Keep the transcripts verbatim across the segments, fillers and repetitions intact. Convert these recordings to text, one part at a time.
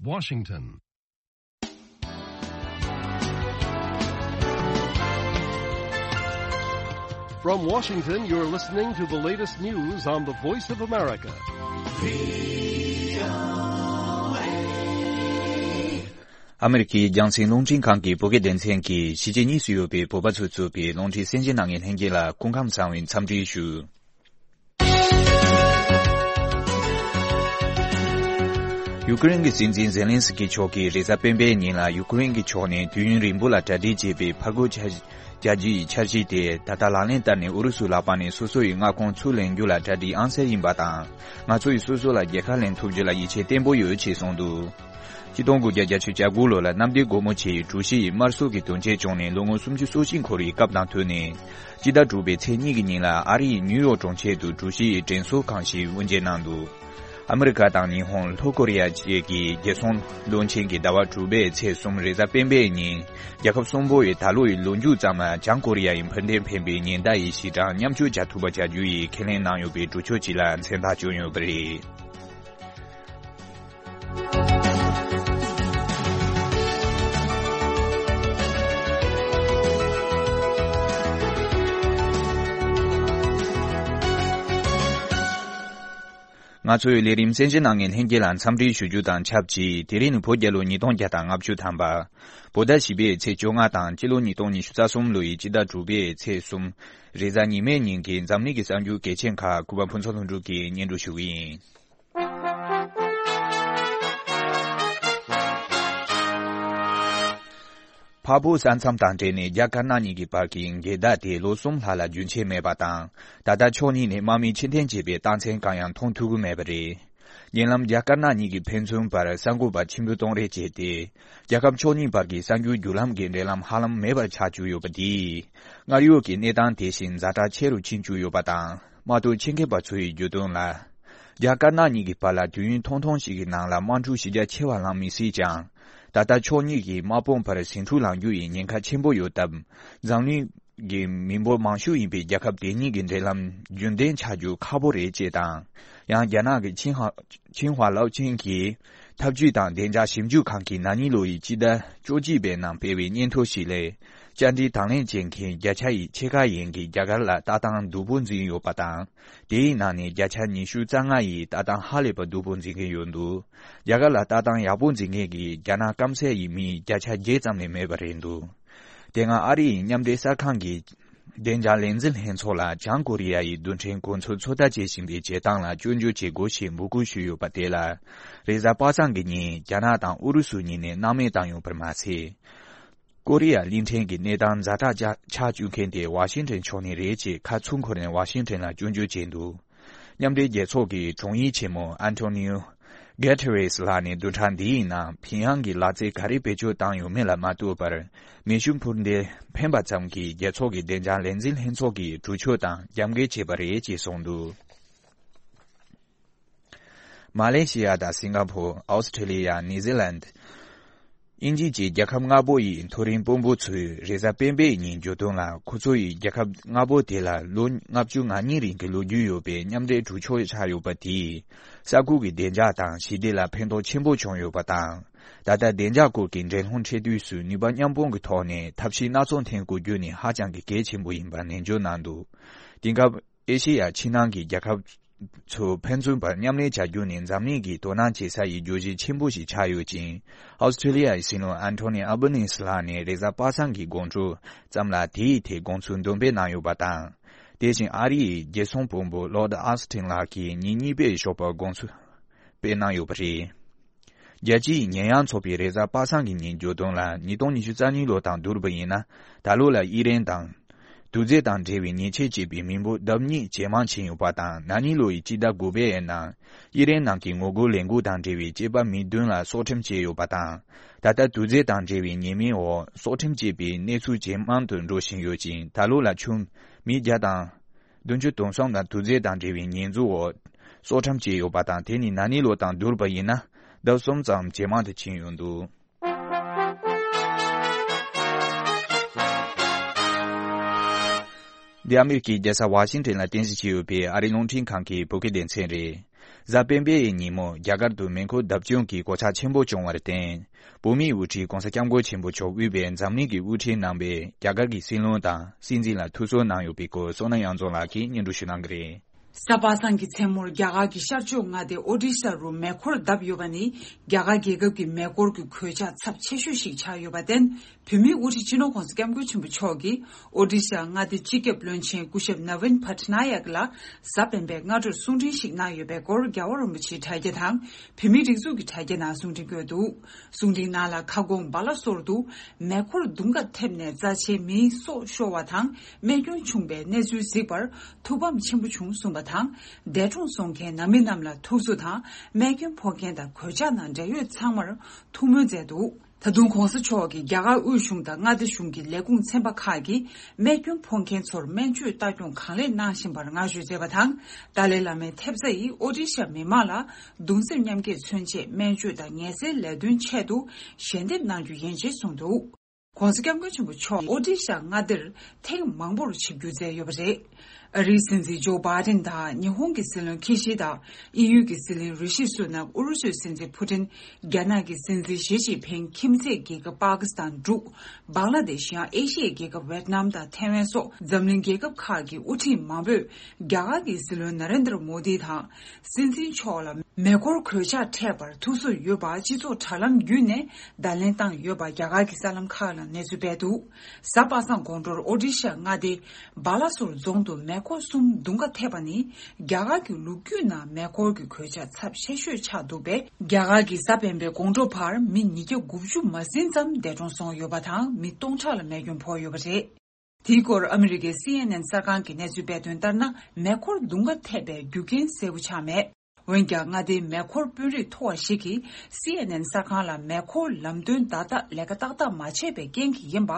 Washington. From Washington, you're listening to the latest news on the Voice of America. ཨ་མེ་རི་ཁའི་རྒྱང་སྲིང་རླུང་འཕྲིན་ཁང་གི་བོད་སྐད་སྡེ་ཚན་གྱིས་གཞིས་བྱེས་གཉིས་སུ་ཡོད་པའི་བོད་པ་ཚོས་གཙོས་པའི་རླུང་འཕྲིན་གསན་བཞེས་གནང་མཁན་ལྷན་རྒྱས་ལ་སྐུ་ཁམས་བཟང་བའི་འཚམས་འདྲི་ཞུ། ཡུ་ཀེ་རེན་གྱི་སྲིད་འཛིན་ཛེ་ལན་སི་ཀི་མཆོག་གིས་རེས་གཟའ་སྤེན་པའི་ཉིན་ལ་ཡུ་ཀེ་རེན་གྱི་ཕྱོགས་ནས་དུས་ཡུན་རིང་པོ་ལ་གྲ་སྒྲིག་བྱས་པའི་ཕར་རྒོལ་འཆར་རྒྱུ་ཡི་འཆར་གཞི་དེ་ད་ལྟ་ལག་ལེན་བསྟར་ནས་ཨུ་རུ་སུའི་ལག་པ་ནས་སོ་སོ་ཡི་མངའ་ཁོངས་ཚུར་ལེན་རྒྱུ་ལ་གྲ་སྒྲིག་ཨང་གསར་ཡིན་པ་དང་། ང་ཚོ་ཡིས་སོ་སོ་ལ་རྒྱལ་ཁ་ལེན་ཐུབ་རྒྱུ་ལ་ཡིད་ཆེས་བརྟན་པོ་ཡོད་ཅེས་གསུངས་འདུག་ཆིག་སྟོང་དགུ་བརྒྱ་བརྒྱད་ཅུ་གྱ་དགུ་ལོ་ལ་གནམ་བདེ་སྒོ་མོ་ཆེའི་གྲུ་བཞི་ཡི་དམར་གསོད་ཀྱི་དོན་རྐྱེན་བྱུང་ནས་ལོ་ངོ་སུམ་ཅུ་སོ་གཅིག་འཁོར་བའི་སྐབས་དང་བསྟུན་ནས། སྤྱི་ཟླ་དྲུག་པའི་ཚེས་གཉིས་ཀྱི་ཉིན་ལ་ཨ་རི་ཡི་ནིའུ་ཡོག་གྲོང་ཁྱེར་དུ་གྲུ་བཞི་ཡི་དྲན་གསོ་ཁང་ཞིག་དབུ་འབྱེད་གནང་འདུག་ཨ་མི་རི་ཀ་དང་ཉི་ཧོང་། ལྷོ་ཀོ་རི་ཡ་བཅས་ཀྱི་རྒྱལ་སྲུང་བློན་ཆེན་གྱིས་ཟླ་བ་དྲུག་པའི་ཚེས་གསུམ་རེས་གཟའ་སྤེན་པའི་ཉིན། རྒྱལ་ཁབ་གསུམ་པོ་ཡིས་ད་ལོ་ཡི་ལོ་མཇུག་ཙམ་ལ་བྱང་ཀོ་རི་ཡ་ཡི་འཕུར་མདེལ་འཕེན་པའི་ཉེན་བརྡ་ཡི་ཞི་གྲངས་མཉམ་སྤྱོད་བྱ་ཐུབ་པ་བྱ་རྒྱུ་ཡི་ཁས་ལེན་གནང་ཡོད་པའི་གྲོས་ཆོད་ཅིག་ལ་མཚན་རྟགས་བསྐྱོན་ཡོད་པ་རེད། ང་ཚོའི་ལས་རིམ་གསན་བཞེས་གནང་མཁན་ལྷན་རྒྱས་ལ་འཚམས་འདྲི་ཞུ་རྒྱུ་དང་ཆབས་ཅིག་དེ་རིང་ནི་བོད་རྒྱལ་ལོ་ཉིས་སྟོང་བརྒྱ་དང་ལྔ་བཅུ་ཐམ་པ། བོད་ཟླ་བཞི་པའི་ཚེས་བཅོ་ལྔ་དང་སྤྱི་ལོ་ཉིས་སྟོང་ཉི་ཤུ་རྩ་གསུམ་ལོ་ཡི་སྤྱི་ཟླ་དྲུག་པའི་ཚེས་གསུམ། རེས་གཟའ་ཉི་མའི་ཉིན་གྱི་འཛམ་གླིང་གི་གསར་འགྱུར་གལ་ཆེན་ཁག་གུས་པ་ཕུན་ཚོགས་ལྷུན་གྲུབ་ཀྱིས་སྙན་སྒྲོན་ཞུ་གི་ཡིན། འཕགས་བོད་ས་མཚམས་དང་འབྲེལ་ནས་རྒྱ་དཀར་ནག་གཉིས་ཀྱི་བར་གྱི་འགལ་ཟླ་དེ་ལོ་གསུམ་ལྷག་ལ་རྒྱུན་ཆད་མེད་པ་དང་། ད་ལྟ་ཕྱོགས་གཉིས་ནས་དམག་མི་ཕྱིར་འཐེན་བྱས་པའི་རྟགས་མཚན་གང་ཡང་མཐོང་ཐུབ་ཀྱི་མེད་པ་རེད། ཉེ་ལམ་རྒྱ་དཀར་ནག་གཉིས་ཀྱི་ཕན་ཚུན་བར་གསར་འགོད་པ་ཆེན་པོ་གཏོང་རེས་བྱས་ཏེ། རྒྱལ་ཁབ་ཕྱོགས་གཉིས་བར་གྱི་གསར་འགྱུར་བརྒྱུད་ལམ་གྱི་འབྲེལ་ལམ་ཧ་ལམ་མེད་པར་ཆགས་བཅུག་ཡོད་པ་དེས། སྔར་ཡོད་ཀྱི་གནས་སྟངས་དེ་བཞིན་ཛ་དྲག་ཆེ་རུ་ཕྱིན་བཅུག་ཡོད་པ་དང་། དམག་དོན་ཆེད་མཁས་པ་ཚོ་ཡིས་བརྗོད་དོན་ལ། རྒྱ་དཀར་ནག་གཉིས་ཀྱི་བར་ལ་དུས་ཡུན་ཐུང་ཐུང་ཞིག་གི་ནང་ལ་དམག་འཁྲུག་གཞི་རྒྱ་ཆེ་བ་ལངས་མི་སྲིད་ཀྱང་། ད་ལྟ་ཕྱོགས་གཉིས་ཀྱི་དམག་དཔུང་བར་ཟིང་འཁྲུག་ལངས་རྒྱུ་ཡི་ཉེན་ཁ་ཆེན་པོ་ཡོད་སྟབས། འཛམ་གླིང་གི་མི་འབོར་མང་ཤོས་ཡིན་པའི་རྒྱལ་ཁབ་དེ་གཉིས་ཀྱི་འབྲེལ་ལམ་རྒྱུན་ལྡན་ཆགས་རྒྱུ་ཁག་པོ་རེད་ཅེས་དང་། ཡང་རྒྱ་ནག་གི་ཆིན་ཧྭ་ཆིན་ཧྭ་ལའོ་ཆིན་གྱིས་ཐབས་ཇུས་དང་བདེ་འཇགས་ཞིབ་འཇུག་ཁང་གིས་ན་ནིང་ལོ་ཡི་སྤྱི་ཟླ་བཅོ་གཅིག་པའི་ནང་སྤེལ་བའི་སྙན་ཐོ་ཞིག་ལས། བཅར་འདྲིའི་དང་ལེན་བྱེད་མཁན་བརྒྱ་ཆ་ཡི་ཕྱེད་ཀ་ཡན་གྱིས་རྒྱ་གར་ལ་ལྟ་སྟངས་སྡུག་པོ་འཛིན་ཡོད་པ་དང་། དེའི་ནང་ནས་བརྒྱ་ཆ་ཉི་ཤུ་རྩ་ལྔ་ཡིས་ལྟ་སྟངས་ཧ་ལས་པ་སྡུག་པོ་འཛིན་གྱི་ཡོད་འདུག་རྒྱ་གར་ལ་ལྟ་སྟངས་ཡག་པོ་འཛིན་མཁན་གྱི་རྒྱ་ནག་སྐམ་སའི་མི་བརྒྱ་ཆ་བརྒྱད་ཙམ་ལས་མེད་པ་རེད་འདུག་དེ་སྔ་ཨ་རི་ཡི་མཉམ་འབྲེལ་གསར་ཁང་གི་བདེ་འཇགས་ལས་འཛིན་ལྷན་ཚོགས་ལ་བྱང་ཀོ་རི་ཡ་ཡི་རྡུལ་ཕྲན་གོ་མཚོན་ཚོད་ལྟ་བྱེད་བཞིན་པའི་བྱེད་སྟངས་ལ་སྐྱོན་བརྗོད་བྱེད་དགོས་ཞེས་འབོད་སྐུལ་ཞུས་ཡོད་པ་དེ་ལ། རེས་གཟའ་པ་སངས་ཀྱི་ཉིན་རྒྱ་ནག་དང་ཨུ་རུ་སུ་གཉིས་ནས་སྣང་མེད་བཏང་ཡོད་པར་མ་ཟད། ཀོ་རི་ཡ་གླིང་ཕྲན་གྱི་གནས་སྟངས་ཛ་དྲག་ཆགས་བཅུག་མཁན་དེ་ཝ་ཤིང་ཊོན་ཕྱོགས་ནས་རེད་ཅེས་ཁ་ཚུར་འཁོར་ནས་ཝ་ཤིང་ཊོན་ལ་སྐྱོན་བརྗོད་བྱས་འདུག་མཉམ་འབྲེལ་རྒྱལ་ཚོགས་ཀྱི་དྲུང་ཡིག་ཆེན་མོ་ཨན་ཐོ་ནིའུ་གྷེ་ཐེ་རེས་ལགས་ནས་བདུན་ཕྲག་འདིའི་ནང་ཕིང་ཡང་གིས་ལག་རྩལ་ག་རེ་བེད་སྤྱོད་བཏང་ཡོད་མེད་ལ་མ་ལྟོས་པར། མེ་ཤུགས་འཕུར་མདེལ་འཕེན་པ་ཙམ་གྱིས་རྒྱལ་ཚོགས་ཀྱི་བདེ་འཇགས་ལས་འཛིན་ལྷན་ཚོགས་ཀྱི་གྲོས་ཆོད་དང་རྒྱབ་འགལ་བྱས་པ་རེད་ཅེས་གསུངས་འདུག་མ་ལེ་ཤི་ཡ་དང་སིང་ག་ཕོར། ཨོ་སི་ཁྲེ་ལི་ཡ། ནིའུ་ཛི་ལན། དབྱིན་ཇི་བཅས་རྒྱལ་ཁབ་ལྔ་པོ་ཡི་མཐོ་རིམ་དཔོན་པོ་ཚོས་རེས་གཟའ་སྤེན་པའི་ཉིན་བརྗོད་དོན་ལ། ཁོ་ཚོ་ཡིས་རྒྱལ་ཁབ་ལྔ་པོ་དེ་ལ་ལོ་ལྔ་བཅུ་ང་གཉིས་རིང་གི་ལོ་རྒྱུས་ཡོད་པའི་མཉམ་འབྲེལ་གྲོས་ཆོད་ཆགས་ཡོད་པ་དེས། ས་ཁུལ་གྱི་བདེ་འཇགས་དང་ཞི་བདེ་ལ་ཕན་ཐོགས་ཆེན་པོ་བྱུང་ཡོད་པ་དང་། ད་ལྟ་བདེ་འཇགས་སྐོར་གྱི་འགྲན་སློང་འཕྲད་དུས་སུ་ནུས་པ་མཉམ་སྤུངས་ཀྱི་ཐོག་ནས་ཐབས་ཤེས་སྣ་ཚོགས་འཐེན་དགོས་རྒྱུ་ནི་ཧ་ཅང་གི་གལ་ཆེན་པོ་ཡིན་པར་ནན་བརྗོད་གནང་འདུག་དེང་སྐབས། ཨེ་ཤེ་ཡ་ཕྱི་ནང་གི་རྒྱལ་ཁབ་ཚོ་ཕན་ཚུན་བར་མཉམ་ལས་བྱ་རྒྱུ་ནི་འཛམ་གླིང་གི་དོ་སྣང་བྱེད་ས་ཡི་བརྗོད་གཞི་ཆེན་པོ་ཞིག་ཆགས་ཡོད་ཅིང་། ཨོ་སི་ཁྲེ་ལི་ཡ་ཡི་སྲིད་བློན་ཨན་ཐོ་ནི་ཨལ་བྷ་ནི་སི་ལགས་ནས་རེས་གཟའ་པ་སངས་ཀྱི་དགོང་དྲོ་ཙམ་ལ་དེའི་ཐད་དགོངས་ཚུལ་འདོན་སྤེལ་གནང་ཡོད་པ་དང་། དེ་བཞིན་ཨ་རི་ཡི་རྒྱལ་སྲུང་དཔོན་པོ་ལོར་ཌི་ཨོ་སི་ཊིན་ལགས་ཀྱིས་ཉིན་གཉིས་པའི་ཞོགས་པར་དགོངས་ཚུལ་སྤེལ་གནང་ཡོད་པ་རེད། རྒྱལ་སྤྱིའི་ཉེས་ཡངས་ཚོགས་པས་རེས་གཟའ་པ་སངས་ཀྱི་ཉིན་བརྗོད་དོན་ལ། ཉིས་སྟོང་ཉི་ཤུ་རྩ་གཉིས་ལོ་དང་བསྡུར་བ་ཡིན་ན། ད་ལོ་ལ་དབྱི་རན་དང་། དུག་རྫས་དང་འབྲེལ་བའི་ཉེས་ཆད་བཅད་པའི་མི་འབོར་ལྡབ་གཉིས་ཇེ་མང་ཕྱིན་ཡོད་པ་དང་། ན་ནིང་ལོ་ཡི་སྤྱི་ཟླ་དགུ་པའི་ནང་། དབྱི་རན་ནང་གི་ངོ་རྒོལ་ལས་འགུལ་དང་འབྲེལ་བའི་སྐྱེས་པ་མི་བདུན་ལ་སྲོག་ཁྲིམས་བཅད་ཡོད་པ་དང་། ད་ལྟ་དུག་རྫས་དང་འབྲེལ་བའི་ཉེས་མིང་འོག་སྲོག་ཁྲིམས་བཅད་པའི་གནས་ཚུལ་ཇེ་མང་དུ་འགྲོ་བཞིན་ཡོད་ཅིང་། ད་ལོ་ལ་ཆུང་མི་བརྒྱ་དང་། བདུན་ཅུ་དོན་གསུམ་དང་དུག་རྫས་དང་འབྲེལ་བའི་ཉེས་འཛུགས་འོག་སྲོག་ཁྲིམས་བཅད་ཡོད་པ་དང་། དེ་ནི་ན་ནིང་ལོ་དང་བསྡུར་བ་ཡིན་ན་ལྡབ་གསུམ་ཙམ་ཇེ་མང་དུ་ཕྱིན་ཡོད་འདུག་འདི་ཨ་མེ་རི་ཁའི་རྒྱལ་ས་ཝ་ཤིང་ཊོན་ལ་རྟེན་གཞི་བྱས་ཡོད་པའི་ཨ་རིའི་རླུང་འཕྲིན་ཁང་གི་བོད་སྐད་སྡེ་ཚན་རེད། གཟའ་སྤེན་པའི་ཉིན་མོ་རྒྱ་གར་དུ་མེ་འཁོར་བརྡབ་སྐྱོན་གྱི་གོད་ཆག་ཆེན་པོ་བྱུང་བར་བརྟེན། བོད་མིའི་དབུ་ཁྲིད་༸གོང་ས་༸སྐྱབས་མགོན་ཆེན་པོ་མཆོག་དབུས་པའི་འཛམ་གླིང་གི་དབུ་ཁྲིད་རྣམ་པས་རྒྱ་གར་གྱི་སྲིད་བློན་དང་སྲིད་འཛིན་ལ་ཐུགས་གསོ་གནང་ཡོད་པའི་སྐོར་བསོད་ནམས་དབྱངས་འཛོམས་ལགས་ཀྱིས་སྙན་སྒྲོན་ཞུ་གནང་གི་རེད། གཟའ་པ་སངས་ཀྱི་མཚན་མོར་རྒྱ་གར་གྱི་ཤར་ཕྱོགས་མངའ་སྡེ་ཨོ་ཌི་ཤ་རུ་མེ་འཁོར་བརྡབས་ཡོད་པ་ནི། རྒྱ་གར་རྒྱལ་ཁབ་ཀྱི་མེ་འཁོར་གྱི་གོད་ཆག་ཚབས་ཆེ་ཤོས་ཤིག་ཆགས་ཡོད་པར་བརྟེན། བོད་མིའི་དབུ་ཁྲིད་སྤྱི་ནོར་༸གོང་ས་༸སྐྱབས་མགོན་ཆེན་པོ་མཆོག་གིས་ཨོ་ཌི་ཤ་མངའ་སྡེའི་སྤྱི་ཁྱབ་བློན་ཆེན་སྐུ་ཞབས་ནཱ་ཝིན་པ་ཊ་ན་ཡག་ལ་གཟའ་སྤེན་པའི་སྔ་དྲོར་གསུང་འཕྲིན་ཞིག་གནང་ཡོད་པའི་སྐོར། རྒྱལ་བ་རིན་པོ་ཆེའི་དྲ་རྒྱ་དང་། བོད་མིའི་སྒྲིག་འཛུགས་ཀྱི་དྲ་རྒྱ་ནང་གསུང་འཕྲིན་བཀོད་འདུག། གསུང་འཕྲིན་ནང་ལ། ཁ་སྐོང་སྦ་ལ་སོར་དུ་མེ་འཁོར་རྡུང་ཁ་ཐེབས་ནས་རྩ་ཆེའི་མིའི་སྲོག་ཤོར་བ་དང་རྨས་སྐྱོན་བྱུང་བའི་གནས་ཚུལ་གཟིགས་པར་ཐུགས་ཕམ་ཆེན་པོ་བྱུང་གསུངས་པ་དང་། འདས་གྲོངས་སོང་མཁན་ནང་མི་རྣམས་ལ་ཐུགས་གསོ་དང་། རྨས་སྐྱོན་ཕོག་མཁན་དང་གོད་ཆག་ནང་འབྲེལ་ཡོད་ཚང་མར་ཐུགས་སྨོན་མཛད་འདུག། ད་དུང་༸གོང་ས་མཆོག་གིས་རྒྱ་གར་དབུས་གཞུང་དང་མངའ་སྡེ་གཞུང་གི་ལས་ཁུངས་ཚན་པ་ཁག་གིས་རྨས་སྐྱོན་ཕོག་མཁན་ཚོར་སྨན་བཅོས་ལྟ་སྐྱོང་གང་ལེགས་གནང་བཞིན་པར་བསྔགས་བརྗོད་མཛད་པ་དང་། ཏཱ་ལའི་བླ་མའི་ཐེབས་རྩ་ཡིས་ཨོ་ཌི་ཤ་མི་མང་ལ་གདུང་སེམས་མཉམ་སྐྱེད་མཚོན་ཆེད་སྨན་བཅོས་དང་ངལ་སེལ་ལས་དོན་ཆེད་དུ་ཞལ་འདེབས་གནང་རྒྱུ་ཡིན་ཞེས་གསུངས་འདུག། ༸གོང་ས་༸སྐྱབས་མགོན་ཆེན་པོ་མཆོག་ཨོ་ཌི་ཤ་མངའ་སྡེར་ཐེངས་མང་པོར་ཆིབས་བསྒྱུར་མཛད་ཡོད་པ་རེད། ཨ་རིའི་སྲིད་འཛིན་ཇོ་བྷའི་ཌེན་དང་ཉི་ཧོང་གི་སྲིད་བློན་ཁི་ཤི་དཱ། དབྱིན་ཡུལ་གྱི་སྲིད་བློན་རི་ཤི་སུ་ནག། ཨུ་རུ་སུའི་སྲིད་འཛིན་ཕུ་ཏིན། རྒྱ་ནག་གི་སྲིད་འཛིན་ཞི་ཅིན་ཕིང་། ཁྱིམ་མཚེས་རྒྱལ་ཁབ་པ་ཀི་སི་ཐན། འབྲུག། བང་ལ་དེཤ། ཡང་ཨེ་ཤི་ཡའི་རྒྱལ་ཁབ་ཝེད་ནམ་དང་ཐའེ་ཝན་སོགས་འཛམ་གླིང་རྒྱལ་ཁབ་ཁག་གི་དབུ་ཁྲིད་མང་པོས་རྒྱ་གར་གྱི་སྲིད་བློན་ནཱ་རེན་དྲ་མོ་དི་དང་། སྲིད་འཛིན་མཆོག་ལ་མེ་འཁོར་གོད་ཆག་འཕྲད་པར་ཐུགས་གསོ་ཡོད་པ་སྤྱི་ཚོགས་དྲ་ལམ་བརྒྱུད་ནས་བརྡ་ལན་བཏང་ཡོད་པ་རྒྱ་གར་གྱི་གསར་ལམ་ཁག་ལ་གནས་ཚུལ་སྤེལ་འདུག། གཟའ་པ་སངས་དགོང་དྲོར་ཨོ་ཌི་ཤ་མངའ་སྡེ་སྦ་ལ་སོར་རྫོང་དུ་མེ་འཁོར་གསུམ་རྡུང་ཁ་ཐེབས་པ་ནི། རྒྱ་གར་གྱི་ལོ་རྒྱུས་ནང་མེ་འཁོར་གྱི་གོད་ཆག་ཚབས་ཆེ་ཤོས་ཆགས་འདུག་པས། རྒྱ་གར་གྱིས་གཟའ་སྤེན་པའི་དགོང་དྲོ་བར་མི་ཉིས་བརྒྱ་དགུ་བཅུ་མ་ཟིན་ཙམ་འདས་གྲོངས་སོང་ཡོད་པ་དང་། མི་སྟོང་ཕྲག་ལ་རྨས་སྐྱོན་ཕོག་ཡོད་པ་རེད། དེའི་སྐོར་ཨ་མི་རི་ཀའི་སི་ཨེན་ཨེན་གསར་ཁང་གིས་གནས་ཚུལ་སྤེལ་དོན་ལྟར་ན། མེ་འཁོར་རྡུང་ཁ་ཐེབས་པའི་རྒྱུ་རྐྱེན་གསལ་པོ་ཆགས་མེད། འོན་ཀྱང་། མངའ་སྡེའི་མེ་འཁོར་དཔོན་རིགས་མཐོ་བ་ཞིག་གིས་སི་ཨེན་ཨེན་གསར་ཁང་ལ། མེ་འཁོར་ལམ་སྟོན་བརྡ་རྟགས་ལས་ཀ་ཏག་ཏག་མ་བྱས་པའི་རྐྱེན་གྱིས་ཡིན་པ་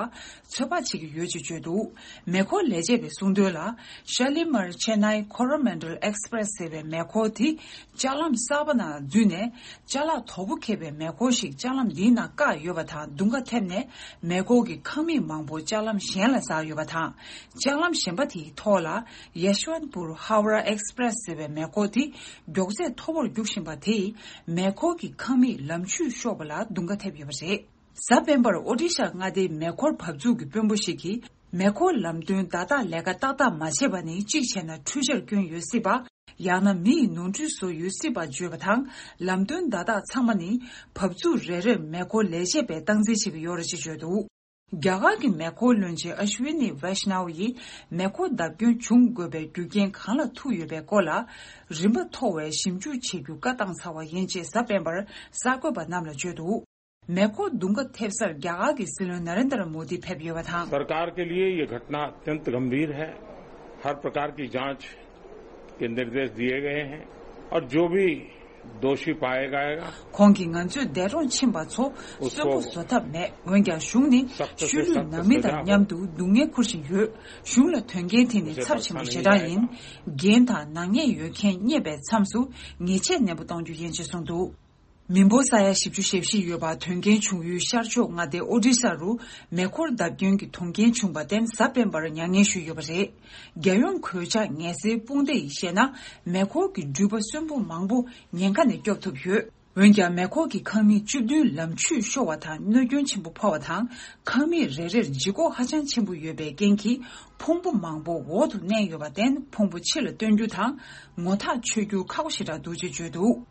ཚོད་དཔག་བྱེད་ཀྱི་ཡོད་ཅེས་བརྗོད་འདུག། མེ་འཁོར་ལས་བྱེད་པས་གསུངས་དོན་ལ། ཤ་ལི་མར་ཆེ་ནའི་ཁོ་རོ་མན་ཌལ་ཨེག་སི་པི་རེ་སི་ཟེར་བའི་མེ་འཁོར་དེ་ལྕགས་ལམ་གསར་པ་ནང་འཛུལ་ནས། ཅ་ལག་དོ་པོ་འཁྱེར་བའི་མེ་འཁོར་ཞིག་ཅ་ལམ་འདིའི་ནང་བཀག་ཡོད་པ་དང་། རྡུང་ཁ་ཐེབས་ནས་མེ་འཁོར་གྱི་ཁང་མིག་མང་པོ་ཅ་ལམ་གཞན་ལ་ཟག་ཡོད་པ་དང་། ཅ་ལམ་གཞན་པ་དེའི་ཐོག་ལ་ཡེ་ཤ་ཝན་པུར་ཧའོ་ར་ཨེག་སི་པི་རེ་སི་ཟེར་བའི་མེ་འཁོར་དེ་མགྱོགས་ཚད་མཐོ་པོར་རྒྱུག་བཞིན་པ་དེས་མེ་འཁོར་གྱི་ཁང་མིག་ལམ་ཆུས་ཤོར་བ་ལ་རྡུང་ཁ་ཐེབས་ཡོད་པ་རེད། གཟའ་སྤེན་པར་ཨོ་ཌི་ཤ་མངའ་སྡེའི་མེ་འཁོར་བབས་ཚུགས་ཀྱི་དཔོན་པོ་ཞིག་གིས། མེ་འཁོར་ལམ་སྟོན་བརྡ་རྟགས་ལས་ཀ་ཏག་ཏག་མ་བྱས་པ་ནི། གཅིག་བྱས་ན་འཕྲུལ་ཆས་སྐྱོན་ཡོད་སྲིད་པ། ཡང་ན་མི་ཡི་ནོར་འཁྲུལ་བཟོ་ཡོད་སྲིད་པ་བརྗོད་པ་དང་། ལམ་སྟོན་བརྡ་རྟགས་ཚང་མ་ནི་བབས་ཚུགས་རེ་རེར་མེ་འཁོར་ལས་བྱེད་པས་སྟངས་འཛིན་བྱེད་ཀྱི་ཡོད་རེད་ཅེས་བརྗོད་འདུག། རྒྱ་གར་གྱི་མེ་འཁོར་བློན་ཆེན་ཨ་ཤ་ཝི་ནི་ཝེ་ཤ་ནའོ་ཡིས་མེ་འཁོར་བརྡབ་སྐྱོན་བྱུང་དགོས་པའི་རྒྱུ་རྐྱེན་གང་ལ་ཐུག་ཡོད་པའི་སྐོར་ལ། རིམ་པ་མཐོ་བའི་ཞིབ་འཇུག་བྱེད་རྒྱུ་བཀའ་བཏང་ཚར་བ་ཡིན་ཅེས་གཟའ་སྤེན་པར་གསར་འགོད་པ་རྣམས་ལ་བརྗོད་འདུག། མེ་འཁོར་རྡུང་ཁ་ཐེབས་སར་རྒྱ་གར་གྱི་སྲིད་བློན་ན་རེན་དྲ་མོ་དི་ཕེབས་ཡོད་པ་དང་། सरकार के लिए ये घटना अत्यंत गंभीर है। हर प्रकार की जांच के निर्देश दिए गए हैं और जो भी दोषी पाया गएगा, ཁོང་གིས་ང་ཚོས་འདས་གྲོངས་ཕྱིན་པ་ཚོ་གསོན་པོ་བཟོ་ཐབས་མེད། འོན་ཀྱང་གཞུང་ནི་ཤུལ་ལུས་ནང་མི་དང་མཉམ་དུ་སྡུག་བསྔལ་འཁུར་བཞིན་ཡོད། གཞུང་ལ་དོན་རྐྱེན་དེ་ནི་ཚབས་ཆེན་པོ་ཞེ་དྲག་ཡིན། འགན་དང་ནག་ཉེས་ཡོད་མཁན་རྙེད་པའི་མཚམས་སུ་ཉེས་ཆད་ནན་པོ་གཏོང་རྒྱུ་ཡིན་ཅེས་གསུངས་འདུག། མི་འབོར་ས་ཡ་བཞི་བཅུ་ཞེ་བཞི་ཡོད་པ་དོན་རྐྱེན་བྱུང་ཡུལ་ཤར་ཕྱོགས་མངའ་སྡེ་ཨོ་ཌི་ཤ་རུ་མེ་འཁོར་བརྡབ་སྐྱོན་གྱི་གཏོང་རྐྱེན་བྱུང་བར་བརྟེན་གཟའ་སྤེན་པར་མྱ་ངན་ཞུས་ཡོད་པ་རེད། རྒྱལ་ཡོངས་གོད་ཆག་ངལ་སེལ་དཔུང་སྡེ་ཡིས་བཤད་ན། མེ་འཁོར་གྱི་འགྲུལ་པ་གསོན་པོ་མང་པོ་ཉེན་ཁ་ནས་སྐྱོབ་ཐུབ་ཡོད། འོན་ཀྱང་མེ་འཁོར་གྱི་ཁང་མིག་བཅུ་བདུན་ལམ་ཆུས་ཤོར་བ་དང་གནོད་སྐྱོན་ཆེན་པོ་ཕོག་པ་དང་། ཁང་མིག་རེ་རེར་ལྗིད་ཁོག་ཧ་ཅང་ཆེན་པོ་ཡོད་པའི་རྐྱེན་གྱིས་ཕུང་པོ་མང་པོ་འོག་ཏུ་མནན་ཡོད་པར་བརྟེན། ཕུང་པོ་ཕྱི་ལ་བཏོན་རྒྱུ་དང་ངོ་ཐག་ཆོད་རྒྱུ་ཁག་པོ་ཞེ་དྲག་འདུག་ཅེས་བརྗོད་འདུག།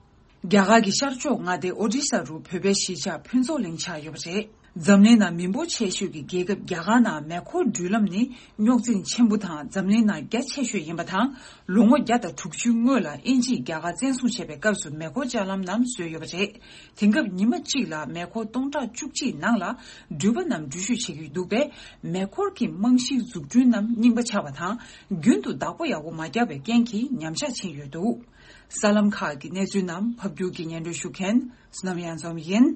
རྒྱ་གར་གྱི་ཤར་ཕྱོགས་མངའ་སྡེ་ཨོ་ཌི་ཤ་རུ་བོད་པའི་གཞིས་ཆགས་ཕུན་ཚོགས་གླིང་ཆགས་ཡོད་པ་རེད། འཛམ་གླིང་ནང་མི་འབོར་ཆེ་ཤོས་ཀྱི་རྒྱལ་ཁབ་རྒྱ་གར་ནང་མེ་འཁོར་འགྲུལ་ལམ་ནི་རྙོག་འཛིང་ཆེན་པོ་དང་འཛམ་གླིང་ནང་རྒྱ་ཆེ་ཤོས་ཡིན་པ་དང་། ལོ་ངོ་བརྒྱ་དང་དྲུག་ཅུའི་སྔོན་ལ་དབྱིན་ཇིས་རྒྱ་གར་བཙན་བཟུང་བྱས་པའི་སྐབས་སུ་མེ་འཁོར་ལྕགས་ལམ་རྣམས་བཟོས་ཡོད་པ་རེད། དེང་སྐབས་ཉི་མ་གཅིག་ལ་མེ་འཁོར་སྟོང་ཕྲག་བཅུ་གཅིག་ནང་ལ་འགྲུལ་པ་རྣམས་འགྲུལ་བཞུད་བྱེད་ཀྱི་འདུག་པས། མེ་འཁོར་གྱི་རྨང་གཞིའི་འཛུགས་སྐྲུན་རྣམས་རྙིང་པ་ཆགས་པ་དང་། རྒྱུན་དུ་བདག་པོ་ཡག་པོ་མ་བརྒྱབ་པའི་རྐྱེན་གྱིས་ཉམས་ཆག་ཕྱིན་ཡོད་འདུག། གསར་ལམ་ཁག་གི་གནས་ཚུལ་རྣམས་ཕབ་སྒྱུར་གྱིས་སྙན་སྒྲོན་ཞུ་མཁན་བསོད་ནམས་གཡང་འཛོམས་ཡིན།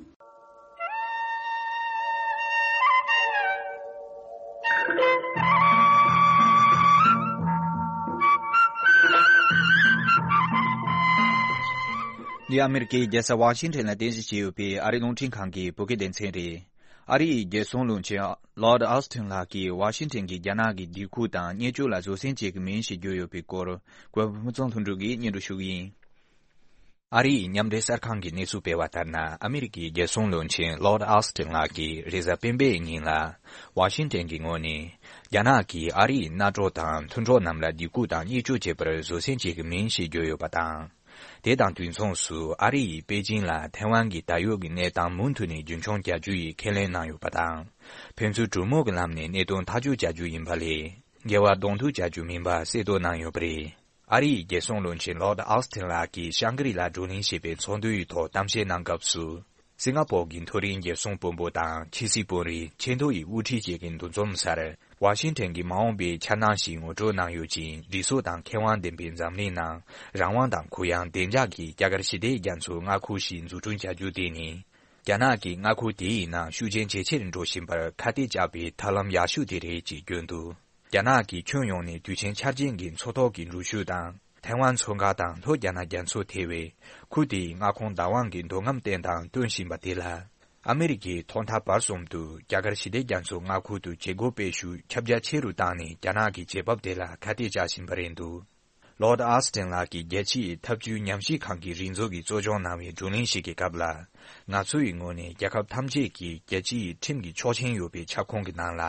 འདི་ཨ་མེ་རི་ཀའི་རྒྱལ་ས་ཝ་ཤིང་ཊོན་ལ་རྟེན་གཞི་བྱས་ཡོད་པའི་ཨ་རིའི་རླུང་འཕྲིན་ཁང་གི་བོད་སྐད་སྡེ་ཚན་རེད། ཨ་རིའི་རྒྱལ་སྲུང་བློན་ཆེན་ལོར་ཌི་ཨོ་སི་ཊིན་ལགས་ཀྱིས་ཝ་ཤིང་ཊོན་གྱི་རྒྱ་ནག་གི་སྡེ་ཁུལ་དང་བརྙས་བཅོས་ལ་བཟོད་བསྲན་བྱེད་ཀྱི་མིན་ཞེས་བརྗོད་ཡོད་པའི་སྐོར། གོ་བ་ཕུན་ཚོགས་ལྷུན་གྲུབ་ཀྱིས་སྙན་སྒྲོན་ཞུ་གི་ཡིན། ཨ་རི་ཡི་མཉམ་འབྲེལ་གསར་ཁང་གིས་གནས་ཚུལ་སྤེལ་བ་ལྟར་ན། ཨ་མི་རི་ཀའི་རྒྱལ་སྲུང་བློན་ཆེན་Lord Austin་ལགས་ཀྱིས་རེས་གཟའ་སྤེན་པའི་ཉིན་ལ་ཝ་ཤིང་ཊོན་གྱི་ངོས་ནས། རྒྱ་ནག་གིས་ཨ་རི་ཡི་མནའ་གྲོགས་དང་མཐུན་གྲོགས་རྣམས་ལ་སྡིགས་སྐུལ་དང་བརྙས་བཅོས་བྱེད་པར་བཟོད་བསྲན་བྱེད་ཀྱི་མིན་ཞེས་བརྗོད་ཡོད་པ་དང་། དེ་དང་དུས་མཚུངས་སུ། ཨ་རི་ཡིས་པེ་ཅིང་ལ་ཐའེ་ཝན་གྱི་ད་ཡོད་ཀྱི་གནས་སྟངས་མུ་མཐུད་ནས་རྒྱུན་འཁྱོངས་བྱ་རྒྱུ་ཡི་ཁས་ལེན་གནང་ཡོད་པ་དང་། ཕན་ཚུན་གྲོས་མོལ་གྱི་ལམ་ནས་གནད་དོན་ཐག་གཅོད་བྱ་རྒྱུ་ཡིན་པ་ལས། འགལ་བ་གདོང་ཐུག་བྱ་རྒྱུ་མིན་པ་གསལ་སྟོན་གནང་ཡོད་པ་རེད། ཨ་རི་ཡི་རྒྱལ་སྲུང་བློན་ཆེན་Lord Austin ལགས་ཀྱིས་ཤང་ཀི་རི་ལ་བགྲོ་གླེང་བྱེད་པའི་ཚོགས་འདུ་ཡི་ཐོག་གཏམ་བཤད་གནང་སྐབས་སུ། སིང་ག་པོར་གྱི་མཐོ་རིམ་རྒྱལ་སྲུང་དཔོན་པོ་དང་ཕྱི་སྲིད་དཔོན་རིགས་ཆེས་མཐོ་ཡི་དབུ་ཁྲིད་བཅས་ཀྱི་འདུ་འཛོམས་སར། ཝ་ཤིང་ཊོན་གྱི་མ་འོངས་པའི་འཆར་སྣང་ཞིག་ངོ་སྤྲོད་གནང་ཡོད་ཅིང་། སྒྲིག་སྲོལ་དང་ཁེ་དབང་ལྡན་པའི་འཛམ་གླིང་ནང་རང་དབང་དང་གུ་ཡངས་བདེ་འཇགས་ཀྱི་རྒྱ་གར་ཞི་བདེའི་རྒྱ་མཚོའི་མངའ་ཁུལ་ཞིག་འཛུགས་སྐྲུན་བྱ་རྒྱུ་དེ་ནི། རྒྱ་ནག་གིས་མངའ་ཁུལ་དེའི་ནང་ཤུགས་རྐྱེན་ཇེ་ཆེར་འགྲོ་བཞིན་པར་ཁ་གཏད་བཅག་པའི་ཐབས་ལམ་ཡག་ཤོས་དེ་རེད་ཅེས་བརྗོད་འདུག་རྒྱ་ནག་གིས་ཁྱོན་ཡོངས་ནས་དུས་ཆེན་འཆར་ཅན་གྱི་མཚོ་ཐོག་གི་འགྲུལ་བཞུད་དང་། ཐའེ་ཝན་མཚོ་འགག་དང་ལྷོ་རྒྱ་ནག་རྒྱ་མཚོ་ཐེ་བའི་ཁུལ་དེའི་མངའ་ཁོངས་བདག་དབང་གི་འདོད་རྔམ་བསྟན་སྟངས་སྟོན་བཞིན་པ་དེ་ལ། ཨ་མི་རི་ཀས་ཐོག་མཐའ་བར་གསུམ་དུ་རྒྱ་གར་ཞི་བདེ་རྒྱ་མཚོའི་མངའ་ཁུལ་དུ་བྱེད་སྒོ་སྤེལ་ཤུགས་ཁྱབ་རྒྱ་ཆེ་རུ་བཏང་ནས། རྒྱ་ནག་གི་བྱེད་བབ་དེ་ལ་ཁ་གཏད་བཅག་བཞིན་པ་རེད་འདུག Lord Austin ལགས་ཀྱིས་རྒྱལ་སྤྱི་ཡི་ཐབས་བྱུས་ཉམས་ཞིབ་ཁང་གི་རིག་མཛོད་ཀྱིས་གཙོ་སྐྱོང་གནང་བའི་བགྲོ་གླེང་ཞིག་གི་སྐབས་ལ། ང་ཚོ་ཡི་ངོས་ནས་རྒྱལ་ཁབ་ཐམས་ཅད་ཀྱིས་རྒྱལ་སྤྱི་ཡི་ཁྲིམས་ཀྱི་ཆོག་མཆན་ཡོད་པའི་ཁྱབ་ཁོངས་ཀྱི་ནང་ལ།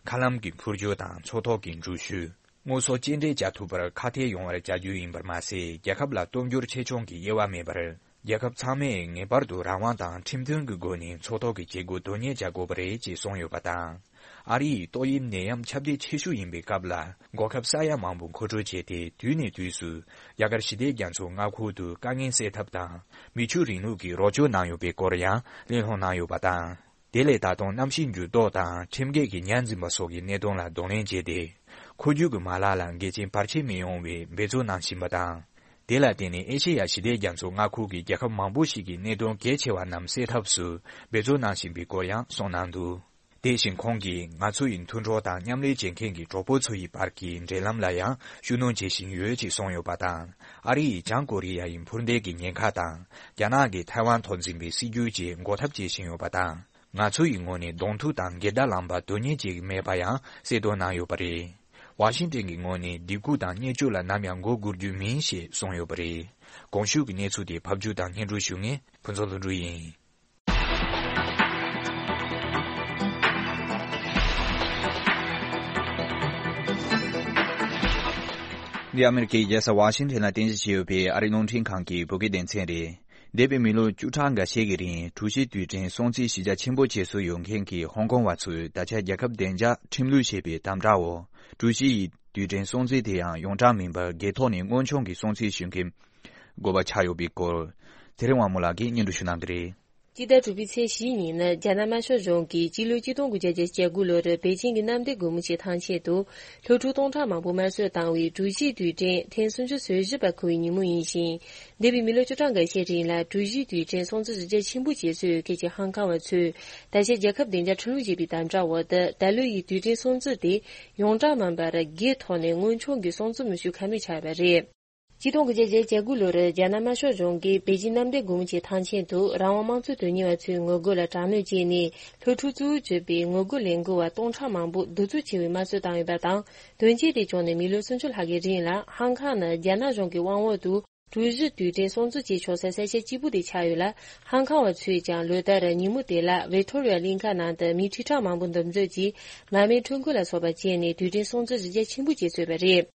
མཁའ་ལམ་གྱི་འཕུར་སྐྱོད་དང་མཚོ་ཐོག་གི་འགྲུལ་བཞུད། དངོས་ཟོག་སྐྱེལ་འདྲེན་བྱ་ཐུབ་པར་ཁག་ཐེག་ཡོང་བར་བྱ་རྒྱུ་ཡིན་པར་མ་ཟད། རྒྱལ་ཁབ་ལ་སྟོབས་འབྱོར་ཆེ་ཆུང་གི་དབྱེ་བ་མེད་པར། རྒྱལ་ཁབ་ཚང་མས་ངེས་པར་དུ་རང་དབང་དང་ཁྲིམས་མཐུན་གྱི་སྒོ་ནས་མཚོ་ཐོག་གི་བྱེད་སྒོ་དོན་གཉེར་བྱ་དགོས་པ་རེད་ཅེས་གསུངས་ཡོད་པ་དང་། ཨ་རི་ཡི་ཏོག་དབྱིབས་ནད་ཡམས་ཁྱབ་གདལ་ཆེ་ཤོས་ཡིན་པའི་སྐབས་ལ། འགོག་ཁབ་ས་ཡ་མང་པོ་མཁོ་སྤྲོད་བྱས་ཏེ། དུས་ནས་དུས་སུ་རྒྱ་གར་ཞི་བདེ་རྒྱ་མཚོའི་མངའ་ཁུལ་དུ་དཀའ་ངལ་སེལ་ཐབས་དང་། མི་ཆོས་རིང་ལུགས་ཀྱི་རོགས་སྐྱོར་གནང་ཡོད་པའི་སྐོར་ཡང་གླེང་སློང་གནང་ཡོད་པ་དང་། དེ་ལས་ད་དུང་གནམ་གཤིས་འགྱུར་ལྡོག་དང་ཁྲིམས་འགལ་གྱི་ཉར་འཛིན་པ་སོགས་ཀྱི་གནད་དོན་ལ་གདོང་ལེན་བྱས་ཏེ། འཁོར་རྒྱུག་གི་མ་ལག་ལ་འགལ་རྐྱེན་བར་ཆད་མི་ཡོང་བའི་འབད་རྩོལ་གནང་བཞིན་པ་དང་། དེ་ལ་བརྟེན་ནས་ཨེ་ཤེ་ཡ་ཞི་བདེ་རྒྱ་མཚོ་མངའ་ཁུལ་གྱི་རྒྱལ་ཁབ་མང་པོ་ཞིག་གི་གནད་དོན་གལ་ཆེ་བ་རྣམས་སེལ་ཐབས་སུ་འབད་རྩོལ་གནང་བཞིན་པའི་སྐོར་ཡང་གསུངས་གནང་འདུག་དེ་བཞིན་ཁོང་གིས་ང་ཚོ་ཡི་མཐུན་གྲོགས་དང་མཉམ་ལས་བྱེད་མཁན་གྱི་གྲོགས་པོ་ཚོ་ཡི་བར་གྱི་འབྲེལ་ལམ་ལ་ཡང་ཤུགས་སྣོན་བྱེད་བཞིན་ཡོད་ཅེས་གསུངས་ཡོད་པ་དང་། ཨ་རི་ཡིས་བྱང་ཀོ་རི་ཡ་ཡི་འཕུར་མདེལ་གྱི་ཉེན་ཁ་དང་། རྒྱ་ནག་གིས་ཐའེ་ཝན་ཐོག་འཛིན་པའི་སྲིད་ཇུས་བཅས་འགོག་ཐབས་བྱེད་བཞིན་ཡོད་པ་དང་། ང་ཚོ་ཡི་ངོས་ནས་གདོང་ཐུག་དང་འགལ་ཟླ་ལངས་པ་དོན་གཉེར་བྱེད་ཀྱི་མེད་པ་ཡང་གསལ་སྟོན་གནང་ཡོད་པ་རེད། ཝ་ཤིང་ཏན་གྱི་ངོས་ནས་སྡིགས་སྐུལ་དང་བརྙས་བཅོས་ལ་ནམ་ཡང་མགོ་སྒུར་རྒྱུ་མིན་ཞེས་གསུངས་ཡོད་པ་རེད། གོང་ཞུས་ཀྱི་གནས་ཚུལ་དེ་ཕབ་སྒྱུར་དང་སྙན་སྒྲོན་ཞུ་མཁན་ཕུན་ཚོགས་ལྷུན་གྲུབ་ཡིན། འདི་ཨ་མེ་རི་ཀའི་རྒྱལ་ས་ཝ་ཤིང་ཊོན་ལ་རྟེན་གཞི་བྱས་ཡོད་པའི་ཨ་རིའི་རླུང་འཕྲིན་ཁང་གི་བོད་སྐད་སྡེ་ཚན་རེད། འདས་པའི་མི་ལོ་བཅུ་ཕྲག་འགའ་ཤས་ཀྱི་རིང་། གྲུ་བཞི་དུས་དྲན་སྲུང་བརྩི་གཞི་རྒྱ་ཆེན་པོ་བྱེད་སྲོལ་ཡོད་མཁན་གྱི་ཧོང་ཀོང་བ་ཚོས་ད་ཆ་རྒྱལ་ཁབ་བདེ་འཇགས་ཁྲིམས་ལུགས་ཞེས་པའི་དམ་དྲག་འོག་གྲུ་བཞི་ཡི་དུས་དྲན་སྲུང་བརྩི་དེ་ཡང་ཡོངས་གྲགས་མིན་པར་སྒེར་ཐོག་ནས་དངོས་མཆོང་གི་སྲུང་བརྩི་ཞུ་མཁན་དགོས་པ་ཆགས་ཡོད་པའི་སྐོར། ཚེ་རིང་དབང་མོ་ལགས་ཀྱིས་སྙན་སྒྲོན་ཞུ་གནང་གི་རེད། སྤྱི་ཟླ་དྲུག་པའི་ཚེས་བཞིའི་ཉིན་ནི་རྒྱ་ནག་དམར་ཤོག་གཞུང་གིས་སྤྱི་ལོ་ཆིག་སྟོང་དགུ་བརྒྱ་བརྒྱད་ཅུ་གྱ་དགུ་ལོར་པེ་ཅིང་གི་གནམ་བདེ་སྒོ་མོ་ཆེའི་ཐང་ཆེན་དུ་སློབ་ཕྲུག་སྟོང་ཕྲག་མང་པོ་དམར་གསོད་བཏང་བའི་གྲུ་བཞིའི་དུས་དྲན་ཐེངས་སུམ་ཅུ་སོ་བཞི་པ་འཁེལ་བའི་ཉིན་མོ་ཡིན་ཞིང་། འདས་པའི་མི་ལོ་བཅུ་ཕྲག་འགའ་ཤས་རིང་ལ་གྲུ་བཞིའི་དུས་དྲན་སྲུང་བརྩི་གཞི་རྒྱ་ཆེན་པོ་བྱེད་སྲོལ་ཡོད་མཁན་གྱི་ཧང་ཀང་བ་ཚོས་ད་ཆ་རྒྱལ་ཁབ་བདེ་འཇགས་ཁྲིམས་ལུགས་ཞེས་པའི་དམ་དྲག་འོག་ཏུ་ད་ལོ་ཡི་དུས་དྲན་སྲུང་བརྩི་དེ་ཡོངས་གྲགས་མིན་པར་སྒེར་ཐོག་ནས་དངོས་མཆོང་གི་སྲུང་བརྩི་མི་ཞུ་ཁ་མེད་ཆགས་པ་རེད། ཆིག་སྟོང་དགུ་བརྒྱ་བརྒྱད་ཅུ་གྱ་དགུ་ལོར་རྒྱ་ནག་དམར་ཤོག་གཞུང་གིས་པེ་ཅིང་གནམ་བདེ་སྒོ་མོ་ཆེའི་ཐང་ཆེན་དུ་རང་དབང་དམངས་གཙོའི་དོན་གཉེར་བ་ཚོའི་ངོ་རྒོལ་ལ་དྲག་གནོན་བྱས་ནས། སློབ་ཕྲུག་གཙོ་བོར་གྱུར་པའི་ངོ་རྒོལ་ལས་འགུལ་བ་སྟོང་ཕྲག་མང་པོ་གདུག་རྩུབ་ཆེ་བའི་དམར་གསོད་བཏང་ཡོད་པ་དང་། དོན་རྐྱེན་དེ་བྱུང་ནས་མི་ལོ་སུམ་ཅུ་ལྷག་གི་རིང་ལ་ཧང་ཀང་ནི་རྒྱ་ནག་གཞུང་གི་དབང་འོག་ཏུ་གྲུ་བཞི་དུས་དྲན་སྲུང་བརྩི་བྱེད་ཆོག་སའི་ས་ཆ་གཅིག་པུ་དེ་ཆགས་ཡོད་ལ། ཧང་ཀང་བ་ཚོས་ཀྱང་ལོ་ལྟར་ཉིན་མོ་དེ་ལ་ཝི་ཐོ་རི་ཡ་གླིང་ཁ་ནང་དུ་མི་ཁྲི་ཕྲག་མང་པོ་འདུ་འཛོམས་ཀྱིས་མར་མེ་ཁྲོམ་སྐོར་ལ་སོགས་པ་བྱས་ནས་དུས་དྲན་སྲུང་བརྩི་གཞི་རྒྱ་ཆེན་པོ་བྱེད་སྲོལ་ཡོད་པ་རེད།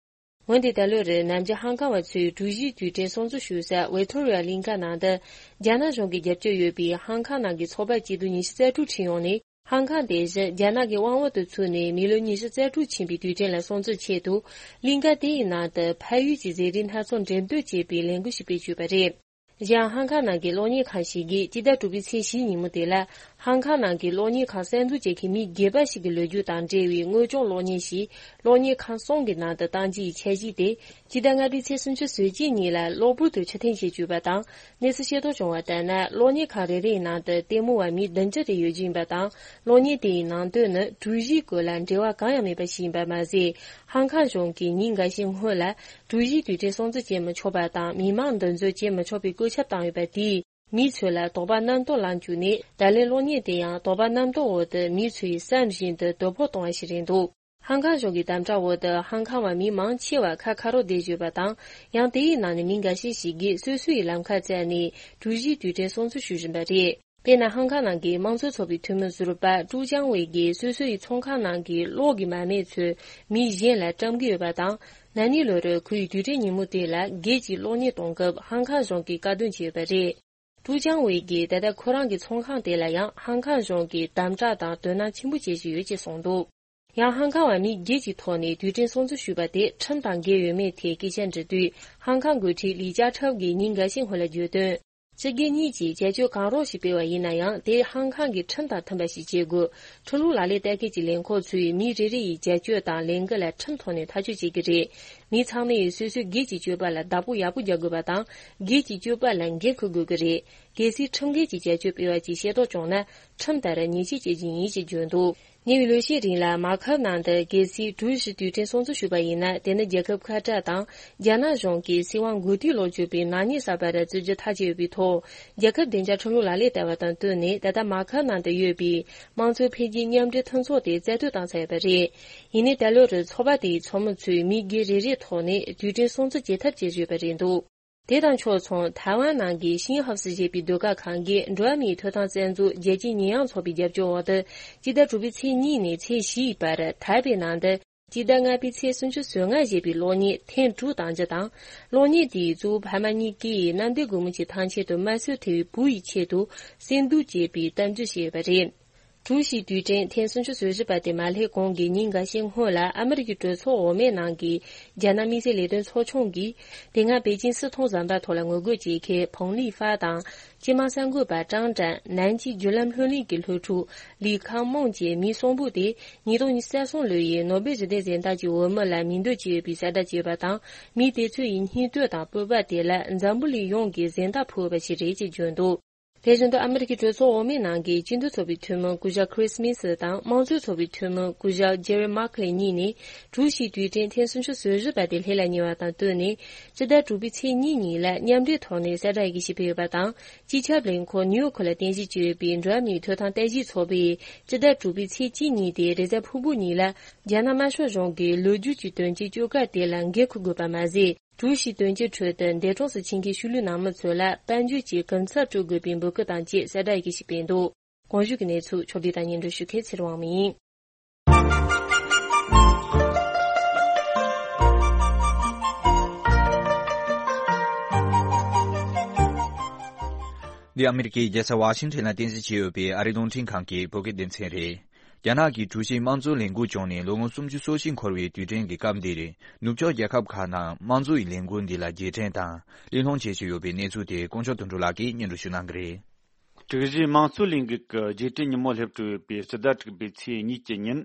འོན་ཏེ་ད་ལོར་ནམ་རྒྱུན་ཧང་ཀང་བ་ཚོས་གྲུ་བཞིའི་དུས་དྲན་སྲུང་བརྩི་ཞུ་ས་ཝི་ཐོ་རི་ཡ་གླིང་ཁ་ནང་དུ་རྒྱ་ནག་གཞུང་གི་རྒྱབ་སྐྱོར་ཡོད་པའི་ཧང་ཀང་ནང་གི་ཚོགས་པ་སྐྱིད་སྡུག་ཉི་ཤུ་རྩ་དྲུག་ཁྲིད་ཡོང་ནས། ཧང་ཀང་དེ་བཞིན་རྒྱ་ནག་གི་དབང་འོག་ཏུ་ཚུད་ནས་མི་ལོ་ཉི་ཤུ་རྩ་དྲུག་ཕྱིན་པའི་དུས་དྲན་ལ་སྲུང་བརྩིའི་ཆེད་དུ། གླིང་ཁ་དེ་ཡི་ནང་དུ་ཕ་ཡུལ་གྱི་ཟས་རིགས་སྣ་ཚོགས་འགྲེམས་སྤེལ་བྱེད་པའི་ལས་འགུལ་ཞིག་སྤེལ་བཅུག་པ་རེད། གཞན་ཧང་ཀང་ནང་གི་གློག་བརྙན་ཁང་ཞིག་གིས་སྤྱི་ཟླ་དྲུག་པའི་ཚེས་བཞིའི་ཉིན་མོ་དེ་ལ། ཧང་ཀང་ནང་གི་གློག་བརྙན་ཁང་གསར་འཛུགས་བྱེད་མཁན་མི་སྒེར་པ་ཞིག་གི་ལོ་རྒྱུས་དང་འབྲེལ་བའི་དངོས་བྱུང་གློག་བརྙན་ཞིག་གློག་བརྙན་ཁང་གསུམ་གྱི་ནང་དུ་བཏང་རྒྱུ་ཡི་འཆར་གཞི་དེ། སྤྱི་ཟླ་ལྔ་པའི་ཚེས་སུམ་ཅུ་སོ་གཅིག་ཉིན་ལ་གློ་བུར་དུ་ཕྱིར་འཐེན་བྱེད་བཅུག་པ་དང་། གནས་ཚུལ་ཤེས་རྟོགས་བྱུང་བ་ལྟར་ན། གློག་བརྙན་ཁང་རེ་རེའི་ནང་དུ་ལྟད་མོ་བ་མི་བདུན་ཅུ་རེ་ཡོད་རྒྱུ་ཡིན་པ་དང་། གློག་བརྙན་དེའི་ནང་དོན་ནི་གྲུ་བཞིའི་སྐོར་ལ་འབྲེལ་བ་གང་ཡང་མེད་པ་ཞིག་ཡིན་པ་མ་ཟད། ཧང་ཀང་གཞུང་གིས་ཉིན་འགའ་ཤས་སྔོན་ལ་གྲུ་བཞིའི་དུས་དྲན་སྲུང་བརྩི་བྱེད་མི་ཆོག་པ་དང་། མི་མང་འདུ་འཛོམས་བྱེད་མི་ཆོག་པའི་བཀོད་ཁྱབ་བཏང་ཡོད་པ་དེས། མི་ཚོ་ལ་དོགས་པ་རྣམ་རྟོག་ལངས་བཅུག་ནས། ད་ལན་གློག་བརྙན་དེ་ཡང་དོགས་པ་རྣམ་རྟོག་འོག་ཏུ་མི་ཚོ་ཡི་བསམ་བཞིན་དུ་དོ་ཕོག་གཏོང་བ་ཞིག་རེད་འདུག་ཧང་ཀང་གཞུང་གི་དམ་དྲག་འོག་ཏུ་ཧང་ཀང་བ་མི་མང་ཆེ་བ་ཁ་ཁ་རོག་བསྡད་ཡོད་པ་དང་། ཡང་དེའི་ནང་ནས་མི་འགའ་ཤས་ཤིག་གིས་སོ་སོའི་ལམ་ཁ་བཙལ་ནས་གྲུ་བཞིའི་དུས་དྲན་སྲུང་བརྩི་ཞུ་བཞིན་པ་རེད། དཔེར་ན། ཧང་ཀང་ནང་གི་དམངས་གཙོའི་ཚོགས་པའི་འཐུས་མི་ཟུར་པ་ཀྲུའུ་ཅང་ཝེ་ཡིས་སོ་སོའི་ཚོང་ཁང་ནང་གི་གློག་གི་མ་རྨས་ཚོས་མི་གཞན་ལ་བཀྲམ་གྱི་ཡོད་པ་དང་། ན་ནིང་ལོ་རུ་ཁོའི་དུས་དྲན་ཉིན་མོ་དེ་ལ་སྒེར་གྱི་གློག་བརྙན་གཏོང་སྐབས་ཧང་ཀང་གཞུང་གིས་བཀག་སྡོམ་བྱས་ཡོད་པ་རེད། ཀྲུའུ་ཅང་ཝེ་ཡིས་ད་ལྟ་ཁོ་རང་གི་ཚོང་ཁང་དེ་ལ་ཡང་ཧང་ཀང་གཞུང་གིས་དམ་དྲག་དང་དོ་སྣང་ཆེན་པོ་བྱེད་བཞིན་ཡོད་ཅེས་གསུངས་འདུག་ཡང་ཧང་ཀང་བ་མི་སྒེར་གྱི་ཐོག་ནས་དུས་དྲན་སྲུང་བརྩི་ཞུས་པ་དེ་ཁྲིམས་དང་འགལ་ཡོད་མེད་ཐད་སྐད་ཆ་འདྲི་དུས། ཧང་ཀང་འགོ་ཁྲིད་ལི་ཅཱ་ཁྲའོ་གིས་ཉིན་འགའ་ཤས་སྔོན་ལ་བརྗོད་དོན། སྤྱི་སྒེར་གཉིས་ཀྱིས་བྱ་སྤྱོད་གང་རུང་ཞིག་སྤེལ་བ་ཡིན་ན་ཡང་། དེ་ཧང་ཀང་གི་ཁྲིམས་དང་མཐུན་པ་ཞིག་བྱེད་དགོས། ཁྲིམས་ལུགས་ལག་ལེན་བསྟར་མཁན་གྱི་ལས་ཁུངས་ཚོས་མི་རེ་རེ་ཡི་བྱ་སྤྱོད་དང་ལས་འགུལ་ལ་ཁྲིམས་ཐོག་ནས་ཐག་གཅོད་བྱེད་ཀྱི་རེད། མི་ཚང་མས་སོ་སོའི་སྒེར་གྱི་སྤྱོད་པ་ལ་བདག་པོ་ཡག་པོ་རྒྱག་དགོས་པ་དང་། སྒེར་གྱི་སྤྱོད་པ་ལ་འགན་འཁུར་དགོས་ཀྱི་རེད། གལ་སྲིད་ཁྲིམས་འགལ་གྱི་བྱ་སྤྱོད་སྤེལ་བ་ཅིག་ཤེས་རྟོགས་བྱུང་ན། ཁྲིམས་ལྟར་ཉེས་ཆད་གཅོད་རྒྱུ་ཡིན་ཞེས་བརྗོད་འདུག་ཉེ་བའི་ལོ་ཤས་རིང་ལ་མ་ཁབ་ནང་དུ་གལ་སྲིད་གྲུ་བཞི་དུས་དྲན་སྲུང་བརྩི་ཞུས་པ་ཡིན་ན། དེ་ནི་རྒྱལ་ཁབ་ཁ་བྲལ་དང་རྒྱ་ནག་གཞུང་གིས་སྲིད་དབང་མགོ་རྟིང་སློག་བཅུག་པའི་ནག་ཉེས་གསར་པ་རེད་བརྩི་རྒྱུ་ཐག་བཅད་ཡོད་པའི་ཐོག་རྒྱལ་ཁབ་བདེ་འཇགས་ཁྲིམས་ལུགས་ལག་ལེན་བསྟར་བ་དང་བསྟུན་ནས། ད་ལྟ་མ་ཁབ་ནང་དུ་ཡོད་པའི་དམངས་གཙོའི་འཕེལ་རྒྱས་མཉམ་འབྲེལ་མཐུན་ཚོགས་དེ་རྩ་གཏོར་བཏང་ཚར་ཡོད་པ་རེད། ཡིན་ནའི་ད་ལོ་རུ་ཚོགས་པ་དེའི་ཚོགས་མི་ཚོས་མི་སྒེར་རེ་རེའི་ཐོག་ནས་དུས་དྲན་སྲུང་བརྩི་བྱེད་ཐབས་བྱེད་བཞིན་ཡོད་པ་རེད་འདུག་དེ་དང་ཕྱོགས་མཚུངས། ཐའེ་ཝན་ནང་གི་ཤིན་ཧབ་སི་ཞེས་པའི་ཟློས་གར་ཁང་གིས་འགྲོ་བ་མིའི་ཐོབ་ཐང་རྩ་འཛུགས་རྒྱལ་སྤྱིའི་ཉེས་ཡངས་ཚོགས་པའི་རྒྱབ་སྐྱོར་འོག་ཏུ། སྤྱི་ཟླ་དྲུག་པའི་ཚེས་གཉིས་ནས་ཚེས་བཞིའི་བར་ཐའེ་པེ་ནང་དུ། སྤྱི་ཟླ་ལྔ་པའི་ཚེས་སུམ་ཅུ་སོ་ལྔ་ཞེས་པའི་གློག་བརྙན་ཐེངས་དྲུག་གཏོང་རྒྱུ་དང་། གློག་བརྙན་དེས་གཙོ་བོ་ཕ་མ་གཉིས་ཀས་གནམ་བདེ་སྒོ་མོ་ཆེའི་ཐང་ཆེན་དུ་དམར་གསོད་ཐེབས་པའི་བུ་ཡི་ཆེད་དུ་སེམས་སྡུག་སྐྱེས་པའི་གཏམ་རྒྱུད་ཞིག་ཡོད་པ་རེད། གྲུ་བཞིའི་དུས་དྲན་ཐེངས་སུམ་ཅུ་སོ་བཞི་པ་དེ་མ་སླེབས་གོང་གི་ཉིན་འགའ་ཤས་སྔོན་ལ། ཨ་མི་རི་ཀའི་གྲོས་ཚོགས་འོག་མའི་ནང་གི་རྒྱ་ནག་དམིགས་བསལ་ལས་དོན་ཚོགས་ཆུང་གིས། དེ་སྔ་པེ་ཅིན་སྲིད་ཐོག་ཟམ་པ་ཐོག་ལ་ངོ་རྒོལ་བྱེད་མཁན་ཕུང་ལི་ཧྥ་དང་། སྤྱི་དམངས་གསར་འགོད་པ་ཀྲང་ཀྲན། ནན་ཅིང་བརྒྱུད་ལམ་ལྷོད་གླིང་གི་སློབ་ཕྲུག་ལི་ཁང་མོང་བཅས་མི་གསུམ་པོ་དེ། ཉིས་སྟོང་ཉི་ཤུ་རྩ་གསུམ་ལོ་ཡི་ནོ་བེལ་ཞི་བདེའི་གཟེངས་རྟགས་ཀྱི་འོས་མི་ལ་མིང་འདོན་བྱས་ཡོད་པའི་གསལ་བསྒྲགས་བྱས་ཡོད་པ་དང་། མི་དེ་ཚོ་ཡི་སྙིང་སྟོབས་དང་སྤོབས་པ་དེ་ལ་འཛམ་བུ་གླིང་ཡོངས་ཀྱིས་གཟེངས་རྟགས་ཕུལ་བ་ཞིག་རེད་ཅེས་བརྗོད་འདུག་དེ་བཞིན་དུ། ཨ་མི་རི་ཀའི་གྲོས་ཚོགས་འོག་མའི་ནང་གི་སྤྱི་འཐུས་ཚོགས་པའི་འཐུས་མི་སྐུ་ཞབས་ཁྲིས་མིན་སི་དང་། དམངས་གཙོའི་ཚོགས་པའི་འཐུས་མི་སྐུ་ཞབས་ཇེ་རི་མཱ་ཁེ་ལི་གཉིས་ནས། གྲུ་བཞིའི་དུས་དྲན་ཐེངས་སུམ་ཅུ་སོ་བཞི་པ་དེ་སླེབས་ལ་ཉེ་བ་དང་བསྟུན་ནས། སྤྱི་ཟླ་དྲུག་པའི་ཚེས་གཉིས་ཉིན་ལ་མཉམ་འབྲེལ་ཐོག་ནས་གསལ་བསྒྲགས་ཡི་གེ་ཞིག་ཕུལ་ཡོད་པ་དང་། སྤྱི་ཁྱབ་ལས་ཁུངས་ནིའུ་ཡོག་ལ་རྟེན་གཞི་བྱས་ཡོད་པའི་འགྲོ་བ་མིའི་ཐོབ་ཐང་ལྟ་ཞིབ་ཚོགས་པས། སྤྱི་ཟླ་དྲུག་པའི་ཚེས་གཅིག་ཉིན་དེ་རེས་གཟའ་ཕུར་བུ་ཉིན་ལ། རྒྱ་ནག་དམར་ཤོག་གཞུང་གི་ལོ་རྒྱུས་ཀྱི་དོན་རྐྱེན་བཅོ་ཁ་དེ་ལ་འགན་འཁུར་དགོས་པ་མ་ཟད། གྲུ་བཞིའི་དོན་རྐྱེན་ཁྲོད་དུ་འདས་གྲོངས་སུ་ཕྱིན་མཁན་ཤུལ་ལུས་ནང་མི་ཚོ་ལ་དཔལ་འབྱོར་གྱི་གུན་གསབ་སྤྲོད་དགོས་པའི་འབོད་སྐུལ་དང་བཅས་གསལ་བསྒྲགས་ཡི་གེ་ཞིག་སྤེལ་འདུག་གོང་ཞུས་ཀྱི་གནས་ཚུལ་ཕྱོགས་བསྒྲིགས་དང་སྙན་སྒྲོན་ཞུ་མཁན་ཚེ་རིང་དབང་མོ་ཡིན། འདི་ཨ་མི་རི་ཀའི་རྒྱལ་ས་ཝ་ཤིང་ཊོན་ལ་རྟེན་གཞི་བྱས་ཡོད་པའི་ཨ་རིའི་རླུང་འཕྲིན་ཁང་གི་བོད་སྐད་སྡེ་ཚན་རེད། རྒྱ་ནག་གིས་གྲུ་བཞིའི་དམངས་གཙོའི་ལས་འགུལ་བྱུང་ནས་ལོ་ངོ་སུམ་ཅུ་སོ་བཞི་འཁོར་བའི་དུས་དྲན་གྱི་སྐབས་འདིར། ནུབ་ཕྱོགས་རྒྱལ་ཁབ་ཁག་ནང་དམངས་གཙོའི་ལས་འགུལ་འདི་ལ་རྗེས་དྲན་དང་གླེང་སློང་བྱེད་བཞིན་ཡོད་པའི་གནས་ཚུལ་དེ་དཀོན་མཆོག་དོན་གྲུབ་ལགས་ཀྱིས་སྙན་སྒྲོན་ཞུ་གནང་གི་རེད། དྲུག་བཞིའི་དམངས་གཙོའི་ལས་འགུལ་གྱི་རྗེས་དྲན་ཉིན་མོ་སླེབས་གྲོལ་ཡོད་པའི་སྤྱི་ཟླ་དྲུག་པའི་ཚེས་གཉིས་ཀྱི་ཉིན།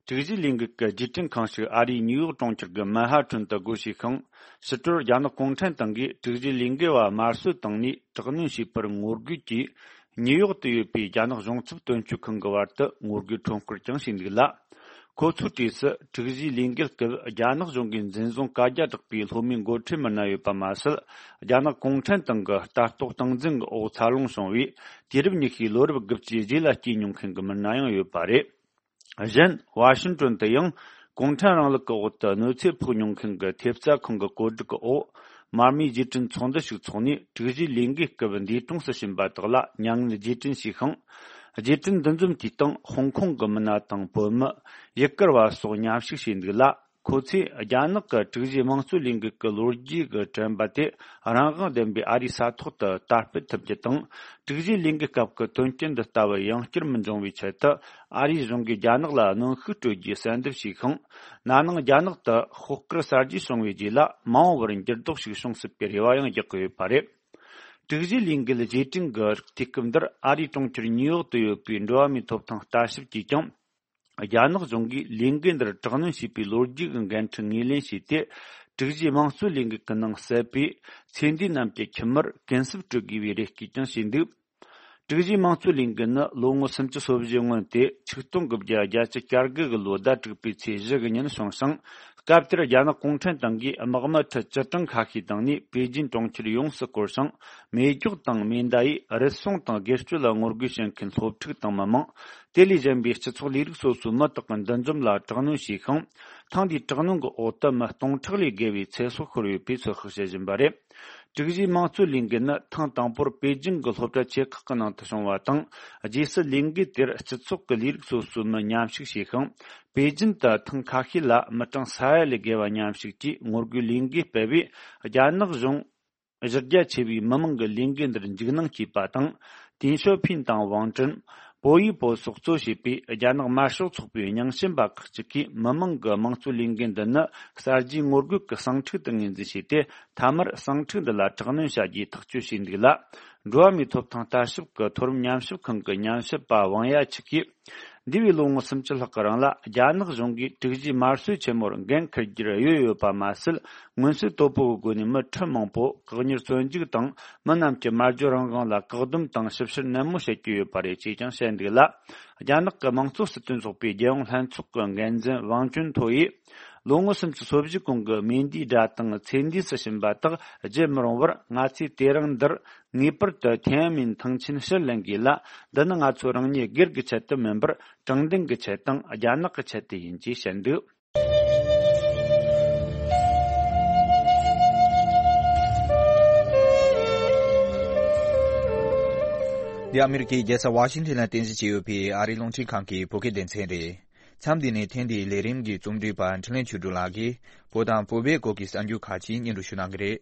དྲུག་བཞིའི་ལས་འགུལ་གྱི་རྗེས་དྲན་ཁང་ཞིག་ཨ་རིའི་ནིའུ་ཡོག་གྲོང་ཁྱེར་གྱི་མན་ཧ་ཊན་དུ་སྒོ་ཕྱེས་ཤིང་། ཕྱི་དྲོར་རྒྱ་ནག་གུང་ཁྲན་ཏང་གིས་དྲུག་བཞིའི་ལས་འགུལ་བ་དམར་གསོད་བཏང་ནས་དྲག་གནོན་བྱས་པར་ངོ་རྒོལ་གྱིས། ནིའུ་ཡོག་ཏུ་ཡོད་པའི་རྒྱ་ནག་གཞུང་ཚབ་དོན་གཅོད་ཁང་གི་བར་དུ་ངོ་རྒོལ་ཁྲོམ་སྐོར་ཀྱང་བྱས་འདུག་ལ། ཁོ་ཚོའི་གྲས་སུ་དྲུག་བཞིའི་ལས་འགུལ་སྐབས་རྒྱ་ནག་གཞུང་གིས་འཛིན་བཟུང་བཀའ་རྒྱ་བསྒྲགས་པའི་སློབ་མའི་འགོ་ཁྲིད་མི་སྣ་ཡོད་པ་མ་ཟད། རྒྱ་ནག་གུང་ཁྲན་ཏང་གི་ལྟ་རྟོག་སྟངས་འཛིན་གྱི་འོག་འཚར་ལོངས་བྱུང་བའི་དུས་རབས་ཉི་ཤུའི་ལོ་རབས་དགུ་བཅུའི་རྗེས་ལ་སྐྱེས་མྱོང་མཁན་གྱི་མི་སྣ་ཡང་ཡོད་པ་རེད། གཞན། ཝ་ཤིང་ཏོན་དུ་ཡང་། གུང་ཁྲན་རིང་ལུགས་ཀྱི་འོག་ཏུ་གནོད་འཚེ་ཕོག་མྱོང་མཁན་གྱི་ཐེབས་རྩ་ཁང་གི་བཀོད་སྒྲིག་གི་འོག་མར་མེའི་རྗེས་དྲན་ཚོགས་འདུ་ཞིག་ཚོགས་ནས། དྲུག་བཞིའི་ལས་འགུལ་སྐབས་འདས་གྲོངས་སུ་ཕྱིན་པ་དག་ལ་མྱ་ངན་རྗེས་དྲན་ཞུས་ཤིང་། རྗེས་དྲན་འདུ་འཛོམས་དེའི་སྟེང་ཧོང་ཀོང་གི་མི་སྣ་དང་བོད་མི། ཡུ་གུར་བ་སོགས་མཉམ་ཞུགས་བྱས་འདུག་ལ། ཁོ་ཚོས་རྒྱ་ནག་གི་དྲུག་བཞིའི་དམངས་གཙོའི་ལས་འགུལ་གྱི་ལོ་རྒྱུས་ཀྱི་དྲན་པ་དེ་རང་དབང་ལྡན་པའི་ཨ་རིའི་ས་ཐོག་ཏུ་དར་སྤེལ་ཐུབ་རྒྱུ་དང་། དྲུག་བཞིའི་ལས་འགུལ་སྐབས་ཀྱི་དོན་རྐྱེན་འདི་ལྟ་བུ་ཡང་བསྐྱར་མི་འབྱུང་བའི་ཆེད་དུ། ཨ་རིའི་གཞུང་གིས་རྒྱ་ནག་ལ་གནོན་ཤུགས་སྤྲོད་རྒྱུའི་གསལ་འདེབས་བྱས་ཤིང་། ན་ནིང་རྒྱ་ནག་ཏུ་ཤོག་དཀར་གསར་བརྗེ་བྱུང་བའི་རྗེས་ལ་མ་འོངས་པར་འགྱུར་ལྡོག་ཞིག་བྱུང་སྲིད་པའི་རེ་བ་ཡང་རྒྱག་གི་ཡོད་པ་རེད། དྲུག་བཞིའི་ལས་འགུལ་རྗེས་དྲན་གྱི་རིགས་དུས་སྐབས་འདིར་ཨ་རིའི་གྲོང་ཁྱེར་ཉིའུ་ཡོག་ཏུ་ཡོད་པའི་འགྲོ་བ་མིའི་ཐོབ་ཐང་ལྟ་ཞིབ་ཀྱིས་ཀྱང་། རྒྱ་ནག་གཞུང་གིས་ལས་འགུལ་འདིར་དྲག་གནོན་བྱས་པའི་ལོ་རྒྱུས་ཀྱི་འགན་འཁྲི་ངོས་ལེན་བྱས་ཏེ། དྲུག་བཞིའི་དམངས་གཙོའི་ལས་འགུལ་གྱི་ནང་གསལ་བའི་ཚེ་འདས་རྣམས་ཀྱི་ཁྱིམ་མིར་གུན་གསབ་སྤྲོད་དགོས་པའི་རེ་སྐུལ་ཀྱང་བྱས་འདུག་དྲུག་བཞིའི་དམངས་གཙོའི་ལས་འགུལ་ནི་ལོ་ངོ་སུམ་ཅུ་སོ་བཞིའི་སྔོན་ཏེ་ཆིག་སྟོང་དགུ་བརྒྱ་བརྒྱད་ཅུ་གྱ་དགུ་གི་ལོའི་ཟླ་དྲུག་པའི་ཚེས་བཞི་གི་ཉིན་བྱུང་ཞིང་། སྐབས་དེར་རྒྱ་ནག་གུང་ཁྲན་ཏང་གིས་དམག་མི་ཁྲི་བཅུ་གྲངས་ཁ་ཤས་བཏང་ནས་པེ་ཅིན་གྲོང་ཁྱེར་ཡོངས་སུ་བསྐོར་ཞིང་། མེ་སྒྱོགས་དང་མེ་མདའ་ཡིས་རུལ་སུངས་དང་སྒེར་གཅོད་ལ་ངོ་རྒོལ་བྱེད་མཁན་སློབ་ཕྲུག་དང་མི་མང་། དེ་ལས་གཞན་པའི་སྤྱི་ཚོགས་ལས་རིགས་སོ་སོའི་མི་དག་གི་འདུ་འཛོམས་ལ་དྲག་གནོན་བྱས་ཤིང་། ཐེངས་འདིའི་དྲག་གནོན་གྱི་འོག་ཏུ་མི་སྟོང་ཕྲག་ལས་བརྒལ་བའི་ཚེ་སྲོག་ཤོར་ཡོད་པའི་ཚོད་དཔག་བྱེད་བཞིན་པ་རེད། དྲུག་བཞིའི་དམངས་གཙོའི་ལས་འགུལ་ནི་ཐེངས་དང་པོར་པེ་ཅིང་གི་སློབ་གྲྭ་ཆེ་ཁག་གི་ནང་དུ་བྱུང་བ་དང་། རྗེས་སུ་ལས་འགུལ་དེར་སྤྱི་ཚོགས་ཀྱི་ལས་རིགས་སོ་སོའི་མི་མཉམ་ཞུགས་བྱས་ཤིང་། པེ་ཅིན་དུ་ཐེངས་ཁ་ཤས་ལ་མི་གྲངས་ས་ཡ་ལས་བརྒལ་བ་མཉམ་ཞུགས་ཀྱིས་ངོ་རྒོལ་ལས་འགུལ་སྤེལ་བས། རྒྱ་ནག་གཞུང་གཞི་རྒྱ་ཆེ་བའི་མི་མང་གི་ལས་འགུལ་འདིར་འཇིགས་སྣང་སྐྱེས་པ་དང་། ཏིན་ཞོ་ཕིན་དང་ཝང་ཀྲིན། པོ་ཡི་པོ་སོགས་གཙོ་བྱས་པའི་རྒྱ་ནག་དམར་ཤོག་ཚོགས་པའི་རྙིང་ཞེན་པ་ཁག་ཅིག་གིས་མི་མང་གི་དམངས་གཙོའི་ལས་འགུལ་འདི་ནི་གསར་བརྗེའི་ངོ་རྒོལ་གྱི་ཟིང་འཁྲུག་ཏུ་ངོས་འཛིན་བྱས་ཏེ། མཐའ་མར་ཟིང་འཁྲུག་འདི་ལ་དྲག་གནོན་བྱ་རྒྱུའི་ཐག་གཅོད་བྱས་འདུག་ལ། འགྲོ་བ་མིའི་ཐོབ་ཐང་ལྟ་ཞིབ་ཀྱི་མཐོ་རིམ་ཉམས་ཞིབ་ཁང་གི་ཉམས་ཞིབ་པ་ཝང་ཡ་ཆི་གིས། འདས་པའི་ལོ་ངོ་སུམ་ཅུ་ལྷག་གི་རིང་ལ་རྒྱ་ནག་གཞུང་གིས་དྲུག་བཞིའི་དམར་གསོད་ཆེན་མོར་འགན་འཁུར་རྒྱུར་གཡོལ་ཡོད་པ་མ་ཟད། མངོན་གསལ་དོད་པོ་གི་སྒོ་ནས་མི་ཁྲི་མང་པོ་བཀག་ཉར་བཙོན་འཇུག་དང་། མི་རྣམས་ཀྱི་སྨྲ་བརྗོད་རང་དབང་ལ་བཀག་སྡོམ་དང་ཞིབ་བཤེར་ནན་མོ་བྱེད་ཀྱི་ཡོད་པ་རེད་ཅེས་ཀྱང་བཤད་འདུག་ལ། རྒྱ་ནག་གི་དམངས་གཙོ་སྲིད་དོན་ཚོགས་པའི་རྒྱལ་ཡོངས་ལྷན་ཚོགས་ཀྱི་འགན་འཛིན་ཝང་ཅུན་ཐོ་ཡིས། ལོ་ངོ་སུམ་ཅུ་སོ་བཞི་གོང་གི་མེ་མདའི་སྒྲ་དང་ཚེ་འདས་སུ་ཕྱིན་པ་དག་བརྗེད་མི་རུང་བར། ང་ཚོས་དེ་རིང་འདིར་ངེས་པར་དུ་天安门ཐང་ཆེན་ཕྱིར་ལེན་དགོས་ལ། འདི་ནི་ང་ཚོ་རང་ཉིད་སྒེར་གྱི་ཆེད་དུ་མིན་པར། དྲང་བདེན་གྱི་ཆེད་དང་རྒྱ་ནག་གི་ཆེད་དུ་ཡིན་ཅེས་བཤད་འདུག། འདི་ཨ་མི་རི་ཀའི་རྒྱལ་ས་ཝ་ཤིང་ཏན་ལ་རྟེན་གཞི་བྱས་ཡོད་པའི་ཨ་རིའི་རླུང་འཕྲིན་ཁང་གི་བོད་སྐད་སྡེ་ཚན་རེད། མཚམས་འདི་ནས་ཐེངས་འདིའི་ལས་རིམ་གྱི་རྩོམ་སྒྲིག་པ་འཕྲིན་ལས་ཆོས་སྒྲོན་ལགས་ཀྱིས་བོད་དང་བོད་པའི་སྐོར་གྱི་གསར་འགྱུར་ཁག་ཅིག་སྙན་སྒྲོན་ཞུ་གནང་གི་རེད།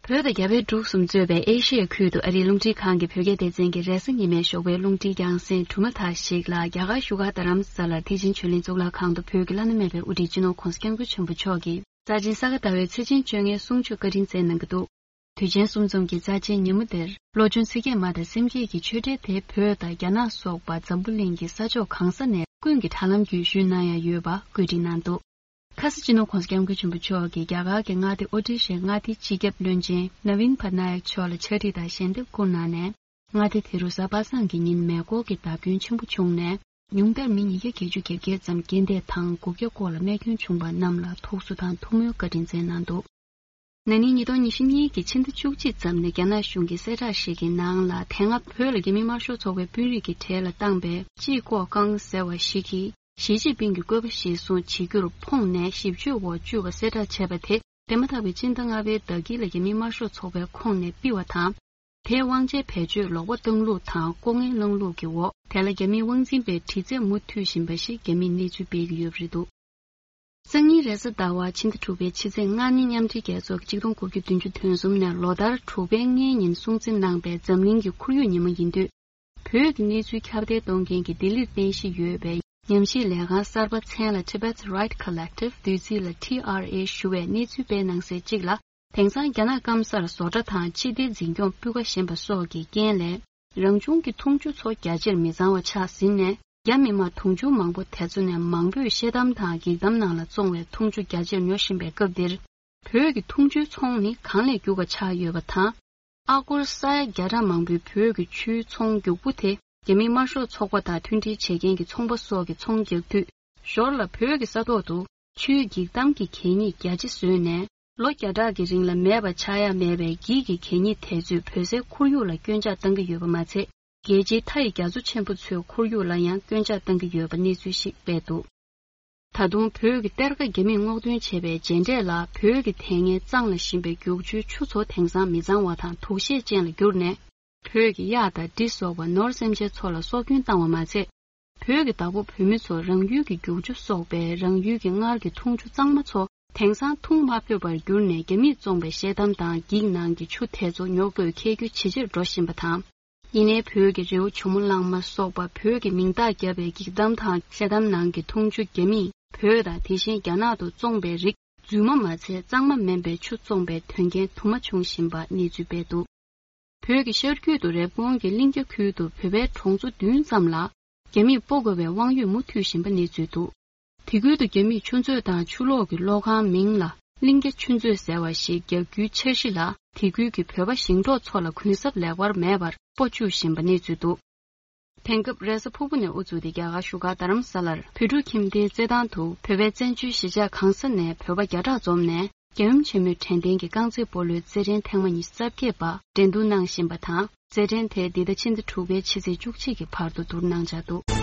བོད་དང་རྒྱ་བལ་འབྲུག་གསུམ་གཙོས་པའི་ཨེ་ཤི་ཡའི་ཁུལ་དུ་ཨ་རིའི་རླུང་འཕྲིན་ཁང་གི་བོད་སྐད་སྡེ་ཚན་གྱི་རེས་གཟའ་ཉི་མའི་ཞོགས་པའི་རླུང་འཕྲིན་རྒྱང་སྲིང་གྲུབ་མཐའ་དག་ཞིག་ལ། རྒྱ་གར་བཞུགས་སྒར་རྡ་རམ་ས་ལར་ཐེག་ཆེན་ཆོས་གླིང་གཙུག་ལག་ཁང་དུ་བོད་ཀྱི་བླ་ན་མེད་པའི་དབུ་ཁྲིད་སྤྱི་ནོར་༸གོང་ས་༸སྐྱབས་མགོན་ཆེན་པོ་མཆོག་གིས་རྩ་ཆེན་ས་ག་ཟླ་བའི་ཚེས་ཆེན་བཅོ་ལྔའི་གསུང་ཆོས་བཀའ་དྲིན་སྩལ་གནང་གི་འདུག། དུས་ཆེན་གསུམ་འཛོམས་ཀྱི་རྩ་ཆེན་ཉིན་མོ་དེར། བློ་ཆུང་ཚིག་བརྒྱད་མ་དང་སེམས་བསྐྱེད་ཀྱི་ཆོས་འབྲེལ་དེ་བོད་དང་རྒྱ་ནག་སོགས་པ་འཛམ་བུ་གླིང་གི་ས་ཕྱོགས་གང་ས་ནས་ཀུན་གྱིས་དྲ་ལམ་བརྒྱུད་ཞུས་གནང་ཡ་ཡོད་པ་བཀོད་སྒྲིག་གནང་འདུག། ཁ་ས་སྤྱི་ནོར་༸གོང་ས་༸སྐྱབས་མགོན་ཆེན་པོ་མཆོག་གིས་རྒྱ་གར་གྱི་མངའ་སྡེ་ཨོ་ཏི་ཤའི་མངའ་སྡེའི་སྤྱི་ཁྱབ་བློན་ཆེན་ནཱ་ཝིན་པ་ན་ཡག་མཆོག་ལ་ཕྱག་བྲིས་དང་ཞལ་འདེབས་བསྐུར་གནང་ནས། མངའ་སྡེ་དེ་རུ་གཟའ་པ་སངས་ཀྱི་ཉིན་མེ་འཁོར་གྱི་བརྡབ་སྐྱོན་ཆེན་པོ་བྱུང་ནས། ཉུང་མཐར་མི་ཉིས་བརྒྱ་བརྒྱད་ཅུ་གྱ་བརྒྱད་ཙམ་རྐྱེན་འདས་དང་དགུ་བརྒྱ་སྐོར་ལ་རྨས་སྐྱོན་བྱུང་བ་རྣམས་ལ་ཐུགས་གསོ་དང་ཐུགས་སྨོན་བཀའ་དྲིན་སྩལ་གནང་འདུག། ན་ནིང་ཉིས་སྟོང་ཉི་ཤུ་གཉིས་ཀྱི་ཕྱི་ཟླ་བཅུ་གཅིག་ཙམ་ནས་རྒྱ་ནག་གཞུང་གི་གསལ་བསྒྲགས་ཤིག་གི་ནང་ལ། དེ་སྔ་བོད་ལ་རྒྱ་མི་དམར་ཤོག་ཚོགས་པའི་དཔོན་རིགས་ཀྱི་གྲས་ལ་བཏང་པའི་ཅི་ཀོ་ཀང་ཟེར་བ་ཞིག་གིས་ཞི་ཅིན་ཕིང་གི་བཀོད་པ་གཞིར་བཟུང་བྱེད་རྒྱུར་ཕོངས་ནས་ཞིབ་དཔྱོད་འོག་བཅུག་པ་གསལ་བསྒྲགས་བྱས་པ་དེ། འདས་མ་ཐག་པའི་ཕྱི་ཟླ་ལྔ་པའི་ཟླ་དཀྱིལ་ལ་རྒྱ་མི་དམར་ཤོག་ཚོགས་པའི་ཁོངས་ནས་ཕུད་པ་དང་། དེའི་དབང་ཆའི་བེད་སྤྱོད་ལོག་པ་བཏང་ལུགས་དང་ལྐོག་རྔན་བླངས་ལུགས་ཀྱི་འོག་དེ་ལ་རྒྱ་མིའི་དབང་འཛིན་པའི་དྲི་རྩད་མུ་མཐུད་བཞིན་པ་ཞིག་རྒྱ་མིས་གནས་ཚུལ་སྤེལ་གྱི་ཡོད་པ་རེད་འདུག། སང་ཉིན་རེས་གཟའ་ཟླ་བ་ཕྱི་ཟླ་དྲུག་པའི་ཕྱི་ཚེས་ལྔ་ཉིན་མཉམ་འབྲེལ་རྒྱལ་ཚོགས་ཀྱི་ཆིག་སྟོང་དགུ་བརྒྱ་བདུན་ཅུ་དོན་གསུམ་ནས་ལོ་ལྟར་དྲུག་པའི་ལྔའི་ཉིན་སྲུང་བརྩི་གནང་པའི་འཛམ་གླིང་གི་ཁོར་ཡུག་ཉིན་མོ་ཡིན་དུས། བོད་ཀྱི་གནས་ཚུལ་ཁྱབ་གདལ་གཏོང་མཁན་གྱི་ལྡི་ལིར་རྟེན་གཞི་ཡོད་པའི་ཉམས་ཞིབ་ལས་ཁང་གསར་པ་མཚན་ལ་Tibet's Right Collective། བསྡུས་ཚིག་ལ་ཊི་ཨར་ཨེ་ཞུ་བས་གནས་ཚུལ་སྤེལ་གནང་གསལ་གཅིག་ལ། དེང་སང་རྒྱ་ནག་སྐམ་སར་བཟོ་གྲྭ་དང་སྤྱི་བདེ་འཛིན་སྐྱོང་སྤུས་ཀ་ཞན་པ་སོགས་ཀྱི་རྐྱེན་ལས། རང་བྱུང་གི་འཐུང་ཆུ་ཚོ་རྒྱ་ཆེར་མི་གཙང་བ་ཆགས་ཟིན་ནས། རྒྱ་མི་དམངས་དུང་ཕྱུར་མང་པོ་དེ་ཚོ་ནས་མང་པོས་ཤེལ་དམ་དང་འགྱིག་དམ་ནང་ལ་བཙོང་བའི་འཐུང་ཆུ་རྒྱ་ཆེར་ཉོ་བཞིན་པའི་སྐབས་འདིར། བོད་ཀྱི་འཐུང་ཆུའི་ཚོང་ནི་གང་ལས་རྒྱུག་པ་ཆགས་ཡོད་པ་དང་། ཨ་སྒོར་ས་ཡ་བརྒྱ་ཕྲག་མང་པོའི་བོད་ཀྱི་ཆུའི་ཚོང་རྒྱུག་པོ་དེ། རྒྱ་མིའི་དམར་ཤོག་ཚོགས་པ་དང་མཐུན་སྒྲིལ་བྱེད་མཁན་གྱི་ཚོང་པ་སོགས་ཀྱིས་ཚོང་རྒྱག་དུས། ཞོར་ལ་བོད་ཀྱི་ས་ཐོག་ཏུ་ཆུའི་འགྱིག་དམ་གྱི་གད་སྙིགས་རྒྱ་ཆེ་བཟོས་ནས། ལོ་བརྒྱ་ཕྲག་གི་རིང་ལ་མེད་པ་ཆགས་ཡ་མེད་པའི་འགྱིག་གི་གད་སྙིགས་དེ་ཚོས་བོད་སའི་ཁོར་ཡུག་ལ་སྐྱོན་ཆག་བཏང་གི་ཡོད་པ་མ་ཚད། རྒྱལ་སྤྱིའི་མཐའ་ཡི་རྒྱ་མཚོ་ཆེན་པོ་ཚོའི་ཁོར་ཡུག་ལ་ཡང་སྐྱོན་ཆག་བཏང་གི་ཡོད་པ་གནས་ཚུལ་ཞིག་སྤེལ་འདུག། ད་དུང་བོད་ཀྱི་གཏེར་ཁ་རྒྱ་མིས་སྔོག་འདོན་བྱས་པའི་རྗེས་འབྲས་ལ། བོད་ཀྱི་དེ་སྔའི་གཙང་ལ་ཞིམ་པའི་རྒྱུག་ཆུའི་ཆུ་ཚོ་དེང་སང་མི་གཙང་བ་དང་དུག་ཤེད་ཅན་ལ་གྱུར་ནས། བོད་ཀྱི་གཡག་དང་འབྲི་སོགས་པ་ནོར་སེམས་ཅན་ཚོ་ལ་སྲོག་སྐྱོན་བཏང་བ་མ་ཚད། བོད་ཀྱི་བདག་པོ་བོད་མི་ཚོ་རང་ཡུལ་གྱི་རྒྱུག་ཆུ་སོགས་པའི་རང་ཡུལ་གྱི་སྔར་གྱི་འཐུང་ཆུ་གཙང་མ་ཚོ་དེང་སང་འཐུང་མ་ཕོད་པར་གྱུར་ནས། རྒྱ་མིས་བཙོངས་པའི་ཤེལ་དམ་དང་འགྱིག་ནང་གི་ཆུ་དེ་ཚོ་ཉོ་དགོས་ཁེལ་རྒྱུ་ཇེ་ཆེར་འགྲོ་བཞིན་པ་དང་། ཡིན་ནའི་བོད་ཀྱི་རི་བོ་ཇོ་མོ་གླང་མ་སོགས་པ་བོད་ཀྱི་མིང་རྟགས་བརྒྱབ་པའི་འགྱིག་དམ་དང་ཤེལ་དམ་ནང་གི་འཐུང་ཆུ་རྒྱ་མིས་བོད་དང་དེ་བཞིན་རྒྱ་ནག་ཏུ་བཙོངས་པའི་རིགས་རྫུན་མ་མ་ཚད་གཙང་མ་མིན་པའི་ཆུ་བཙོངས་པའི་དོན་རྐྱེན་དུ་མ་བྱུང་བཞིན་པ་གནས་ཚུལ་སྤེལ་འདུག། བོད་ཀྱི་ཤར་རྒྱུད་དུ་རེབ་གོང་གི་གླིང་རྒྱ་ཁུལ་དུ་བོད་པའི་གྲོང་ཚོ་བདུན་ཙམ་ལ་རྒྱ་མིས་སྤོ་དགོས་པའི་དབང་ཡོད་མུ་མཐུད་བཞིན་པ་གནས་ཚུལ་འདུག། དེ་ཁུལ་དུ་རྒྱ་མིས་ཆུ་མཛོད་དང་ཆུ་ལོག་གི་གློག་ཁང་མིང་ལ་ གླིང་རྒྱ་ཆུ་མཛོད་ཟེར་བ་ཞིག་རྒྱག་རྒྱུའི་འཆར་གཞི་ལ། དེ་ཁུལ་གྱི་བོད་པ་ཞིང་འབྲོག་ཚོ་ལ་གུན་གསབ་ལེགས་པར་མེད་པར་སྤོ་བཅུག་བཞིན་པ་གནས་ཚུལ་འདུག་དེང་སྐབས་རེས་གཟའ་ཕུར་བུ་ནས་དབུ་བཙུགས་ཏེ་རྒྱ་གར་བཞུགས་སྒར་རྡ་རམ་ས་ལར་བོད་ཕྲུག་ཁྱིམ་སྡེའི་རྩེད་ཐང་དུ་བོད་པའི་བཙན་བྱོལ་གཞིས་ཆགས་གང་ས་ནས་བོད་པ་བརྒྱ་ཕྲག་འཛོམས་ནས། རྒྱལ་ཡུམ་ཆེན་མོའི་དྲན་རྟེན་གྱི་རྐང་རྩེད་སྤོ་ལོའི་རྩེད་འགྲན་ཐེངས་མ་ཉི་ཤུ་རྩ་བརྒྱད་པ་འགྲན་བསྡུར་གནང་བཞིན་པ་དང་། རྩེད་འགྲན་དེ་འདི་ཟླ་ཕྱི་ཟླ་དྲུག་པའི་ཕྱི་ཚེས་བཅུ་གཅིག་གི་བར་དུ་བསྡུར་གནང་འཆར་འདུག་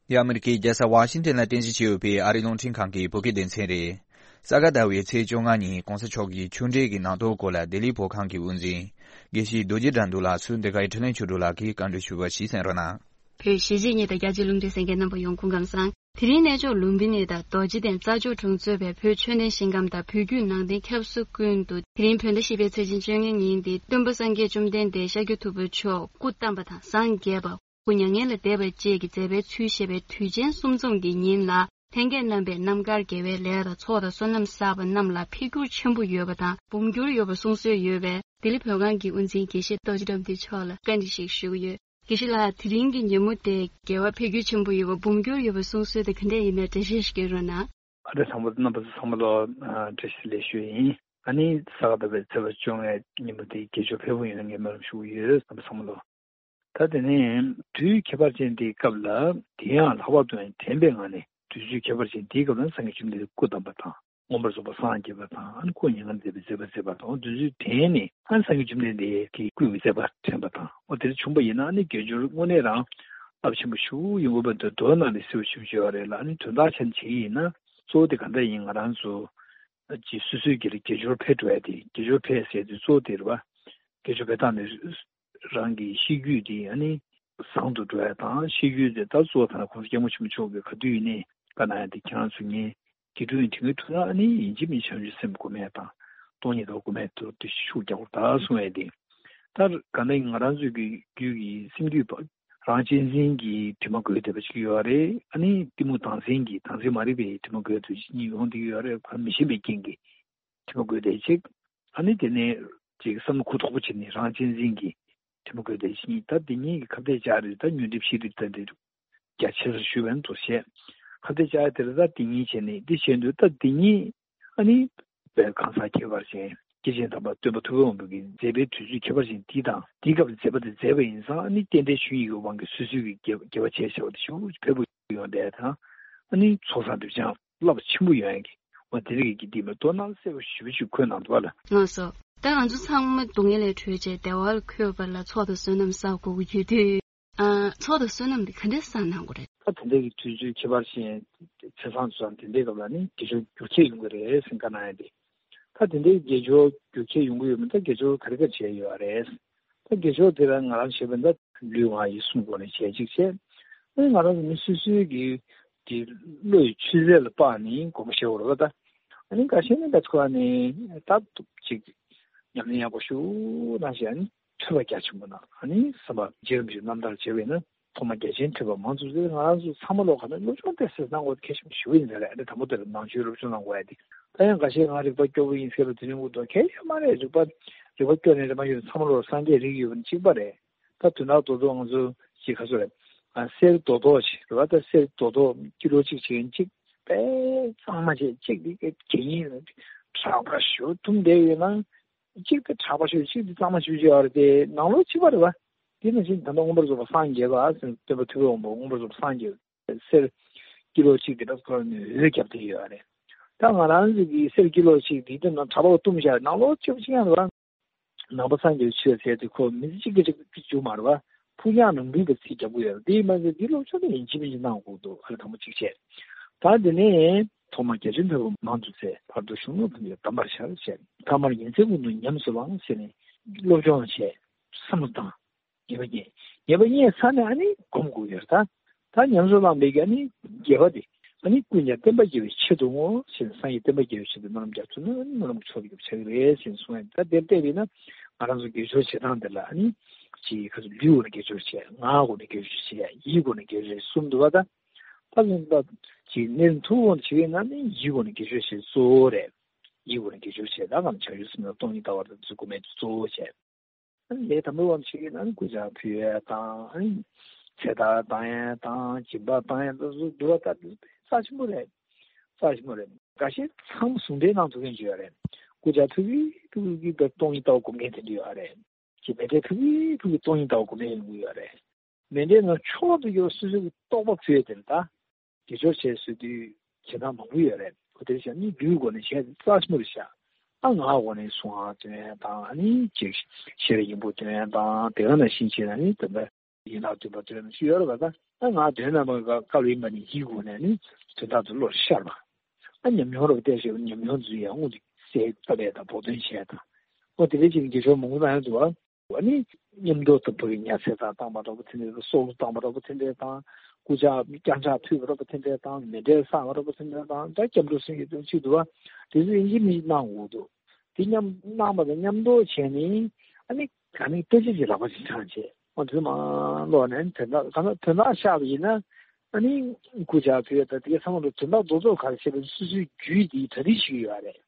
འདི་ཨ་མི་རི་ཀའི་རྒྱལ་ས་ཝ་ཤིང་ཏན་ལ་རྟེན་གཞི་བྱས་ཡོད་པའི་ཨ་རིའི་རླུང་འཕྲིན་ཁང་གི་བོད་སྐད་སྡེ་ཚན་རེད། ས་ག་ཟླ་བའི་ཚེས་བཅོ་ལྔ་ཉིན་༸གོང་ས་མཆོག་གིས་ཆུང་འབྲིང་གི་ནང་དོག་སྐོར་ལ་ལྡི་ལིའི་བོད་ཁང་གི་དབུ་འཛིན་དགེ་བཤེས་རྡོ་རྗེ་དགྲ་འདུལ་ལགས་སུ་འདི་གའི་འཕྲིན་ལས་ཆོས་གྲུབ་ལགས་ཀྱིས་བཀའ་འདྲི་ཞུས་པ་ཞིག་གསན་རོགས་གནང་། བོད་གཞིས་བྱེས་གཉིས་དང་རྒྱ་ཆེའི་རླུང་འཕྲིན་གསན་མཁན་རྣམ་པ་ཡོངས་སྐུ་ཁམས་བཟང་། དེ་རིང་གནས་མཆོག་ལུམ་བི་ནི་དང་རྡོ་རྗེ་གདན་རྩྭ་མཆོག་གྲོང་གཙོས་པའི་བོད་ཆོས་ལྡན་ཞིང་ཁམས་དང་བོད་བརྒྱུད་ནང་བསྟན་ཁྱབ་ས་ཀུན་ཏུ། དེ་རིང་བོད་ཟླ་བཞི་པའི་ཚེས་ཆེན་བཅོ་ལྔའི་ཉིན་ཏེ། སྟོན་པ་སངས་རྒྱས་བཅོམ་ལྡན་འདས་ཤཱཀྱ་ཐུབ་པ་མཆོག་སྐུ་བལྟམས་པ་དང་། སངས་རྒྱས་པ། སྐུ་མྱ་ངན་ལས་འདས་པ་བཅས་ཀྱི་མཛད་པའི་ཚུལ་བཤད་པའི་དུས་ཆེན་གསུམ་འཛོམས་ཀྱི་ཉིན་ལ། ལྷན་རྒྱས་རྣམ་པས་རྣམ་དཀར་དགེ་བའི་ལས་དང་ཚོགས་དང་བསོད་ནམས་བསགས་པ་རྣམས་ལ་འཕེལ་འགྱུར་ཆེན་པོ་ཡོད་པ་དང་། འབུམ་འགྱུར་ཡོད་པ་གསུང་སྲོལ་ཡོད་པས། ལྡི་ལི་བོད་ཁང་གི་དབུ་འཛིན་དགེ་བཤེས་རྡོ་རྗེ་དགྲ་འདུལ་མཆོག་ལ་བཀའ་འདྲི་ཞིག་ཞུ་གི་ཡོད། དགེ་བཤེས་ལགས། དེ་རིང་གི་ཉིན་མོ་དེ་དགེ་བ་འཕེལ་འགྱུར་ཆེན་པོ་ཡོད་པ། འབུམ་འགྱུར་ཡོད་པ་གསུང་སྲོལ་དེ་ག་འདྲ་ཡིན་མིན་འགྲེལ་བཤད་ཞིག་སྐྱོན་རོགས་གནང་། ཨ་ནི་ཚང་མ་རྣམ་པ་ཚོ་ཚང་མ་ལ་ཨ་བཀྲ་ཤིས་བདེ་ལེགས་ཞུ་ཡིན། ཨ་ནི་ས་ག་ཟླ་བའི་ཚེས་པ་བཅོ་ལྔའི་ཉིན་མོ་དེ་དགེ་སྦྱོར་ཕེབས་པོ་ཡོང་ངེས་སྨོན་ལམ་ཞུ་གི་ཡོད། རྣམ་པ་ཚང་མ་ལ། ད་དེ་ནས་དུས་ཁྱད་པར་ཅན་དེའི་སྐབས་ལ། དེ་ཡང་ལྷག་པར་དུ་ཡང་དྲན་པའི་ངང་ནས་དུས་ཚོད་ཁྱད་པར་ཅན་དེའི་སྐབས་ལ་སངས་རྒྱས་བཅོམ་ལྡན་འདས་སྐུ་བལྟམས་པ་དང་། མངོན་པར་རྫོགས་པར་སངས་རྒྱས་པ་དང་། ཨ་ནི་སྐུ་མྱ་ངན་འདས་པའི་མཛད་པ་མཛད་པ་དང་། དེ་ཚོའི་དྲན་ནས་ཨ་ནི་སངས་རྒྱས་བཅོམ་ལྡན་འདས་ཀྱི་སྐུའི་མཛད་པ་དྲན་པ་དང་། འོ་དེ་འདྲ་བྱུང་པ་ཡིན་ན། ཨ་ནི་དགེ་སྦྱོར་དངོས་གནས་རང་རླབས་ཆེན་པོ་ཞིག་ཡོང་གི་ཡོད་པ་འདུག་མདོ་ནང་ལ་གསལ་པོ་ཞེ་པོ་ཅིག་ཡོད་རེད་ལ། ཨ་ནི་དོན་དག་ཆ་ནས་བྱེད་ཀྱི་ཡིན་ན། གཙོ་བོ་དེ་ག་འདྲ་ཡིན། ང་རང་ཚོ་ཅིག་སོ་སོའི་སྒེར་ལ་དགེ་སྦྱོར་འཕེལ་འགྲོ་ཡ་དེ། དགེ་སྦྱོར་འཕེལ་ཟེར་དུས་གཙོ་བོ་དེ་རེད་པ། དགེ་སྦྱོར་འཕེལ་སྟངས་ནི། རང་གི་ཤེས་རྒྱུད་དེ་ཨ་ནི་བཟང་དུ་འགྲོ་ཡ་དང་། ཤེས་རྒྱུད་དེ་ད་གཙོ་བོ་ད་ལྟ་༸གོང་ས་༸སྐྱབས་མགོན་ཆེན་པོ་མཆོག་གིས་ག་དུས་ཡིན་ནའི་བཀའ་གནང་ཡ་དེ། ཁྱེད་རང་ཚོ་ངས་དགེ་ཕྲུག་ཡིན་དྲན་གྱི་ཐུག་ན། ཨ་ནི་ཡིན་གཅིག་མིན་གཅིག་བྱང་ཆུབ་སེམས་སྒོམ་ཡ་དང་། སྟོང་ཉིད་ལྟ་བ་སྒོམ་ཡ་དེ་ཤུགས་རྒྱག་དགོས་ད་གསུང་ཡ་དེ། ད་ག་ནང་ང་རང་ཚོའི་གི་རྒྱུད་ཀྱི་སེམས་རྒྱུད་པ། རང་གཅེས་འཛིན་གྱི་དྲི་མ་འགོས་བསྡད་པ་ཅིག་ཡོད་རེད། ཨ་ནི་གཏི་མུག་དང་འཛིན་གྱི། དང་འཛིན་མ་རིག་པའི་དྲི་མ་འགོས་བསྡད་པ་ཅིག་གཉིས་ཡོང་བསྡད་ཀྱི་ཡོད་རེད། གང་མི་ཤེས་པའི་རྐྱེན་གྱིས་དྲི་མ་འགོས་བསྡད་ཅིག་ཨ་ནི་དེ་ནས་ཅིག་བསམ་བློ་གུ་དོག་པོ་བྱས་ནས་རང་གཅེས་འཛིན་གྱི་དྲི་མ་འགོས་བསྡད་ཅིག་གཉིས། ད་འདི་གཉིས་ཀྱི་ཁ་གཏད་བཅག་རེད། ད་ཉོན་སྒྲིབ་ཤེས་སྒྲིབ་ད་འདི་རྒྱ་ཆེ་སར་ཞུས་པ་ཡིན་འདུག་བཤད། ཁ་གཏད་བཅག་ཡ་དེ་རེད། ད་འདི་གཉིས་བྱས་ནས། འདི་བྱས་འདུག་ད་འདི་གཉིས་ཨ་ནི་བོད་གང་ཟག་ཁྱད་པར་ཅན་སྐྱེས་ཆེན་དམ་པ་སྟོན་པ་ཐུབ་པའི་དབང་པོ་གི་མཛད་པའི་དུས་ཚོད་ཁྱད་པར་ཅན་འདི་དང་། འདིའི་སྐབས་ལ་མཛད་པ་དེ་མཛད་པ་ཡིན་ཙང་། ཨ་ནི་རྟེན་འབྲེལ་ཆོས་ཉིད་ཀྱི་དབང་གིས་སོ་སོའི་གི་དགེ་དགེ་བ་བྱས་བྱས་པ་དེ་ཞེ་པོ་འཕེལ་པོ་ཡོང་བསྡད་དང་། ཨ་ནི་ཚོགས་བསགས་སྒྲིབ་སྦྱང་རླབས་ཆེན་པོ་ཡོང་ཡ་གི། འོ་དེ་རིགས་ཀྱི་འདི་མ་གཏོགས་ནང་གསལ་པོ་ཞེ་པོ་ཅིག་འཁོད་གནང་འདུག་པ་ལ། ལགས་སོ། ད་ང་ཚོ་ཚང་མ་སྡུག་བསྔལ་ལས་གྲོལ་བྱས་བདེ་བ་ལ་འཁོད་པ་ལ་ཚོགས་དང་བསོད་ནམས་བསགས་དགོས་ཀྱི་ཡོད་དུས། ཨ། ཚོགས་དང་བསོད་ནམས་འདི་ག་འདྲས་བསགས་གནང་དགོས་རེད། ད་དེ་འདྲ་གི་དུས་ཚོད་ཁྱད་པར་ཅན་ཚེས་བཟང་དུས་བཟང་དེ་འདྲའི་སྐབས་ལ་ནི་དགེ་སྦྱོར་འགྱུར་ཁྱད་ཡོང་གི་རེད་ཟེར་བཀའ་གནང་ཡ་དེ། ད་དེ་འདྲའི་དགེ་སྦྱོར་འགྱུར་ཁྱད་ཡོང་གི་ཡོད་མེད། ད་དགེ་སྦྱོར་ག་རེ་ག་རེ་བྱས་ཡོད་རེད། ད་དགེ་སྦྱོར་དེ་ལ་ང་རང་བྱས་པ་ཡིན་ན་ལུས་ངག་ཡིད་གསུམ་སྒོ་ནས་བྱས་གཅིག་བྱས། ཨ་ནི་ང་རང་ཚོ་མི་སོ་སོའི་གི་གི་བློ་ཡི་ཆུད་ཟོས་ལ་དཔག་ནས་སྒོམ་པ་བྱེད་དགོས་རེད་པ། ད་ཨ་ནི་འགའ་ཤས་ནི་ད་ཚོ་ནི་ད་ཅིག་ཉམས་ལེན་ཡག་པོ་ཞུ་གནང་བྱས། ཨ་ནི་ཐོས་པ་རྒྱ་ཆེན་པོ་གནང་། ཨ་ནི་བསམ་པ་རྗེ་རིན་པོ་ཆེའི་རྣམ་ཐར་བྱས་པ་ཡིན་ན་ཐོག་མ་རྒྱ་ཆེན་ཐོས་པ་མང་ཙམ་ཟེར། ང་རང་ཚོ་ཚང་མ་ལོག་ག་ན་སློབ་སྦྱོང་ཏོག་ཙམ་གནང་དགོས་གལ་ཆེན་པོ་ཞེ་པོ་ཡིན་ས་རེད། ཨ་ནི་དང་པོ་དེ་ལ་ནང་ཆོས་སློབ་སྦྱོང་གནང་དགོས་ཡ་དེ། ད་ཡང་འགའ་ཤས་ང་རིག་པ་སྐྱོ་པོ་ཡིན་ཟེར་བ་དེ་རིང་དགོས་འདུག་གལ་ཡོད་མ་རེད། རིག་པ་རིག་པ་སྐྱོ་ནས་རེད་མ་ཡོད། ཚང་མ་ལོག་སངས་རྒྱས་རིགས་ཡོད་པ་ནི་གཅིག་པ་རེད། ད་དོན་དག་རྡོག་རྡོག་ང་ཚོ་ཅིག་ག་ཚོད་རེད། ཨ། གསེར་རྡོག་རྡོག་ཅིག་རེད་པ། ད་གསེར་རྡོག་རྡོག་ཀི་ལོ་གཅིག་བྱེད་མཁན་གཅིག་དཔེ་གཙང་མ་བྱས། གཅིག་འདི་གད་ཡིན། དྲག་པ་ཞུ་ཐུམ་བསྡད་ཡོད་ན། གཅིག་དེ་དྲག་པ་ཞུ། གཅིག་དེ་གཙང་མ་ཞུ་བྱས་ཡོད་རེད་དེ། ནང་ལོགས་གཅིག་པ་རེད་པ། དེ་ནང་བཞིན་ད་ལྟ་མངོན་པར་རྫོགས་པ་སངས་རྒྱས་པ་ཟེར། སྟོན་པ་ཐུབ་པའི་དབང་པོ་མངོན་པར་རྫོགས་པ་སངས་རྒྱས་པ། གསེར་ཀི་ལོ་གཅིག་དེ་འདྲ་ཁོ་རང་ནས་འོད་བརྒྱབ་བསྡད་ཡོད་རེད། ད་ང་རང་ཚོ་གི་གསེར་ཀི་ལོ་གཅིག་དེ་དེ་ནང་དྲག་པོ་བཏུམས་བཞག་ནང་ལོགས་གཅིག་པ་གཅིག་རྐྱང་རེད་པ། ནང་པ་སངས་རྒྱས་པའི་ཆོས་ཟེར་དེ་ཁོ་མི་ཚེ་གཅིག་གི་གཅིག་གཅིག་རྒྱུ་མ་རེད་པ། ཕུགས་རྒྱང་རིང་པོའི་གི་ཚིག་རྒྱག་གི་ཡོད་རེད། དེ་ཡིན་མ་ཟད་འདི་སློབ་སྦྱོང་དེ་ཡིན་གཅིག་མིན་གཅིག་གནང་དགོས་འདུག་ཨ་ནི་དང་པོ་གཅིག་བྱས། ད་དེ་ནས་ཐོག་མར་རྒྱ་ཆེན་ཐོས་པ་མང་དུ་བཙལ། བར་དུ་གཞུང་ལུགས་ཕན་ཚུན་དམ་པར་བཞག་བྱས། ཐ་མར་ཉིན་མཚན་ཀུན་ཏུ་ཉམས་སུ་བླང་ཟེར་ནས་སློབ་སྦྱོང་བྱས། བསམ་བློ་བཏང་། ངེས་པ་རྙེད། ངེས་པ་རྙེད་ཚར་ནས་ཨ་ནི་སྒོམ་དགོས་ཡོད་རེད། ད་ད་ཉམས་སུ་བླངས་པའི་གི་ཨ་ནི་དགེ་བ་དེ་ཨ་ནི་ཀུན་ཀྱང་བསྟན་པ་རྒྱས་པའི་ཆེད་དུ་བསྔོ་ཞེས། སངས་རྒྱས་བསྟན་པ་རྒྱས་པའི་ཆེད་དུ་སྨོན་ལམ་རྒྱག་ཐུབ་ན་ཨ་ནི་སྨོན་ལམ་གྱི་ཚོགས་ཀྱི་ཆགས་ཀྱི་རེད་ཟེར་གསུངས་ཡ། ད་དེར་བལྟས་པས་ན་ང་རང་ཚོ་དགེ་སྦྱོར་བྱེད་སྟངས་དེ་ལ་ཨ་ནི་ཅིག་ཁ་ཚུར་ལུས་སྒོ་ནས་དགེ་སྦྱོར་བྱེད། ངག་སྒོ་ནས་དགེ་སྦྱོར་བྱེད། ཡིད་སྒོ་ནས་དགེ་སྦྱོར་བྱེད་གསུམ་འདུག་པ། ད་ད་ལན་ད་ཅིག་གནས་ཐུབ་འོང་བྱེད་ཀྱི་ན་ནི་ཡིད་སྒོ་ནས་དགེ་སྦྱོར་བྱེད་གཙོ་བོ་རེད། ཡིད་སྒོ་ནས་དགེ་སྦྱོར་བྱེད། ད་གང་བྱ་ཡུལ་སེམས་ལ་སྟོང་ཉིད་ལྟ་བ་དང་ཚུལ་སྒོམ་མེད་གཙོ་བོ་བྱེད། ལས་དང་པོའི་དབང་ཆེ་གི་ན་ནི་སྐུ་བཅར་ཕུལ་ཡས་དང་། ཨ་ནི་ ཚེ་ཐར་བཏང་ཡས་དང་སྦྱིན་པ་བཏང་ཡས་དང་སོགས་འདུལ་བ་ལྟར་དུ་རྩ་ཆེན་པོ་རེད། རྩ་ཆེན་པོ་རེད། འགའ་ཤས་ཚང་མ་ཟུང་འབྲེལ་གནང་ཐུབ་མཁན་ཅིག་ཡོད་རེད། སྐུ་ཕྱྭ་ཕུལ་གི་ཕུལ་གི་སྟོང་ཉིད་ལྟ་བ་སྒོམ་མཁན་དེ་འདྲ་ཡོད་རེད། ཅིག་མཎྜལ་ཕུལ་གི་ཕུལ་གི་སྟོང་ཉིད་ལྟ་བ་སྒོམ་མཁན་ཡོང་གི་ཡོད་རེད། མཎྜལ་ནང་མཆོག་ཏུ་གྱུར་སོ་སོའི་རྟོགས་པ་ཕུལ་ཡས་དེ་ལ་ད། དགེ་སྦྱོར་བྱས་ཟེར་དུས་བྱེད་སྟངས་མང་པོ་ཡོད་རེད། ཁོ་དེ་བྱས་ནི་ལུས་སྒོ་ནས་བྱས་རྩ་ཆེན་པོ་རེད་ཤག་ཨ་ང་སྒོ་ནས་གསུང་ཨ་སྟོན་ཡ་དང་ཨ་ནི་ཅིག་ཤེས་རབ་སྙིང་པོ་སྟོན་ཡ་དང་དེ་ག་ནང་བཞིན་བྱས་ན་ནི་དེ་འདྲ་ཡན་ལག་བདུན་པ་སྟོན་ཡ་ཅིག་ཡོད་རེད་པ། ད་ཨ་ང་དོན་དམ་པ་བཀའ་སློབ་ཡིན་པ་ནི་ཡིད་སྒོ་ནས་ནི་དོན་དག་ཏུ་བློར་ཤར་བ། ཨ་ཉམས་མྱོང་རབ་བལྟས་ཞེས་ཉམས་མྱོང་འཛུལ་ཡ་དངོས་དེ་གསལ་བཏབ་ཡ་དང་བོགས་འདོན་བྱས་དང་ཨོ་དེ་འདྲ་ཅིག་དགེ་སྦྱོར་མང་པོ་གནང་ཡ་འདུག་ཨ། ཨ་ནི་མཉམ་དུ་དུ་བུ་ཡི་ཉ་ཚེ་དང་བཏང་བ་འདྲ་པོ་དེ་འདྲ་དང་སྲོག་བླུ་བཏང་བ་འདྲ་པོ་དེ་འདྲ་དང་སྐུ་ཕྱྭ་བརྐྱངས་ཕྱག་ཕུལ་བ་འདྲ་པོ་དེ་འདྲ་དང་མཎྜལ་བསགས་པ་འདྲ་པོ་དེ་འདྲ་དང་ད་སྐྱབས་འགྲོ་གསུང་གི་དོན་ཚིག་འདུག་བ། དེ་ཚོ་ཡིན་གཅིག་མིན་གཅིག་གནང་དགོས་འདུག་དེ་མཉམ་གནང་བ་དང་མཉམ་དུ་བྱས་ནས་ཨ་ནི་ག་ནི་ལྟ་ཅི་ཅི་ལག་པ་ཅིག་འཆང་བྱས་ཨོ་དུས་མ་ལོག་ནས་དོན་དག་ག་ན་དོན་དག་ཤར་བ་ཡིན་ན་ཨ་ནི་སྐུ་ཕྱྭ་ཕུལ་ད་དེ་ག་ཚང་མ་དོན་དག་རྡོག་རྡོག་ག་རེ་བྱས་པའི་སོ་སོའི་རྒྱུད་དེ་གྲ་སྒྲིག་ཞིག་ཡོད་རེད།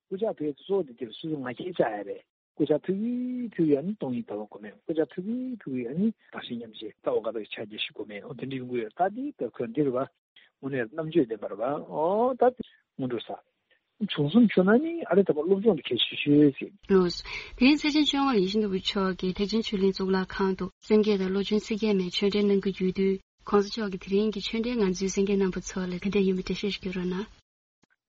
སྐུ་ཕྱྭ་ཕུལ་གཙོ་བོ་དེ་དེར་སོ་སོའི་ང་རྒྱལ་བཅག་ཡ་རེད། སྐུ་ཕྱྭ་ཕུལ་གི་ཕུལ་གི་ཨ་ནི་སྟོང་ཉིད་ལྟ་བ་སྒོམ་མེད། སྐུ་ཕྱྭ་ཕུལ་གི་ཕུལ་གི་ཨ་ནི་བདག་གཞན་མཉམ་བརྗེ་ལྟ་བ་ཀ་དག་ཕྱག་རྒྱ་བཞི་སྒོམ་མེད། ཨོ་དེ་འདྲ་ཡོང་གི་ཡོད། ད་འདི་ད་ཁོས་འདི་རེད་བ། དངོས་གནས་རྣམ་དཔྱོད་ལྡན་པ་རེད་བ། ཨོ་ད་དེ་སྔོན་འགྲོ་ས། བྱུང་སོང་བྱུང་ན་ནི་ཨ་རེ་ད་པ་སློབ་སྦྱོང་དེ་གལ་ཆེ་ཤོས་ཟེར། ལགས་སོ། དེ་རིང་ཚེས་ཆེན་བཅོ་ལྔ་ཡིད་བཞིན་ནོར་བུ་མཆོག་གིས་ཐེག་ཆེན་ཆོས་གླིང་གཙུག་ལག་ཁང་དུ་སེམས་བསྐྱེད་དང་བློ་སྦྱོང་ཚིག་བརྒྱད་མའི་ཆོས་འབྲེལ་གནང་གི་ཡོད་དུས། གོང་ས་མཆོག་གིས་དེ་རིང་གི་ཆོས་འབྲེལ་ང་ཚོའི་གསན་མཁན་རྣམ་པ་ཚོ་ལ་ག་འདྲ་ཡིན་པ་འགྲེལ་བཤད་ཞིག་བསྐྱོན་རོགས་གནང་།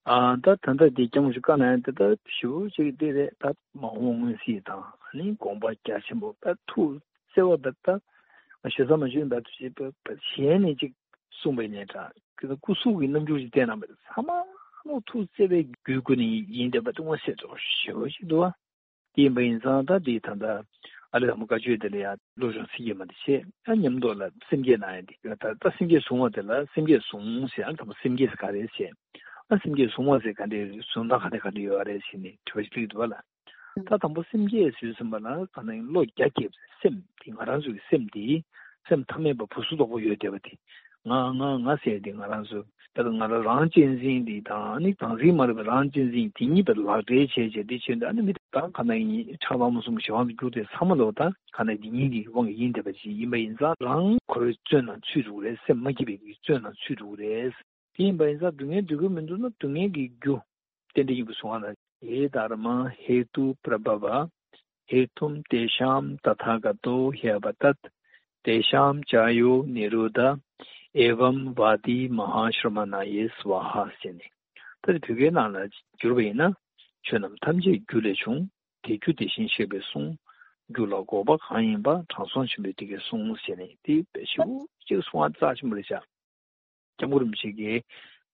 ཨ་ད་ད་ལྟ་འདི་སྐྱབས་མགོན་ཆེན་བཀའ་གནང་ཡ་འདི་ད་ཞེ་པོ་ཅིག་འདི་རེད། ད་མ་འོངས་སྔོན་གཟིགས་དང་ཨ་ནི་དགོངས་པ་རྒྱ་ཆེན་པོ་ད་ཐུགས་བརྩེ་བ་ད་ད་ཞེ་ས་མ་ཞུས་ད་དུ་ཞེས་པ་གཞན་ནས་ཅིག་གསུངས་པའི་ནས་ད་ཀི་ད་སྐུ་གཟུགས་ཀྱི་རྣམ་འགྱུར་ཅིག་བསྟན་གནང་བ་ཚང་མ་ལོ་ཐུགས་བརྩེ་བའི་རྒྱུད་སྐུ་ནས་ཡིན་བསྡད་པ་དེ་མངོན་གསལ་དོད་ཞེ་པོ་ཅིག་འདུག་བ། དེ་ཡིན་པ་ཡིན་ཙང་ད་དེའི་ད་ལྟ་ཨ་ལས་དང་པོ་བཀའ་ཆོས་དེ་ལ་ཡང་བློ་སྦྱོང་ཚིག་བརྒྱད་མ་དེ་བྱས། ཨ་མཉམ་དུ་ལ་སེམས་བསྐྱེད་གནང་ཡ་དེ་ད་ལྟ་སེམས་བསྐྱེད་བཟུང་བ་དེ་ལ་སེམས་བསྐྱེད་བཟུང་ཟེར། ཨ་དང་པོ་སེམས་བསྐྱེད་ཟེར་ག་རེ་བྱས། ཨ་སེམས་བསྐྱེད་བཟུང་བ་ཟེར་ག་འདྲའི་བཟུང་སྟངས་ག་འདྲ་ག་འདྲ་ཡོད་རེད་ཟེར་ནས་དྲི་བ་ཞིག་སླེབས་འདུག་བ་ལ། ད་དང་པོ་སེམས་བསྐྱེད་ཟེར་ཟིན་པ་ལ་ག་ནང་བློ་རྒྱ་བསྐྱེད་པ་སེམས་དེ་ང་རང་ཚོའི་སེམས་དེ་སེམས་ཐ་མལ་པ་ཕུང་སུམ་ཚོགས་པོ་ཡོད་བསྡད་པ་དེ་ང་ང་ང་ཟེར་དེ་ང་རང་ཚོ་ད་ང་རང་རང་གཅེས་འཛིན་འདི་དང་ནི་བདག་འཛིན་མ་རིག་པའི་རང་གཅེས་འཛིན་དེ་གཉིས་པའི་ལག་འབྲེལ་བྱས་བྱས་དེ་བྱས་འདི་ཨ་ནི་མི་དེ་དང་ག་ན་ཡིན་ཆགས་སྡང་གཏི་མུག་གསུམ་གྱི་གཞན་དབང་དུ་གྱུར་ཏེ་ཚང་མ་ལོ་ད་ག་ན་དེ་གཉིས་ཀྱི་དབང་གིས་ཡིན་བསྡད་པ་ཅིག་ཡིན་པ་ཡིན་ཙང་རང་འཁོར་བའི་བཙོན་ནང་ཚུད་འགྲོ་གི་རེད། སེམས་མ་སྐྱིད་པའི་བཙོན་ནང་ཚུད་འགྲོ་གི་རེད། དེ་ཡིན་པ་ཡིན་ཙང་སྡུག་བསྔལ་འདོད་ཀྱི་མི་འདུག་ན་སྡུག་བསྔལ་གྱི་རྒྱུ་རྟེན་འབྲེལ་ཡིན་པའི་གསུང་བ་ལ་ཡེ་དྷརྨཱ་ཧེ་ཏུ་པྲ་བྷ་བ། ཧེ་ཏུ་ཏེ་ཤཱམ་ཏ་ཐཱ་ག་ཏོ་ཧྱ་བ་ཏད། ཏེ་ཤཱམ་ཅཱ་ཡོ་ནི་རོ་དྷ། ཨེ་བམ་བ་ཏི་མ་ཧཱ་ཤྲ་མ་ཎཱ་ཡེ་སྭཱ་ཧཱ་ཟེར་ནས། ད་དེ་བོད་སྐད་ནང་ལ་བསྒྱུར་བ་ཡིན་ན། ཆོས་རྣམས་ཐམས་ཅད་རྒྱུ་ལས་བྱུང་། དེ་རྒྱུ་དེ་བཞིན་གཤེགས་པས་གསུངས། རྒྱུ་ལ་འགོག་པ་གང་ཡིན་པ། དྲང་སྲོང་ཆེན་པོས་དེ་སྐད་གསུངས་ཟེར་ནས་དེ་དཔེ་ཞེ་པོ་ཅིག་གསུང་བ་རྩ་ཆེན་པོ་རེད་ཤག་སྐྱབས་མགོན་རིན་པོ་ཆེ་གིས་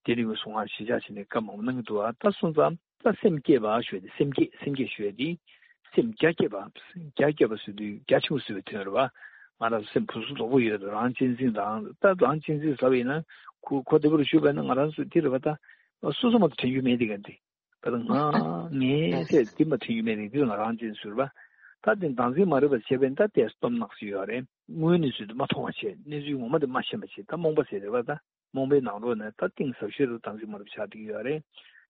དེ་རིང་གི་གསུང་བ་གཞིར་བཞག་བྱས་ནས་བཀའ་མང་པོ་གནང་གི་འདུག་ཨ། ད་སོང་ཙང་ད་སེམས་བསྐྱེད་པ་ཞུ་ཡ་དེ་སེམས་བསྐྱེད་སེམས་བསྐྱེད་ཞུ་ཡ་དེ་སེམས་རྒྱ་བསྐྱེད་པ་རྒྱ་བསྐྱེད་པ་ཟེར་དུས་རྒྱ་ཆེན་པོ་ཟེར་བའི་དོན་རེད་བ། ང་རང་ཚོ་སེམས་ཕུང་སུམ་ཚོགས་པོ་ཡོད་རང་གཅེས་འཛིན་རང་ད་རང་གཅེས་འཛིན་ཟེར་བ་ཡིན་ན་ཁོ་ཁོ་དེ་བར་ཞུས་པ་ཡིན་ན་ང་རང་ཚོ་དེ་རེད་བ། ད་སོ་སོ་མ་གཏོགས་དྲན་རྒྱུ་མེད་དེ་ག་འདི། ད་ང་ངས་ཟེར་འདི་མ་དྲན་རྒྱུ་མེད་རེད། འདི་ང་རང་གཅེས་ཟུར་པ། ད་དེ་བདག་འཛིན་མ་རིག་པ་བྱས་པས་ད་དེ་སྟོབས་ནག་ཞིག་ཡོད་རེད། དངོས་གནས་ཚུལ་དུ་མ་མཐོང་བ་བྱས་གནས་ཚུལ་ངོ་མ་དེ་མ་ཤེས་པ་བྱས་ད་རྨོངས་པ་ཟེར་རེད་བ། ད་རྨོངས་པའི་ནང་ལོགས་ནས་ད་གཏིང་ཟབ་ཤོས་རུ་བདག་འཛིན་མ་རིག་པ་ཆགས་བསྡད་ཀྱི་ཡོད་རེད།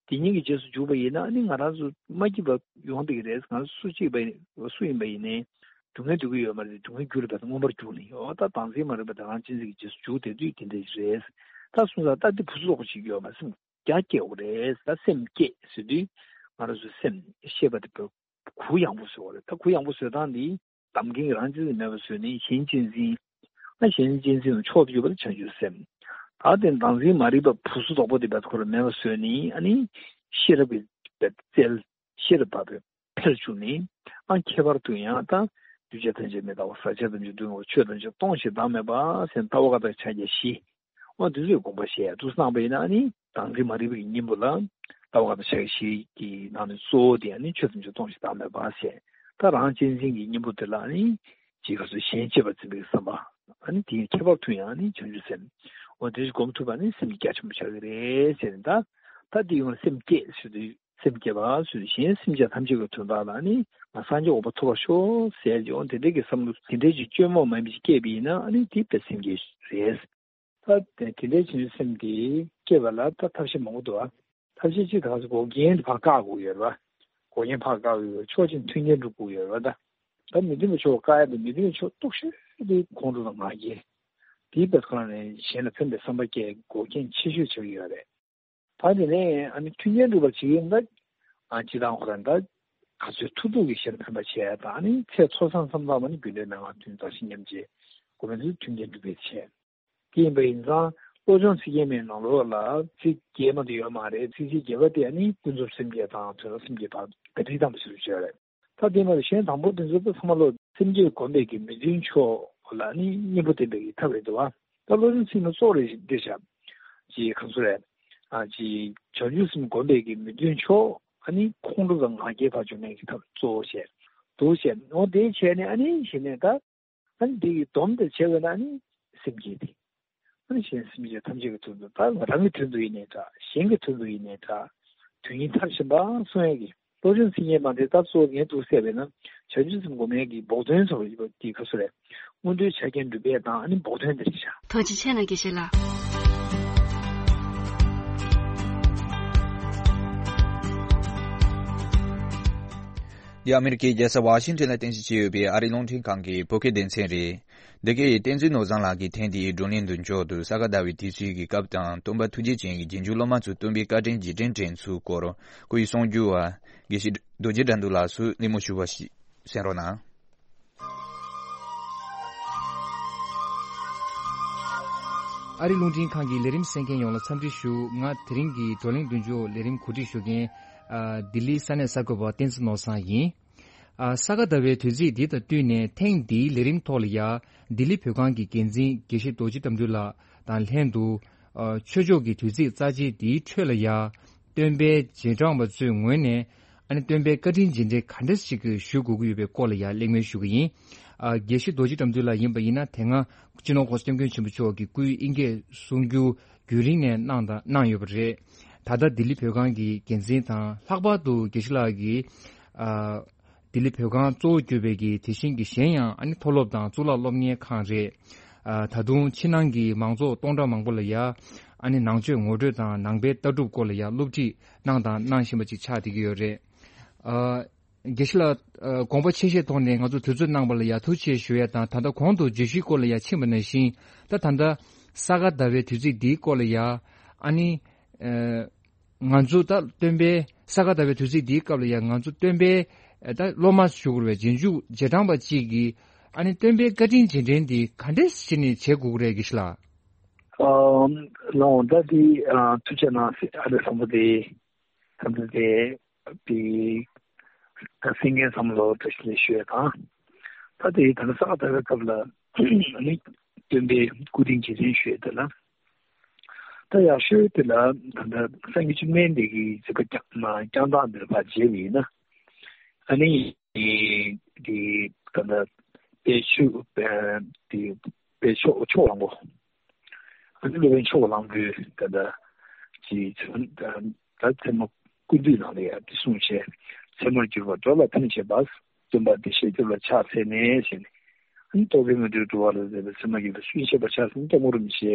དེ་གཉིས་ཀྱི་རྗེས་སུ་འཇུག་པ་ཡིན་ན་ཨ་ནི་ང་རང་ཚོ་མ་སྐྱིད་པ་ཡོང་བསྡད་ཀྱི་རེད། ང་ཚོ་སུ་གཅིག་པ་ཡིན་སུ་ཡིན་པ་ཡིན་ནའི་སྡུག་བསྔལ་འདོད་ཀྱི་ཡོད་མ་རེད། སྡུག་བསྔལ་རྒྱུ་ལ་བས་མངོན་པར་གྱུར་ནས་ཡོད། ད་བདག་འཛིན་མ་རིག་པ་དེ་རང་གཅེས་འཛིན་གྱི་རྗེས་སུ་འཇུག་བསྡད་དུས་དེ་འདྲ་ཞིག་རེད། ད་སོང་ཙང་ད་འདི་ཕུང་སུམ་ཚོགས་པོ་ཞིག་ཡོད་མ་སེམས། རྒྱ་སྐྱེ་དགོས་རེད། ད་སེམས་བསྐྱེད་ཟེར་དུས་ང་རང་ཚོའི་སེམས་ཤེས་པ་དེ་གུ་ཡངས་པོ་བཟོ་དགོས་རེད། ད་གུ་ཡངས་པོ་བཟོ་སྟངས་འདི་བདག་འཛིན་རང་གཅེས་འཛིན་མེད་པ་བཟོས་ནས་གཞན་གཅེས་འཛིན། ཨ་གཞན་གཅེས་འཛིན་ལ་མཆོག་ཏུ་གྱུར་པ་དེ་བྱང་ཆུབ་སེམས། ད་དེ་བདག་འཛིན་མ་རིག་པ་ཕུང་སུམ་ཚོགས་པོ་དེ་བས་ཁོ་རང་མེད་པ་བཟོས་ནས་ཨ་ནི་ཤེས་རབ་ཀྱི་རྩལ་ཤེས་རབ་བ་དེ་འཕེལ་བཅུག་ནས་ཨ་ཁྱད་པར་དུ་ཡང་ད་འདུས་བྱས་ཐམས་ཅད་མི་རྟག་པ་ཟག་བཅས་ཐམས་ཅད་སྡུག་བསྔལ་བ་ཆོས་ཐམས་ཅད་སྟོང་ཞིང་བདག་མེད་པ་ཟེར་ལྟ་བ་ཀ་དག་ཕྱག་རྒྱ་བཞི། འོ་དེ་ཚོའི་དགོངས་པ་བཞེས་ཡ་དུས་སུ་གནང་བ་ཡིན་ན་ཨ་ནི་བདག་འཛིན་མ་རིག་པའི་གཉེན་པོ་ལ་ལྟ་བ་ཀ་དག་ཕྱག་རྒྱ་བཞི་གི་ནང་ནས་གཙོ་བོ་དེ་ཨ་ནི་ཆོས་ཐམས་ཅད་སྟོང་ཞིང་བདག་མེད་པ་ཟེར། ད་རང་གཅེས་འཛིན་གྱི་གཉེན་པོ་དེ་ལ་ཨ་ནི་ཅིག་ག་ཚོད་གཞན་གཅེས་པར་འཛིན་པའི་བསམ་པ། ཨ་ནི་དེའི་ཁྱད་པར་དུ་ཡང་ཨ་ནི་བྱང་ཆུབ་སེམས། འོ་དེ་སྒོམ་ཐུབ་པ་ནི་སེམས་རྒྱ་ཆེན་པོ་ཆགས་ཀྱི་རེད་ཟེར་ནས་ད། ད་དེ་ཡང་སེམས་བསྐྱེད་ཟེར་དུས་སེམས་བསྐྱེད་པ་ཟེར་དུས་གཞན་སེམས་ཅན་ཐམས་ཅད་ཀྱི་དོན་དག་ལ་ནི་ང་སངས་རྒྱས་འོད་དཔག་ཐོབ་པར་ཤོག་ཟེར་ཀྱང་དེ་འདྲའི་གི་བསམ་བློ་དེ་འདྲའི་ཅིག་བཅོས་མ་མིན་པ་ཅིག་སྐྱེས་པ་ཡིན་ན་ཨ་ནི་དེ་དཔེ་སེམས་བསྐྱེད་རེད། ད་དེ་དེ་འདྲའི་བྱང་ཆུབ་སེམས་དེ་སྐྱེ་བ་ལ་ད་ཐབས་ཤེས་མང་པོ་འདུག་ཨ། ཐབས་ཤེས་གཅིག་ད་ག་ཚོད་འགོག་རྐྱེན་དེ་ཕར་བཀག་དགོས་ཡོད་རེད་པ། འགོག་རྐྱེན་ཕར་བཀག་དགོས་ཡོད། ཆོག་མཆན་མཐུན་རྐྱེན་སྒྲུབ་དགོས་ཡོད་རེད་པ། ད་ད་མི་མཐུན་པའི་ཕྱོགས་བཀག་ཡ་དེ་མི་མཐུན་པའི་ཕྱོགས་གཏུག་ཤོས་དེ་ཁོང་ཁྲོ་དང་ང་རྒྱལ། དེའི་བར་སྐབས་ནས་གཞན་ལ་ཕན་པའི་བསམ་པ་སྐྱེ་འགོག་རྐྱེན་ཆེ་ཤོས་ཆགས་ཀྱི་ཡོད་རེད། ད་དེ་ནས་ཨ་ནི་མཐུན་རྐྱེན་སྒྲུབ་པར་བྱེད་ཀྱི་ཡིན་ད། ཨ་སྤྱི་བཏང་ཁོ་རང་ད་ག་ཚོད་ཐུབ་ཐུབ་ཀྱིས་གཞན་ལ་ཕན་པ་བྱས་དང་ཨ་ནི་ཚེ་འཚོ་བསམ་བསམ་བློ་མ་ནི་རྒྱུ་འབྲས་མན་ངག་མཐུན་བདག་གཞན་མཉམ་བརྗེ། གོ་མེད་ཚུལ་མཐུན་རྐྱེན་སྒྲུབ་པའི་ཆེད། དེ་ཡིན་པ་ཡིན་ཙང་བློ་སྦྱོང་ཚིག་བརྒྱད་མའི་ནང་ལོགས་ལ་ཚིག་བརྒྱད་མ་གཏོགས་ཡོད་མ་རེད། ཚིག་བརྒྱད་པ་དེ་ནི་ཀུན་རྫོབ་སེམས་བསྐྱེད་དང་དོན་དམ་སེམས་བསྐྱེད་བར་བརྡ་སྤྲོད་བཏང་བ་ཞིག་ལ་བརྗོད་རེད། ད་དེ་མ་གཏོགས་གཞན་དང་པོ་དེ་ཚོ་ཚང་མ་ལོ་སེམས་བསྐྱེད་སྒོམ་པའི་གི་མི་མཐུན་ཕྱོགས་ལ་ནི་གཉེན་པོ་བསྟེན་པའི་གི་ཐབས་རེད་འདུག་བ། ད་བློ་སྦྱོང་ཚིག་ནི་གཙོ་བོ་རེད་འདི་བྱ། ཅེས་ཁམས་གསུམ་རེད། ཨ་ཅེས་བྱང་ཆུབ་སེམས་སྒོམ་པའི་གི་མི་མཐུན་ཕྱོགས་ཨ་ནི་ཁོང་ཁྲོ་དང་ང་རྒྱལ་བར་འཇོག་མཁན་གྱི་ཐབས་གཙོ་བོ་བྱས། འདུག་བྱས་འོ་དེ་བྱས་ནས་ཨ་ནི་གཞི་ནས་ད། ཨ་ནི་འདི་ཡི་སྡོམ་དེ་བྱས་པས་ན་ནི་སེམས་བསྐྱེད་དེ། ཨ་ནི་གཞན་སེམས་ཅན་ཐམས་ཅད་ཀྱི་དོན་དུ་ད་ང་རང་གི་དོན་དུ་ཡིན་ནའི་འདྲ། གཞན་གྱི་དོན་དུ་ཡིན་ནའི་འདྲ། དོན་གཉིས་མཐར་ཕྱིན་པ་གསུང་ཡས་ཀྱི་བློ་སྦྱོང་ཚིག་བརྒྱད་མ་དེ་ད་གཙོ་བོ་ངས་འདུག་བཤད་པས་ན་བྱང་ཆུབ་སེམས་སྒོམ་ཡས་ཀྱི་བོགས་འདོན་ཚོ་ཡོད་པ་དེ་ག་སུ་རེད། སྔོན་འགྲོའི་ཆ་རྐྱེན་སྒྲུབ་པའི་དང་ཨ་ནི་བོགས་འདོན་དེ་རེད་བྱ། ཐུགས་རྗེ་ཆེ་གནང་དགེ་བཤེས་ལགས། འདི་ཨ་མི་རི་ཀའི་རྒྱལ་ས་ཝ་ཤིང་ཊོན་ལ་རྟེན་གཞི་བྱས་ཡོད་པའི་ཨ་རིའི་རླུང་འཕྲིན་ཁང་གི་བོད་སྐད་སྡེ་ཚན་རེད། འདི་གའི་བསྟན་འཛིན་ནོར་བཟང་ལགས་ཀྱིས་ཐེངས་འདིའི་བགྲོ་གླེང་མདུན་ཅོག་ཏུ་ས་ག་ཟླ་བའི་དུས་ཚིགས་ཀྱི་སྐབས་དང་སྟོན་པ་ཐུགས་རྗེ་ཅན་གྱི་རྗེས་འཇུག་སློབ་མ་ཚོས་སྟོན་པའི་བཀའ་དྲིན་རྗེས་དྲན་དྲན་ཚུལ་སྐོར་སྐུའི་གསུང་སྒྱུར་བ་དགེ་བཤེས་རྡོ་རྗེ་དགྲ་འདུལ་ལགས་སུ་གླེང་མོལ་ཞུ་བ་ཞིག་གསན་རོགས་གནང་། ཨ་རིའི་རླུང་འཕྲིན་ཁང་གི་ལས་རིམ་གསན་མཁན་ཡོངས་ལ་འཚམས་འདྲི་ཞུ། ང་དེ་རིང་གི་བགྲོ་གླེང་མདུན་ཅོག་ལས་རིམ་གོ་སྒྲིག་ཞུ་མཁན་ཨ་ལྡི་ལིའི་ས་གནས་གསར་འགོད་པ་བསྟན་འཛིན་ནོར་བཟང་ཡིན། ཨ་ས་ག་ཟླ་བའི་དུས་ཚིགས་འདི་དང་བསྟུན་ནས་ཐེངས་འདིའི་ལས་རིམ་ཐོག་ལ་ཡ་ལྡི་ལི་བོད་ཁང་གི་འགན་འཛིན་དགེ་བཤེས་རྡོ་རྗེ་དགྲ་འདུལ་ལགས་དང་ལྷན་དུ་ཨ་ཆོས་ཕྱོགས་ཀྱི་དུས་ཚིགས་རྩ་ཆེ་འདིའི་ཁྲོད་ལ་ཡ་སྟོན་པའི་རྗེས་འབྲང་བ་ཚོའི་ངོས་ནས་ཨ་ནི་སྟོན་པའི་བཀའ་དྲིན་རྗེས་དྲན་ག་འདྲ་ཞིག་ཞུ་དགོས་ཀྱི་ཡོད་པའི་སྐོར་ལ་ཡ་གླེང་མོལ་ཞུ་གི་ཡིན། ཨ་དགེ་བཤེས་རྡོ་རྗེ་དགྲ་འདུལ་ལགས་ཡིན་པ་ཡིན་ན་དེ་སྔ་སྤྱི་ནོར་༸གོང་ས་༸སྐྱབས་མགོན་ཆེན་པོ་མཆོག་གི་སྐུའི་དབྱིན་སྐད་གསུང་སྒྱུར་རྒྱུན་རིང་ནས་གནང་དང་གནང་ཡོད་པ་རེད། ད་ལྟ་ལྡི་ལི་བོད་ཁང་གི་འགན་འཛིན་དང་ལྷག་པར་དུ་དགེ་བཤེས་ལགས་ཀྱིས་ཨ་ལྡི་ལི་བོད་ཁང་གཙོ་བོ་གྱུར་པའི་གི་དེ་བཞིན་གྱི་གཞན་ཡང་ཨ་ནི་མཐོ་སློབ་དང་གཙུག་ལག་སློབ་གཉེར་ཁང་རེད། ཨ་ད་དུང་ཕྱི་ནང་གི་མང་ཚོགས་སྟོང་ཕྲག་མང་པོ་ལ་ཡ་ཨ་ནི་ནང་ཆོས་ངོ་སྤྲོད་དང་ནང་པའི་ལྟ་གྲུབ་སྐོར་ལ་ཡ་སློབ་ཁྲིད་གནང་དང་གནང་བཞིན་པ་ཅིག་ཆགས་བསྡད་ཀྱི་ཡོད་རེད། ཨ། དགེ་བཤེས་ལགས། ཨ་དགོངས་པ་ཆེ་བཞེས་ཐོག་ནས་ང་ཚོ་དུས་ཚོད་གནང་བ་ལ་ཡ་ཐུགས་རྗེ་ཆེ་ཞུ་ཡ་དང་ད་ལྟ་གོང་དུ་བརྗོད་གཞིའི་སྐོར་ལ་ཡ་ཕྱིན་པ་ནང་བཞིན་ད་ད་ལྟ་ས་ག་ཟླ་བའི་དུས་ཚིགས་འདིའི་སྐོར་ལ་ཡ་ཨ་ནི་ཨ་ང་ཚོ་ད་སྟོན་པའི་ས་ག་ཟླ་བའི་དུས་ཚིགས་འདིའི་སྐབས་ལ་ཡ་ང་ཚོ་སྟོན་པའི་ཨ་ད་སློབ་མ་ཞུ་དགོས་པའི་རྗེས་འཇུག་རྗེས་འབྲང་པ་གཅིག་གིས་ཨ་ནི་སྟོན་པའི་བཀའ་དྲིན་རྗེས་དྲན་འདི་ག་འདྲས་བྱས་ནས་བྱེད་དགོས་ཀྱི་རེད་དགེ་བཤེས་ལགས། ཨ་ལགས་འོང་ད་འདི་ཨ་ཐུགས་རྗེ་གནང་ཨ་རེ་བསམ་པ་དེ། ད་ལྟ་དེ་དེ་ད་སེང་གེ་བསམ་བློ་བཀྲ་ཤིས་བདེ་ལེགས་ཞུ་ཡ་དང་། ད་དེ་ད་ལྟ་ས་ག་ཟླ་བའི་སྐབས་ལ་ནི་སྟོན་པའི་སྐུ་དྲིན་རྗེས་དྲན་ཞུ་ཡ་དེ་ལ། ད་ཡག་ཤོས་དེ་ལ་ད་ལྟ་སངས་རྒྱས་བཅོམ་ལྡན་འདས་ཀྱི་གཟིགས་པ་བསྐྱངས་ན་བསྐྱངས་སྟངས་འདིར་ཕར་མཇལ་བ་ཡིན་ན། ཨ་ནི་དེ་ད་ལྟ་དཔལ་ཆོས་དེ་དཔལ་ཕྱོགས་ཕྱོགས་གླང་པོ། ཨ་ནི་སློབ་དཔོན་ཕྱོགས་གླང་པོས་ད་ལྟ་ཅི་ཚོན་ད་ཚད་མ་ཀུན་བཏུས་ནང་ལ་ཡང་འདི་གསུངས་བྱས། ཚད་མར་གྱུར་པ་སྒྲོ་ལ་ཕན་བྱེད་པ། སྟོན་པ་བདེ་གཤེགས་སྐྱོབ་ལ་ཕྱག་འཚལ་ནས་ཟེར་ནས། ཨ་ནི་རྟོག་གེའི་ངོ་སྤྲོད་འགྲོ་བ་ལ་ཟེར་བའི་ཚད་མར་གྱུར་པ་སུན་ཤེས་པ་ཕྱག་འཚལ་ནས་སྐྱབས་མགོན་རིན་པོ་ཆེ་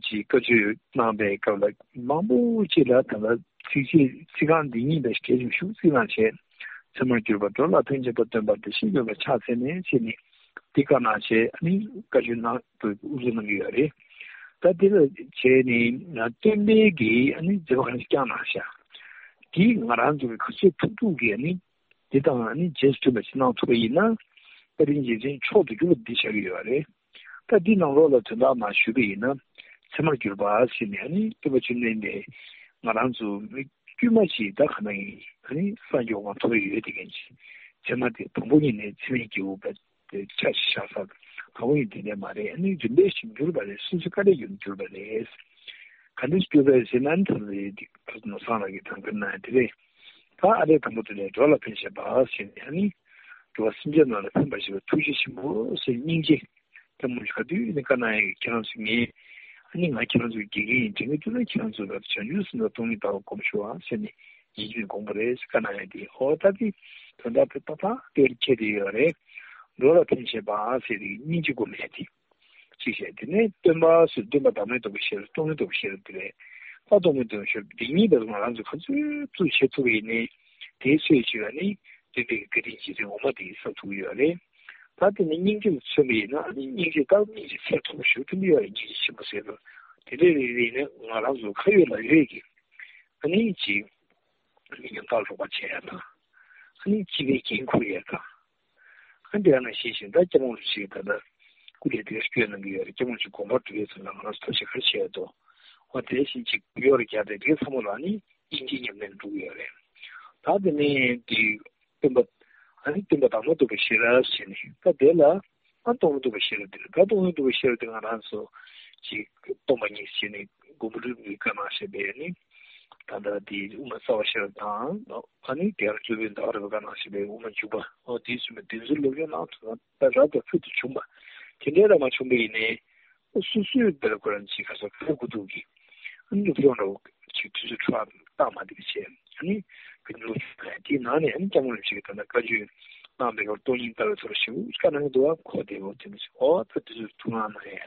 ཅིག་བཀའ་ཆོས་གནང་པའི་སྐབས་ལ་མང་པོ་ཅིག་ལ་ད་ལྟ་ཚིགས་བཅད་ཚིག་རྐང་འདི་ཉིད་དང་གལ་ཆེན་ཤུགས་བརྩི་གནང་བྱས། ཚད་མར་གྱུར་པ་སྒྲོ་ལ་ཕན་བྱེད་པ། སྟོན་པ་བདེ་གཤེགས་སྐྱོབ་པར་ཕྱག་འཚལ་ནས་ཟེར་ནས་འདི་བཀའ་གནང་བྱས་ཨ་ནི་བཀའ་ཆོས་གནང་དབུ་བཟུང་གནང་གི་ཡོད་རེད། ད་འདི་ལ་བྱས་ནས་སྟོན་པའི་གི་ཨ་ནི་མཛད་པ་ག་རེ་བསྐྱངས་གནང་ཤག་འདི་ང་རང་ཚོ་གི་ག་ཚོད་ཐུབ་ཐུབ་ཀྱིས་ཨ་ནི་འདི་དང་ཨ་ནི་རྗེས་སུ་མཐུན་པ་ཞིག་གནང་ཐུབ་པ་ཡིན་ན་བཀའ་དྲིན་རྗེས་དྲན་མཆོག་ཏུ་གྱུར་པ་འདི་ཆགས་ཀྱི་ཡོད་རེད། ད་འདི་ནང་ལོགས་ལ་དོན་དག་མར་ཞུས་པ་ཡིན་ན་ཚད་མར་གྱུར་པ་ཟེར་ནས་ཨ་ནི་སྟོན་པ་བཅོམ་ལྡན་འདས་ང་རང་ཚོ་མི་དཀྱུས་མ་ཞིག་ད་ག་ན་ཡིན་ཨ་ནི་སངས་རྒྱས་དབང་ཐོབ་ཡོད་དེ་མཁན་ཅིག་ཚད་མ་དེ་དང་པོ་ཉིད་ནས་ཚད་མས་སྐྱེ་བོ་པ་དེ་ཆ་ཞིག་བཞག་ས་དང་པོ་ཉིད་དེ་འདྲ་མ་རེད། ཨ་ནི་རིམ་པས་ཤིག་གྱུར་པ་རེད། སོ་སོ་དཀའ་ལས་ཡོད་གྱུར་པ་རེད། ག་འདྲ་ཞིག་གྱུར་པ་རེད་ཟེར་ན་ཨ་ནི་ད་རེད་དེ་ནོར་བཟང་ལགས་ཀྱིས་དྲང་བཀོད་གནང་ཡ་དེ་རེད། ད་ཨ་རེ་དང་པོ་དེ་ནས་འགྲོ་ལ་ཕན་བྱེད་པ་ཟེར་ནས་ཨ་ནི་འགྲོ་བ་སེམས་ཅན་རྣམས་ལ་ཕན་པར་བྱེད་པའི་ཐུགས་རྗེ་ཆེན་པོ་ཟེར་སྙིང་རྗེ། ད་མོ་ག་དུས་ནས་བཀའ་གནང་ཡ་ཁྱེད་རང་ཚོ་ངས་ཨ་ནི་ང་ཁྱེད་རང་ཚོའི་དགེ་རྒན་ཡིན། དྲན་གྱི་འདུག་ན་ཁྱེད་རང་ཚོ་ལ་བྱང་ཆུབ་སེམས་དང་སྟོང་ཉིད་ལྟ་བ་སྒོམ་ཤོག་ཨ་ཟེར་ནས་ཡིད་ཆེས་དགོངས་པ་རེད་ཟེར་བཀའ་གནང་ཡ་དེ། ཨོ་ད་དེ་དོན་དག་དེ་ཏག་ཏག་དེར་འཁེལ་བསྡད་ཡོད་རེད། འགྲོ་ལ་ཕན་བྱེད་པ་ཟེར་དེ་སྙིང་རྗེ་སྒོམ་ཡ་དེ་གཅིག་བྱས། དེ་ནས་སྟོན་པ་ཟེར་སྟོན་པ་བདག་མེད་རྟོགས་པའི་ཤེས་རབ་སྟོང་ཉིད་རྟོགས་པའི་ཤེས་རབ་དེ་རེད། ད་སྟོང་ཉིད་རྟོགས་པའི་ཤེས་རབ་འདི་ཉིད་ལ་ང་རང་ཚོ་ག་ཚོད་ཚོད་བྱེད་ཐུབ་པ་ཡིན་ནའི་དེའི་ཚོད་ཅིག་ལ་ནི་སྟོན་པའི་བཀའ་དྲིན་རྗེས་དྲན་འོ་མ་དེ་བསགས་ཐུབ་ཀྱི་ཡོད་རེད། ད་དེ་ནི་སྙིང་རྗེ་ལ་མཚོན་པ་ཡིན་ན་ཨ་ནི་སྙིང་རྗེ་ད་སྙིང་རྗེ་ཚད་མཐོ་པོ་ཞེ་པོ་ཅིག་ཡོད་རེད། སྙིང་རྗེ་ཆེན་པོ་ཟེར་དུས་དེ་འདྲའི་རིགས་རིགས་ནི་ང་རང་ཚོ་ཁ་ཡོད་ལག་ཡོད་ཀྱི་ཨ་ནི་ཅིག་མི་ཉམ་ཐག་རོགས་པ་བྱེད་ཡ་དང་ཨ་ནི་སྤྱི་པའི་འགན་འཁུར་ཡ་དང་། ཨ་འདི་ཡང་ནང་བཞིན་བཞིན་ད་སྐྱབས་མགོན་རིན་པོ་ཆེ་ད་ལྟ་སྐུ་ལས་དེ་ག་སྐྱོན་གནང་གི་ཡོད་རེད། སྐྱབས་མགོན་ཆེན་དགོངས་པ་གྲུབ་པའི་ཚུལ་ལ་ང་རང་ཚོ་ཐབས་ཤེས་ག་རེ་བྱས་ཡོད་དོ། འོ་དེ་བཞིན་ཅིག་གུ་ཡོར་རྒྱག་དེ་དེ་ཚང་མ་ལ་ནི་དབྱིན་ཇིའི་ཉམས་ལེན་འགྲོ་གི་ཡོད་རེད། ད་དེ་ནས་དེ་སྟོན་པ་ཨ་ནི་སྟོན་པ་དང་མ་ཐུག་པའི་ཤེས་རབ་ཟེར་ནས་ད་དེ་ལ་ཨ་སྟོང་ཉིད་རྟོགས་པའི་ཤེས་རབ་དེ་རེད། ད་སྟོང་ཉིད་རྟོགས་པའི་ཤེས་རབ་དེ་ང་རང་ཚོ་ཅིག་སྟོང་པ་ཉིད་ཟེར་ནས་མགོན་པོ་ཀླུ་སྒྲུབ་ཀྱིས་བཀའ་གནང་བཞག་པའི་ནི་ད་ལྟ་དེ་དབུ་མ་རྩ་བ་ཤེས་རབ་དང་ཨ་ནི་དེ་ཡང་སློབ་དཔོན་ཟླ་བ་རི་པས་བཀའ་གནང་བཞག་པའི་དབུ་མ་འཇུག་པ་འོ་དེ་ཚུལ་མ་དེ་ཚོའི་སློབ་སྦྱོང་གནང་ཐུབ་ན་ད་རབ་དང་ཕུལ་དུ་བྱུང་བ་དེ་འདྲའི་རབ་མ་བྱུང་པ་ཡིན་ནའི། སོ་སོའི་དེར་ཁོ་རང་ཅིག་ག་ས་ག་དགོས་འདུག་གི་ཨ་ནི་སློབ་སྦྱོང་འདྲ་བོ་ཅིག་དུས་ཚོད་འཕྲོ་བརླག་བཏང་མ་བསྡད་པ་བྱས་ཨ་ནི་ཀུན་སློང་ཆུང་བ་དེའི་ནང་ནས་ཨ་ནི་སྐྱབས་མགོན་རིན་པོ་ཆེ་གིས་ད་ལྟ་བཀའ་ཆོས་གནང་བའི་སྐབས་སྟོང་ཉིད་ལྟ་བའི་ཐོག་ལ་ཞེ་པོ་བཀའ་གནང་གི་འདུག་བ། ཁོ་དེ་འོ་དེ་འདྲ་ཞིག་འོ་ད་དུས་ཚོད་ཐུགས་སྣང་གནང་ཡ་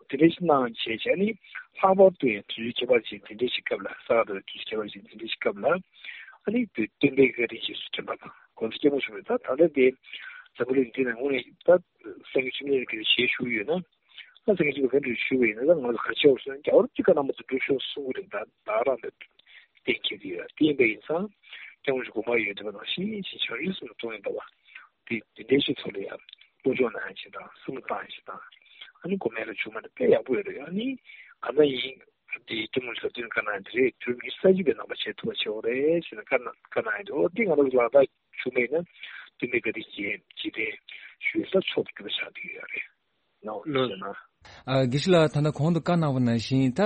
དེ་འདྲ་ཞིག་གནང་བྱས་བྱས་ཨ་ནི་ལྷག་པར་དུ་ཡང་དུས་ཚོད་ཁྱད་པར་ཅན་དེ་འདྲ་ཞིག་སྐབས་ལ་ས་ག་ཟླ་བའི་དུས་ཚོད་ཁྱད་པར་ཅན་དེ་འདྲ་ཞིག་སྐབས་ལ་ཨ་ནི་བོད་སྟོན་པའི་བཀའ་དྲིན་རྗེས་སུ་དྲན་པ་དང་གོང་ས་སྐྱབས་མགོན་ཆེན་པོས་ད་ད་ལྟ་དེ་འཛམ་བུ་གླིང་འདི་ན་དངོས་གནས་ད་སངས་རྒྱས་བཅོམ་ལྡན་འདས་ཀྱི་ཞལ་བཞུགས་ཡོད་ན། ང་ཚོ་གི་ཅིག་ག་འདྲ་ཞུ་བ་ཡིན་ན་ད་ང་ཚོ་ག་ཆེ་བ་སོང་རྒྱལ་བ་གཅིག་ག་ནང་མ་ཚོ་འགྲུབ་ཤོག་གསུང་གི་རེད། ད་ད་རང་དེ་གཏན་འཁེལ་གྱི་ཡོད་དེ་ཡིན་པ་ཡིན་ཙང་སྐྱབས་མགོན་གྱི་དགོངས་པ་ཡོད་དེ་བ་ནང་བཞིན་ཅིག་བྱང་ཆུབ་སེམས་ལ་གཏོང་ཡིན་པ་བ་དེ་དེ་འདྲའི་ཞིག་ཐོག་ལ་ཡང་སློབ་སྦྱོང་གནང་ཡ་ཅིག་དང་བསམ་བློ་བཏང་ཡ་ཅིག་དང་ཨ་ནི་གོ་མེད་ལ་བྱུང་མ་ནི་དཔེ་ཡག་པོ་ཡོད་རེད། ཨ་ནི་ག་ན་ཡིན་དེ་སྐྱབས་མགོན་ཞབས་བརྟན་བཀའ་གནང་དེ་རེད། དུས་རབས་ཉི་ཤུ་རྩ་གཅིག་པའི་ནང་པ་བྱེད་ཐུབ་པ་བྱེད་འོ་རེད་ཟེར་ནས་བཀའ་གནང་ཡ་དེ་འོ་དེ་ང་རང་ལག་བསྟར་བྱུང་མེད་ན་སྟོན་པའི་བཀའ་དྲིན་རྗེས་རྗེས་དྲན་ཞུ་ས་ཚོགས་འདུ་ཆགས་བསྡད་ཡོད་རེད། ནོ་ལོ། ཟེར་ན། ཨ། དགེ་བཤེས་ལགས་ད་ལྟ་གོང་དུ་བཀའ་གནང་བ་ནང་བཞིན་ད་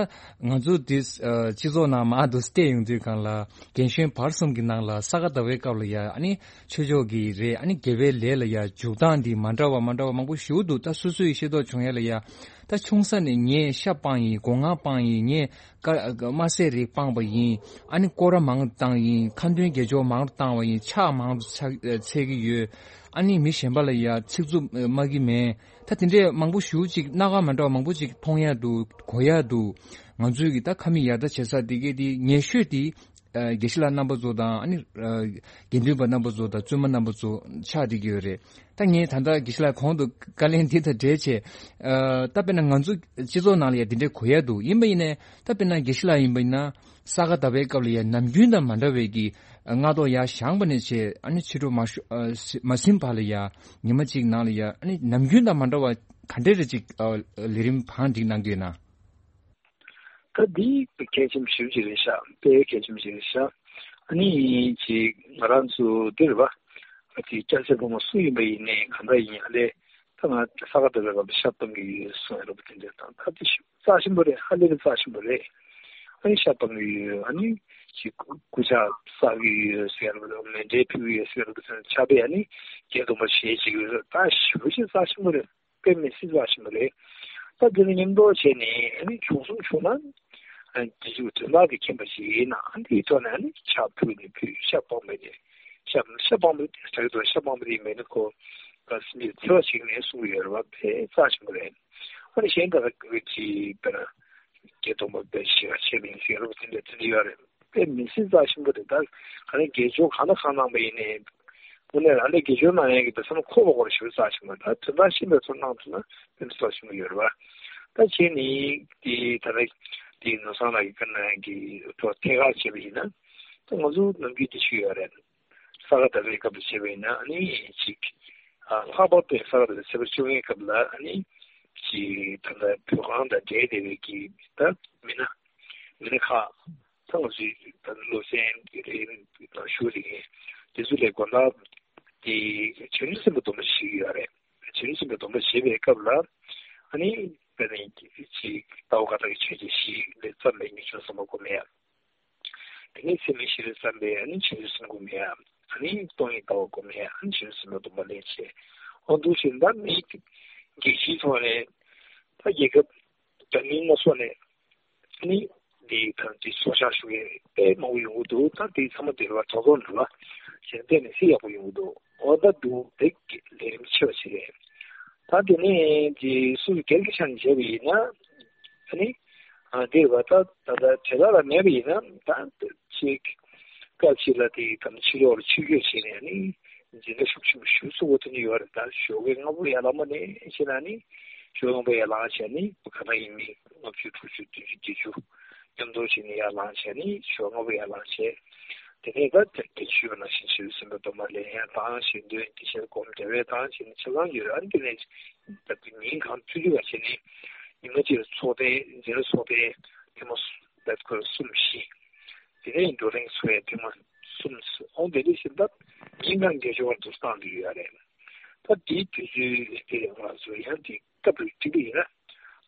ང་ཚོ་འདི་ཨ། སྤྱི་ཚོགས་ནང་མར་དུ་བལྟས་ཡོང་དུས་སྒང་ལ་རྒན་གཞོན་བར་གསུམ་གྱི་ནང་ལ་ས་ག་ཟླ་བའི་སྐབས་ལ་ཡ་ཨ་ནི་ཆོས་ཕྱོགས་ཀྱི་རེད། ཨ་ནི་དགེ་བའི་ལས་ལ་ཡ་འཇུག་སྟངས་འདི་མ་འདྲ་བ་མ་འདྲ་བ་མང་པོ་ཞིག་འདུག་ད་སོ་སོ་ཡི་ཤེས་རྟོགས་བྱུང་ཡ་ལ་ཡ་ད་ཆུང་ས་ནས་ངས་ཤ་སྤངས་ཡིན། སྒོ་ང་སྤངས་ཡིན། ངས་ཀ་དམར་ཟས་རིགས་སྤངས་པ་ཡིན། ཨ་ནི་སྐོར་ར་མང་བཏང་ཡིན། ཁ་འདོན་དགེ་སྦྱོར་མང་རུ་བཏང་བ་ཡིན། ཕྱག་མང་རུ་ཚ་འཚལ་གྱི་ཡོད། ཨ་ནི་མི་གཞན་པ་ལ་ཡ་ཚིག་རྩུབ་སྨྲ་གི་མེད། ད་དེ་འདྲས་མང་པོ་ཞེ་ཅིག་སྣ་ཁ་མ་འདྲ་བ་མང་པོ་ཅིག་མཐོང་ཡ་འདུག་གོ་ཡ་འདུག་ང་ཚོའི་གི་ད་ཁ་མིག་ཡར་ལྟ་བྱེད་ས་དེ་གའི་དེ་ཉེ་ཤོས་དེ་ཨ་དགེ་བཤེས་ལགས་རྣམ་པ་ཚོ་དང་ཨ་ནི་ཨ་དགེ་འདུན་པ་རྣམ་པ་ཚོ་དང་བཙུན་མ་རྣམ་པ་ཚོ་ཆགས་བསྡད་ཀྱི་ཡོད་རེད། ད་ངས་ད་ལྟ་དགེ་བཤེས་ལགས་གོང་དུ་བཀའ་ལན་འདི་དང་འབྲེལ་བྱས་ཨ་ད་དཔེར་ན་ང་ཚོ་སྤྱི་ཚོགས་ནང་ལ་ཡ་དེ་འདྲས་གོ་ཡ་འདུག་ཡིན་པ་ཡིན་ནའི་ད་དཔེར་ན་དགེ་བཤེས་ལགས་ཡིན་པ་ཡིན་ན་ས་ག་ཟླ་བའི་སྐབས་ལ་ཡ་ནམ་རྒྱུན་དང་མ་འདྲ་བའི་གི་སྔ་ཐོག་ཡར་བཞེངས་པ་ནས་བྱས་ཨ་ནི་ཕྱི་དྲོ་མ་ཤོ་ཨ་མ་ཟིན་བར་ལ་ཡ་ཉི་མ་གཅིག་ནང་ལ་ཡ་ཨ་ནི་ནམ་རྒྱུན་དང་མ་འདྲ་བ་ག་འདྲས་རེ་ཅིག་ཨ་ལས་རིམ་བང་སྒྲིག་གནང་གི་ཡོད་ན། ད་འདི་གལ་ཆེན་པོ་ཞེ་པོ་ཅིག་རེད་ཤག་དཔེ་གལ་ཆེན་པོ་ཞིག་རེད་ཤག་ཨ་ནི་ཅིག་ང་རང་ཚོ་འདི་རེད་པ། ཨ་ཅིག་སྐྱ་སེར་ཕོ་མོ་སུ་ཡིན་པ་ཡིན་ནའི་གང་འདྲ་ཡིན་ཨ་ལས་ད་ང་ས་ག་ཟླ་བའི་སྐབས་ལ་ཤ་སྤང་གི་ཡོད་གསུང་ཡ་རེད་པ། དེ་འདྲ་དང་ད་དེ་ཤ་རྩ་ཆེན་པོ་རེད། ཧ་ལས་པའི་རྩ་ཆེན་པོ་རེད། ཨ་ནི་ཤ་སྤང་གི་ཡོད། ཨ་ནི་ཅིག་སྐུ་ཕྱག་བསགས་ཀྱི་ཡོད་ཟེར་ཡ་རེད་པ། མཎྜལ་ཕུལ་གྱི་ཡོད་ཟེར་ཡ་རེད་པ། ཕྱག་དཔེ་ཨ་ནི་བརྒྱད་སྟོང་པ་ཞལ་གཅིག་ཡོད་ཟེར་ད་ཞེ་པོ་ཅིག་རྩ་ཆེན་པོ་རེད། དཔེ་མི་སྲིད་རྩ་ཆེན་པོ་རེད། ད་དེ་ནི་མཉམ་དུ་བྱས་ནས་ཨ་ནི་བྱུང་སོང་བྱུང་ན་ཨ་ནི་དེ་ཚོ་དོན་དག་གི་མཁྱེན་པ་ཞིག་ཡིན་ན་ཨ་ནི་དེའི་ཐོག་ནས་ཨ་ནི་ཕྱག་ཕུལ་ནས་ཕུལ། ཤ་སྤངས་པ་ནས་ཤ་ཤ་སྤངས་པ་དེ་ད་གི་དོན་ཤ་སྤངས་པ་དེ་མེད་ན་ཁོ་ད་སེམས་ཀྱི་འཚེ་བ་ཞིག་ནས་གསུང་གི་ཡོད་རེད་བ། དཔེ་རྩ་ཆེན་པོ་རེད། ཨ་ནི་གཞན་དག་གི་ཅིག་དཔེར་ན་བརྒྱད་སྟོང་པ་དཔེ་ཞེ་དྲག་ཆེ་མིན་ཟེར་རོ་དེ་འདྲ་དེ་འདྲ་ཡོད་རེད། དཔེ་མི་སྲིད་རྩ་ཆེན་པོ་རེད། ད་ག་ནས་དགེ་སྦྱོར་གང་དང་གང་གནང་པ་ཡིན་ནའི་དངོས་གནས་རང་ལས་དགེ་སྦྱོར་གནང་ཡས་ཀྱི་དེ་བསམ་བློ་འཁོར་བ་སྐོར་ཞེ་པོ་རྩ་ཆེན་པོ་རེད། ད་དོན་དག་ཤེས་པའི་ཚོར་གནང་ཐུབ་ན་དཔེ་མི་སྲིད་རྩ་ཆེན་པོ་ཡོད་རེད་བ། ད་བྱས་ནི་དེ་ད་ལྟ་དེ་ནོར་བཟང་ལགས་ཀྱིས་བཀའ་གནང་ཡས་ཀྱི་ཐོག་ཐད་ཀར་བྱས་པ་ཡིན་ན་ད་ང་ཚོ་ནམ་རྒྱུན་དེ་ཞུ་ཡོད་རེད། ས་ག་ཟླ་བའི་སྐབས་ལ་བྱས་པ་ཡིན་ན་ཨ་ནི་ཅིག་ཨ་ལྷག་པར་དུ་ས་ག་ཟླ་བའི་ཚེས་པ་བཅོ་ལྔའི་སྐབས་ལ་ཨ་ནི་ཅིག་ད་ལྟ་བོད་ཁང་དང་འབྲེལ་བསྡད་པའི་གི་ད་མི་སྣ་མི་སྣ་ཁག་ད་ང་ཚོའི་ད་སློབ་ཚན་གྱི་རེད། ད་ཞུ་རེད། དེ་ཚོ་ལས་དགོན་བདག་དེ་བྱང་ཆུབ་སེམས་དཔའི་སྡོམ་པ་བཞེས་ཀྱི་ཡོད་རེད། བྱང་ཆུབ་སེམས་དཔའི་སྡོམ་པ་བཞེས་པའི་སྐབས་ལ་ཨ་ནི་དཔེར་ན་ཅིག་ལྟ་བ་བཀའ་རྟགས་ཀྱི་ཆོས་ཅན་བཞི་ལས་བརྩམས་པའི་ཉེས་སྤྱོད་གསུམ་པ་སྒོམ་ཡ། དེ་ནས་ཚད་མེད་བཞི་ལས་བརྩམས་པའི་ཨ་ནི་བྱང་ཆུབ་སེམས་སྒོམ་ཡ། ཨ་ནི་སྟོང་ཉིད་ལྟ་བ་སྒོམ་ཡ། ཨ་ནི་བྱང་ཆུབ་སེམས་དཔའི་སྡོམ་པ་ལེན་བྱས། འོ་འདུག་བྱས་ད་མི་རྒྱལ་སྤྱིའི་ཐོག་ནས་ད་རྒྱལ་ཁབ་འདྲ་མིན་སྣ་ཚོགས་ནས་ཨ་ནི་འདི་ད་འདི་ཚོགས་བཅར་ཞུ་མཁན་དཔེ་མང་པོ་ཡོང་གི་འདུག་ད་དེ་ཚང་མ་དེ་རུ་བ་དོ་དོ་འདྲ་བ་གཞན་བལྟས་ནས་སྲིད་ཡག་པོ་ཡོང་གི་འདུག་འོ་ད་འདུག་དེ་ལས་རིམ་ཆེ་བ་ཞིག་རེད། ད་དེ་ནས་འདི་སུ་སྒེར་གྱི་ཆ་ནས་བྱས་པ་ཡིན་ན་ཨ་ནི་ཨ་འདིར་བ་ད་ད་ད་བྱེ་བྲག་ལ་མེད་པ་ཡིན་ན་ད་ཅིག་སྐབས་ཤིག་ལ་དེ་དམ་ཆོས་ལོག་ལ་ཆོས་བརྒྱུད་བྱས་ནས་ཨ་ནི་ འཛིན་གྲྭ་ཤུགས་ཆེན་པོ་ཞིག་བཙུགས་པ་དེ་ནི་ཡོད་རེད། ད་ཞོགས་ཀས་སྔ་པོ་ཡར་ལངས་པ་ནས་བྱས་ན་ནི་ཞོགས་སྔ་པོ་ཡར་ལངས་བྱས་ནི་ག་ན་ཡིན་མིན་ལྔ་བཅུ་དྲུག་ཅུ་བདུན་ཅུ་བརྒྱད་ཅུ་མཉམ་དུ་བྱས་ནས་ཡར་ལངས་བྱས་ནི་ཞོགས་སྔ་པོ་ཡར་ལངས་བྱས། དེ་ནས་ད་དེ་ཞུས་པ་ནང་བཞིན་ཞེས་སེམས་པ་སྡོམ་པ་ལེན་ཡག་དང་ཞེས་འདོན་དེ་ཤར་སྒོམ་རྒྱབ་ཡག་དང་ཞེས་ནི་ཆ་ཚང་ཡོད་རེད། ཨ་ནི་དེ་ནས་ད་ཉིན་གང་ཐུག་ཐུག་ག་བྱས་ནས་ཉི་མ་གཅིག་ལ་ཚོགས་ཐེངས་འཛིན་གྲྭ་ཚོགས་ཐེངས་ཐེངས་མ་ད་ཁོ་གསུམ་བཞི། དེ་ནས་བགྲོ་གླེང་ཚོགས་ཡག་ཐེངས་མ་གསུམ། འོ་དེ་འདྲ་ཞིག་ད་ཉིན་གང་དགེ་སྦྱོར་བ་དུ་བཏང་དུ་ཡོད་རེད། ད་དེའི་དུས་ཚོད་དེ་ང་ཚོ་ཡང་དེ་སྐབས་རེ་འགྲིག་གི་ཡིན་ན།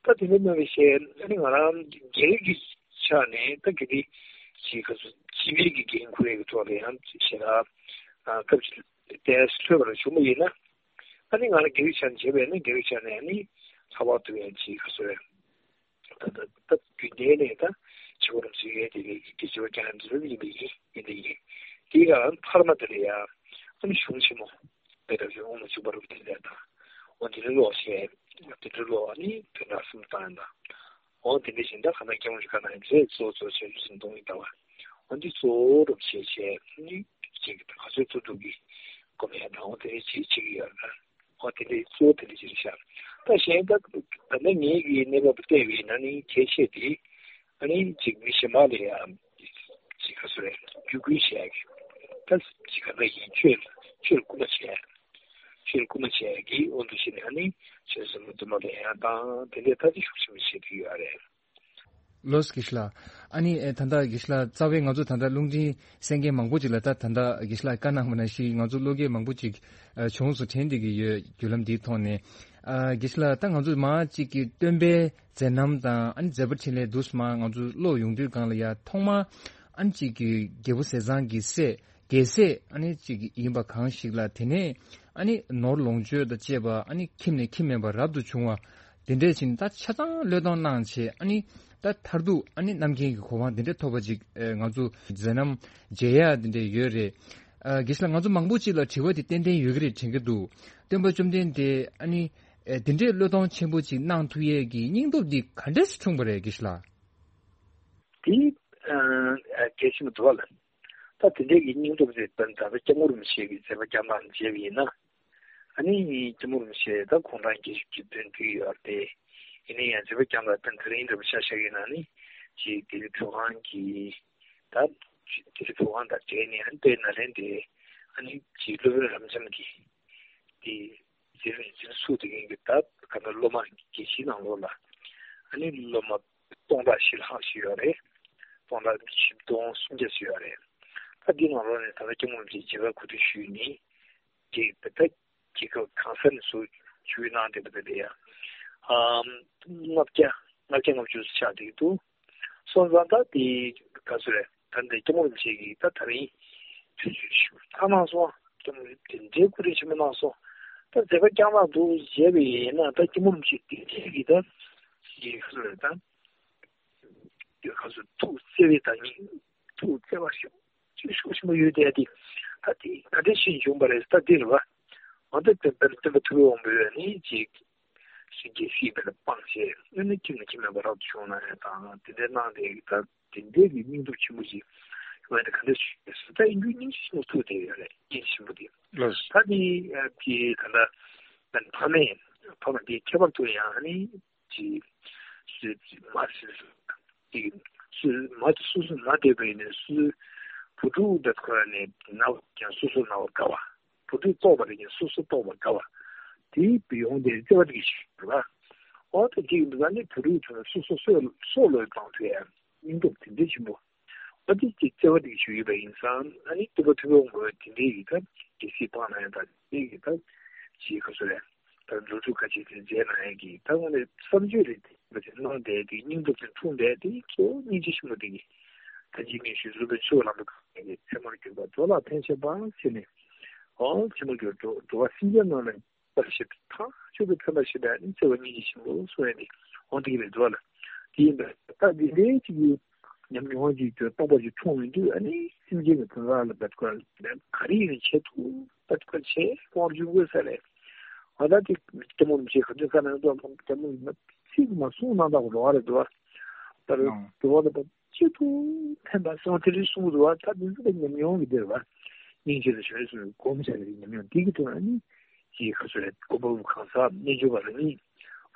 ད་དེ་འདྲ་གནང་བའི་ཞལ་ཨ་ནི་ང་རང་སྒེར་གྱི་ཆ་ནས་ད་གལ་ཏེ་ཅིག་ག་ཚོད་སྤྱི་པའི་གི་འགན་འཁུར་ཡག་གི་ཐོག་ལ་ཡང་ཞེ་དྲག་སྐབས་ཅིག་ཏོག་ཙམ་འཕྲོད་པ་རེ་བྱུང་བ་ཡིན་ན། ཨ་ནི་ང་རང་སྒེར་གྱི་ཆ་ནས་བྱས་པས་ན་སྒེར་གྱི་ཆ་ནས་ཨ་ནི་ལྷག་པར་དུ་ཡང་ཅིག་ག་ཚོད་རེད། ད་ད་ད་རྒྱུན་ལྡན་ནས་ད་ཕྱི་བོར་མཛོད་ཡས་དེ་རེད། དེ་ཕྱི་བོར་ཀྱང་འཛུལ་ཡིན་པ་ཡིན་ཡིན་དེ་ཡིན། དེའི་སྒང་འཕར་མ་དེ་ལ་ཡང་ཨ་ནི་གཞུང་ཆེན་མོ་དཔེ་ལྟ་བུ་དབུ་མ་འཇུག་པ་རུ་དེ་འདྲ་དང་། འོ་དེ་འདྲ་ཀློག་བྱས། དེ་འདྲ་ཀློག་ཨ་ནི་དོན་དག་གསུམ་བཏང་ཡིན་ད། འོ་དེ་འདྲ་བཞིན་ད་ག་ན་སྐྱབས་མགོན་ཆེན་པོ་བཀའ་གནང་ཡིན་ཚེ་གཙོ་བོ་གཙོ་ཆེན་རིགས་གསུམ་སྟོང་ཉིད་ལྟ་བ། འོ་འདི་གཙོ་བོ་རུ་བྱས་བྱས་ཨ་ནི་ཅིག་ག་ཚོད་ཐུབ་ཐུབ་ཀྱིས་སྒོམ་ཡག་དང་འོ་དེ་འདྲ་ཅིག་བྱེད་ཀྱི་ཡོད་རེད། ཨོ་དེ་འདྲའི་གཙོ་བོ་དེ་འདྲ་ཅིག་རེད་ཤག་ད་གཞན་ད་ད་ནི་ངེད་ཀྱི་གནས་བབ་བལྟས་པ་ཡིན་ན་ནི་ཁྱད་ཆོས་དེ་ཨ་ནི་ཅིག་མི་གཞན་པ་ལ་ཡང་ཅིག་ག་ཚོད་རེད་བརྒྱུད་སྐུལ་བྱེད་ཡག་གི་ད་ཅིག་ག་འདྲ་ཡིན་ཆོས་ཆོས་སྐུལ་མ་བྱེད་ཡག་ཆོས་སྐུལ་མ་བྱེད་ཡག་གི་དབང་དུ་བྱས་ནས་ཨ་ནི་ཆོས་སྲིད་མ་དུ་མ་ལ་ཡང་དང་དེ་འདྲའི་ད་ཅིག་ཤུགས་ཆེན་པོ་བྱེད་ཀྱི་ཡོད་རེད། ལགས་སོ་དགེ་བཤེས་ལགས། ཨ་ནི་ཨེ་ད་ལྟ་དགེ་བཤེས་ལགས་རྩ་བའི་ང་ཚོ་ད་ལྟ་རླུང་འཕྲིན་གསན་མཁན་མང་པོ་ཅིག་ལ་ད་ད་ལྟ་དགེ་བཤེས་ལགས་བཀའ་གནང་བ་ནང་བཞིན་ང་ཚོ་བློ་སྐྱེད་མང་པོ་ཅིག་ཨ་བྱུང་སོང་དྲན་བསྡད་ཀྱི་ཡོད། བརྒྱུད་ལམ་འདིའི་ཐོག་ནས་ཨ་དགེ་བཤེས་ལགས་ད་ང་ཚོ་མ་གཅིག་གི་སྟོན་པའི་མཛད་རྣམ་དང་ཨ་ནི་མཛད་པ་འཕྲིན་ལས་འདུག་སེ་མ་ང་ཚོ་ཀློག་ཡོང་དུས་སྒང་ལ་ཡ་ཐོག་མ་ཨ་ནི་གཅིག་གི་རྒྱལ་པོ་ཟས་གཙང་གི་སྲས། རྒྱལ་སྲས་ཨ་ནི་གཅིག་ཡིན་པ་གང་ཞིག་ལ་དེ་ནས་ཨ་ནི་ནོར་ལོངས་སྤྱོད་དང་བཅས་པ་ཨ་ནི་ཁྱིམ་ནས་ཁྱིམ་མེད་པར་རབ་ཏུ་བྱུང་བ་དེ་འདྲས་ཕྱིན་ད་ཆ་ཚང་བློས་གཏོང་གནང་བྱས་ཨ་ནི་ད་མཐར་ཐུག་ཨ་ནི་རྣམ་མཁྱེན་གྱི་གོ་འཕང་དེ་འདྲས་ཐོབ་པ་ཅིག་ཨེ་ང་ཚོ་མཛད་རྣམ་མཇལ་ཡག་དེ་འདྲས་ཡོད་རེད། ཨ་དགེ་བཤེས་ལགས་ང་ཚོ་མང་པོ་ཅིག་ལ་དྲི་བ་དེ་ཏན་ཏན་ཡོད་ཀྱི་རེད་དྲན་གྱི་འདུག་སྟོན་པ་བཅོམ་ལྡན་འདས་ཨ་ནི་ཨེ་དེ་འདྲས་བློས་གཏོང་ཆེན་པོ་ཅིག་གནང་ཐུབ་ཡས་ཀྱི་སྙིང་སྟོབས་འདི་ག་འདྲས་སེ་འཁྲུངས་པ་རེད་དགེ་བཤེས་ལགས། དེ་ཨ་གལ་ཆེན་པོ་འདུག་བ་ལ། ད་དེ་འདྲའི་གི་སྙིང་སྟོབས་དེ་ད་ལྟ་སྐྱབས་མགོན་རིན་པོ་ཆེ་གི་མཛད་པ་བསྐྱངས་སྟངས་མཇལ་བ་ཡིན་ན། ཨ་ནི་སྐྱབས་མགོན་རིན་པོ་ཆེ་ད་དགུང་གྲངས་བརྒྱད་ཅུ་གི་དོན་དུ་ཡོད་དེ། ཡིན་ན་ཡང་མཛད་པ་བསྐྱངས་སྟངས་དེ་རིང་འདྲ་པོ་ཆ་བཞག་ཡིན་ན་ནི་ཅིག་ལྡི་ལི་བོད་ཁང་གི་ད་ལྡི་ལི་བོད་ཁང་དང་འབྲེལ་ནས་ཨ་ནི་དཔལ་ནཱ་ལེནྡྲའི་ཨ་ནི་ཅིག་སློབ་དཔོན་རབ་འབྱམས་ཀྱི་དེ་མཛད་རིམ་འཛིན་བཟུང་དེ་གིན་གི་ད་ག་ད་སློབ་མ་རྒྱལ་སྤྱིའི་ནང་ལོགས་ལ་ཨ་ནི་སློབ་མ་སྟོང་ཕྲག་བཞི་ལྷག་ཞིག་ཡོད་རེད། སྟོང་ཕྲག་བཞི་སྟོང་སུམ་བརྒྱ་ཞིག་ཡོད་རེད། ད་འདི་ནང་ལོགས་ནས་ད་ལྟ་སྐྱབས་མགོན་རིན་པོ་ཆེས་མཇལ་ཁ་གོ་སྒྲིག་ཞུས་ནས་དེ་ད་ལྟ་རྒྱལ་ཁབ་གང་ས་ནས་བཟོ་ཞུས་གནང་བསྡད་པ་དེ་ལ་ཡང་ཨམ་ལྔ་བརྒྱ་ལྔ་བརྒྱ་ལྔ་བཅུ་ཆགས་བསྡད་ཀྱི་འདུག་སོང་ཙང་ད་དེ་ག་ཚོད་རེད། ད་འདི་སྐྱབས་མགོན་རིན་པོ་ཆེ་གིས་ད་ད་རིང་དུས་ཚོད་ཞིག་བཏང་གནང་སོང་། སྐྱབས་མགོན་རིན་པོ་ཆེ་དེ་འདྲའི་སྐུ་དྲིན་ཆེན་པོ་གནང་སོང་། ད་མཛད་པ་བསྐྱངས་གནང་འདུག་བྱས་པ་ཡིན་ན་ད་སྐྱབས་མགོན་རིན་པོ་ཆེ་དེ་འདྲའི་གི་ད་ཞིག་ག་ཚོད་རེད། ད་དེ་ག་ཚོད་ཐུགས་བརྩེ་བའི་ད་ཉིད་ཐུགས་བརྩེ་བ་ཞིག་ཅིག་ཤུགས་ཆེན་པོ་ཡོད་དེ། དེ་ད་དེ་ག་འདྲ་ཞིག་བྱུང་བ་རེད། ད་འདི་རེད་བ། འོ་ད་དེ་ལྟར་སྟོན་པ་ཐུབ་པའི་དབང་པོ་ཡོད་ནི་ཅིག་སེམས་ཅན་སྲིད་པ་ལ་སྤངས་བྱས་ཨ་ནི་ཁྱིམ་ནས་ཁྱིམ་མེད་པར་རབ་ཏུ་བྱུང་གནང་ཡག་དང་དེ་འདྲའི་གནང་དེ་ད་དེ་འདྲའི་གི་སྙིང་སྟོབས་ཆེན་པོ་ཅིག་ཡོད་ན་ག་འདྲ་ཞིག་ཡོད་ཟེར། ད་ཡིན་རྒྱུ་སྙིང་རྗེ་ཆེན་པོ་ཐུགས་དེ་ཡོད་རེད། སྙིང་རྗེ་ཆེན་པོ་དེ། ལགས་སོ། ད་དེ་དེ་ད་ལྟ་ཕ་མས་ཕ་མ་དེ་ཁྱད་པར་དུ་ཡང་ཨ་ནི་ཅིག་སུས་མ་སུས་སུ་ཅིག་སུས་མ་སུ་སུ་མ་བསྡད་པ་ཡིན་ན་སུས་བུ་ཕྲུག་དེ་ཁོ་ནས་ན་བ་ཀྱང་སོ་སོ་ན་བ་དགའ་བ། བུ་ཕྲུག་ལྟོགས་པ་རེད་ཀྱང་སོ་སོ་ལྟོགས་པ་དགའ་བ། དེའི་ཡོང་དེ་བརྩེ་བ་དེ་གི་ཞིག་རེད་པ། འོ་ད་དེ་ཡིན་པ་ནི་བུ་ཕྲུག་ཚོ་ལ་སོ་སོ་སོས་སོ་བློས་བཏང་ཐུབ་ཡ་སྙིང་སྟོབས་དེ་འདྲའི་ཆེན་པོ། འོ་དེ་ཅིག་བརྩེ་བ་དེ་གི་ཞིག་ཡོད་པ་ཡིན་ཙང་ཨ་ནི་སྟོན་པ་ཐུབ་པའི་དབང་པོ་དེ་འདྲའི་ཡི་ད་གལ་སྲིད་སྤང་ན་ཡང་ད་དེ་གི་ད་ཅིག་ག་ཚོད་རེད། ད་འགྲོ་དྲུག་ཁ་ཆེ་དེ་མཛད་གནང་ཡ་གི་ད་དངོས་གནས་བསམ་བརྗོད་རེད། དེ་གནང་བསྡད་དེ་སྙིང་སྟོབས་དེ་འཁྲུངས་བསྡད་དེ་གཙོ་བོ་སྙིང་རྗེ་ཆེན་པོ་དེ་གི་ད་ཅིག་ངས་ཞུས་བཟོ་བའི་ཆོས་ལམ་པ་གང་ཡིན་ཚད་མར་གྱུར་པ་འགྲོ་ལ་ཕན་བྱེད་པ་ཟེར་ནས། ཨོ་ཚད་མར་གྱུར་འགྲོ་འགྲོ་བ་སེམས་ཅན་རྣམས་ལ་ཕན་བྱེད་པ་ཐག་ཆོད་པའི་ཕན་པ་ཞིག་ལ་ནི་བརྩེ་བ་སྙིང་རྗེ་ཆེན་པོ་གསུང་ཡ་དེ་འོང་དེ་གི་རེད་འགྲོ་ལ། དེ་ཡིན་པས་ད་འདི་འདྲའི་ཅིག་གི་ཉམས་མྱོང་ཅིག་ཅོ་སྟོང་པ་ཅིག་འཁྲུངས་ཡོང་དུས་ཨ་ནི་སེམས་ཅན་གྱི་དོན་དག་ལ་འབད་དགོས་ག་རེ་ཡིན་བྱེད་ཐུབ་འབད་དགོས་བྱེད་དབང་བྱུང་དགོས་ས་རེད། ཨ་ད་དེ་སྐྱབས་མགོན་རིན་པོ་ཆེ་ག་དུས་བཀའ་གནང་དུས་སྐྱབས་མགོན་ཚིག་མ་གསུང་གནང་དགོས་རེད་བ། ད་རེད་འགྲོ་བ་ལ་ད་ཅི་ཐུབ་ཕན་པ་སོང་དེ་རིང་གསུང་གི་འདུག་བ། ད་དེ་ཚོ་ད་ཉམས་མྱོང་གི་འདིར་བ། སྙིང་རྗེ་དང་བྱང་ཆུབ་སེམས་དཔའི་སྒོམ་བྱས་པའི་ཉམས་མྱོང་འདི་གི་ཐོག་ནས་ནི་ཅིག་ག་ཚོད་རེད། གོ་བབ་གང་ཟག་རྣལ་འབྱོར་པ་རང་ཉིད་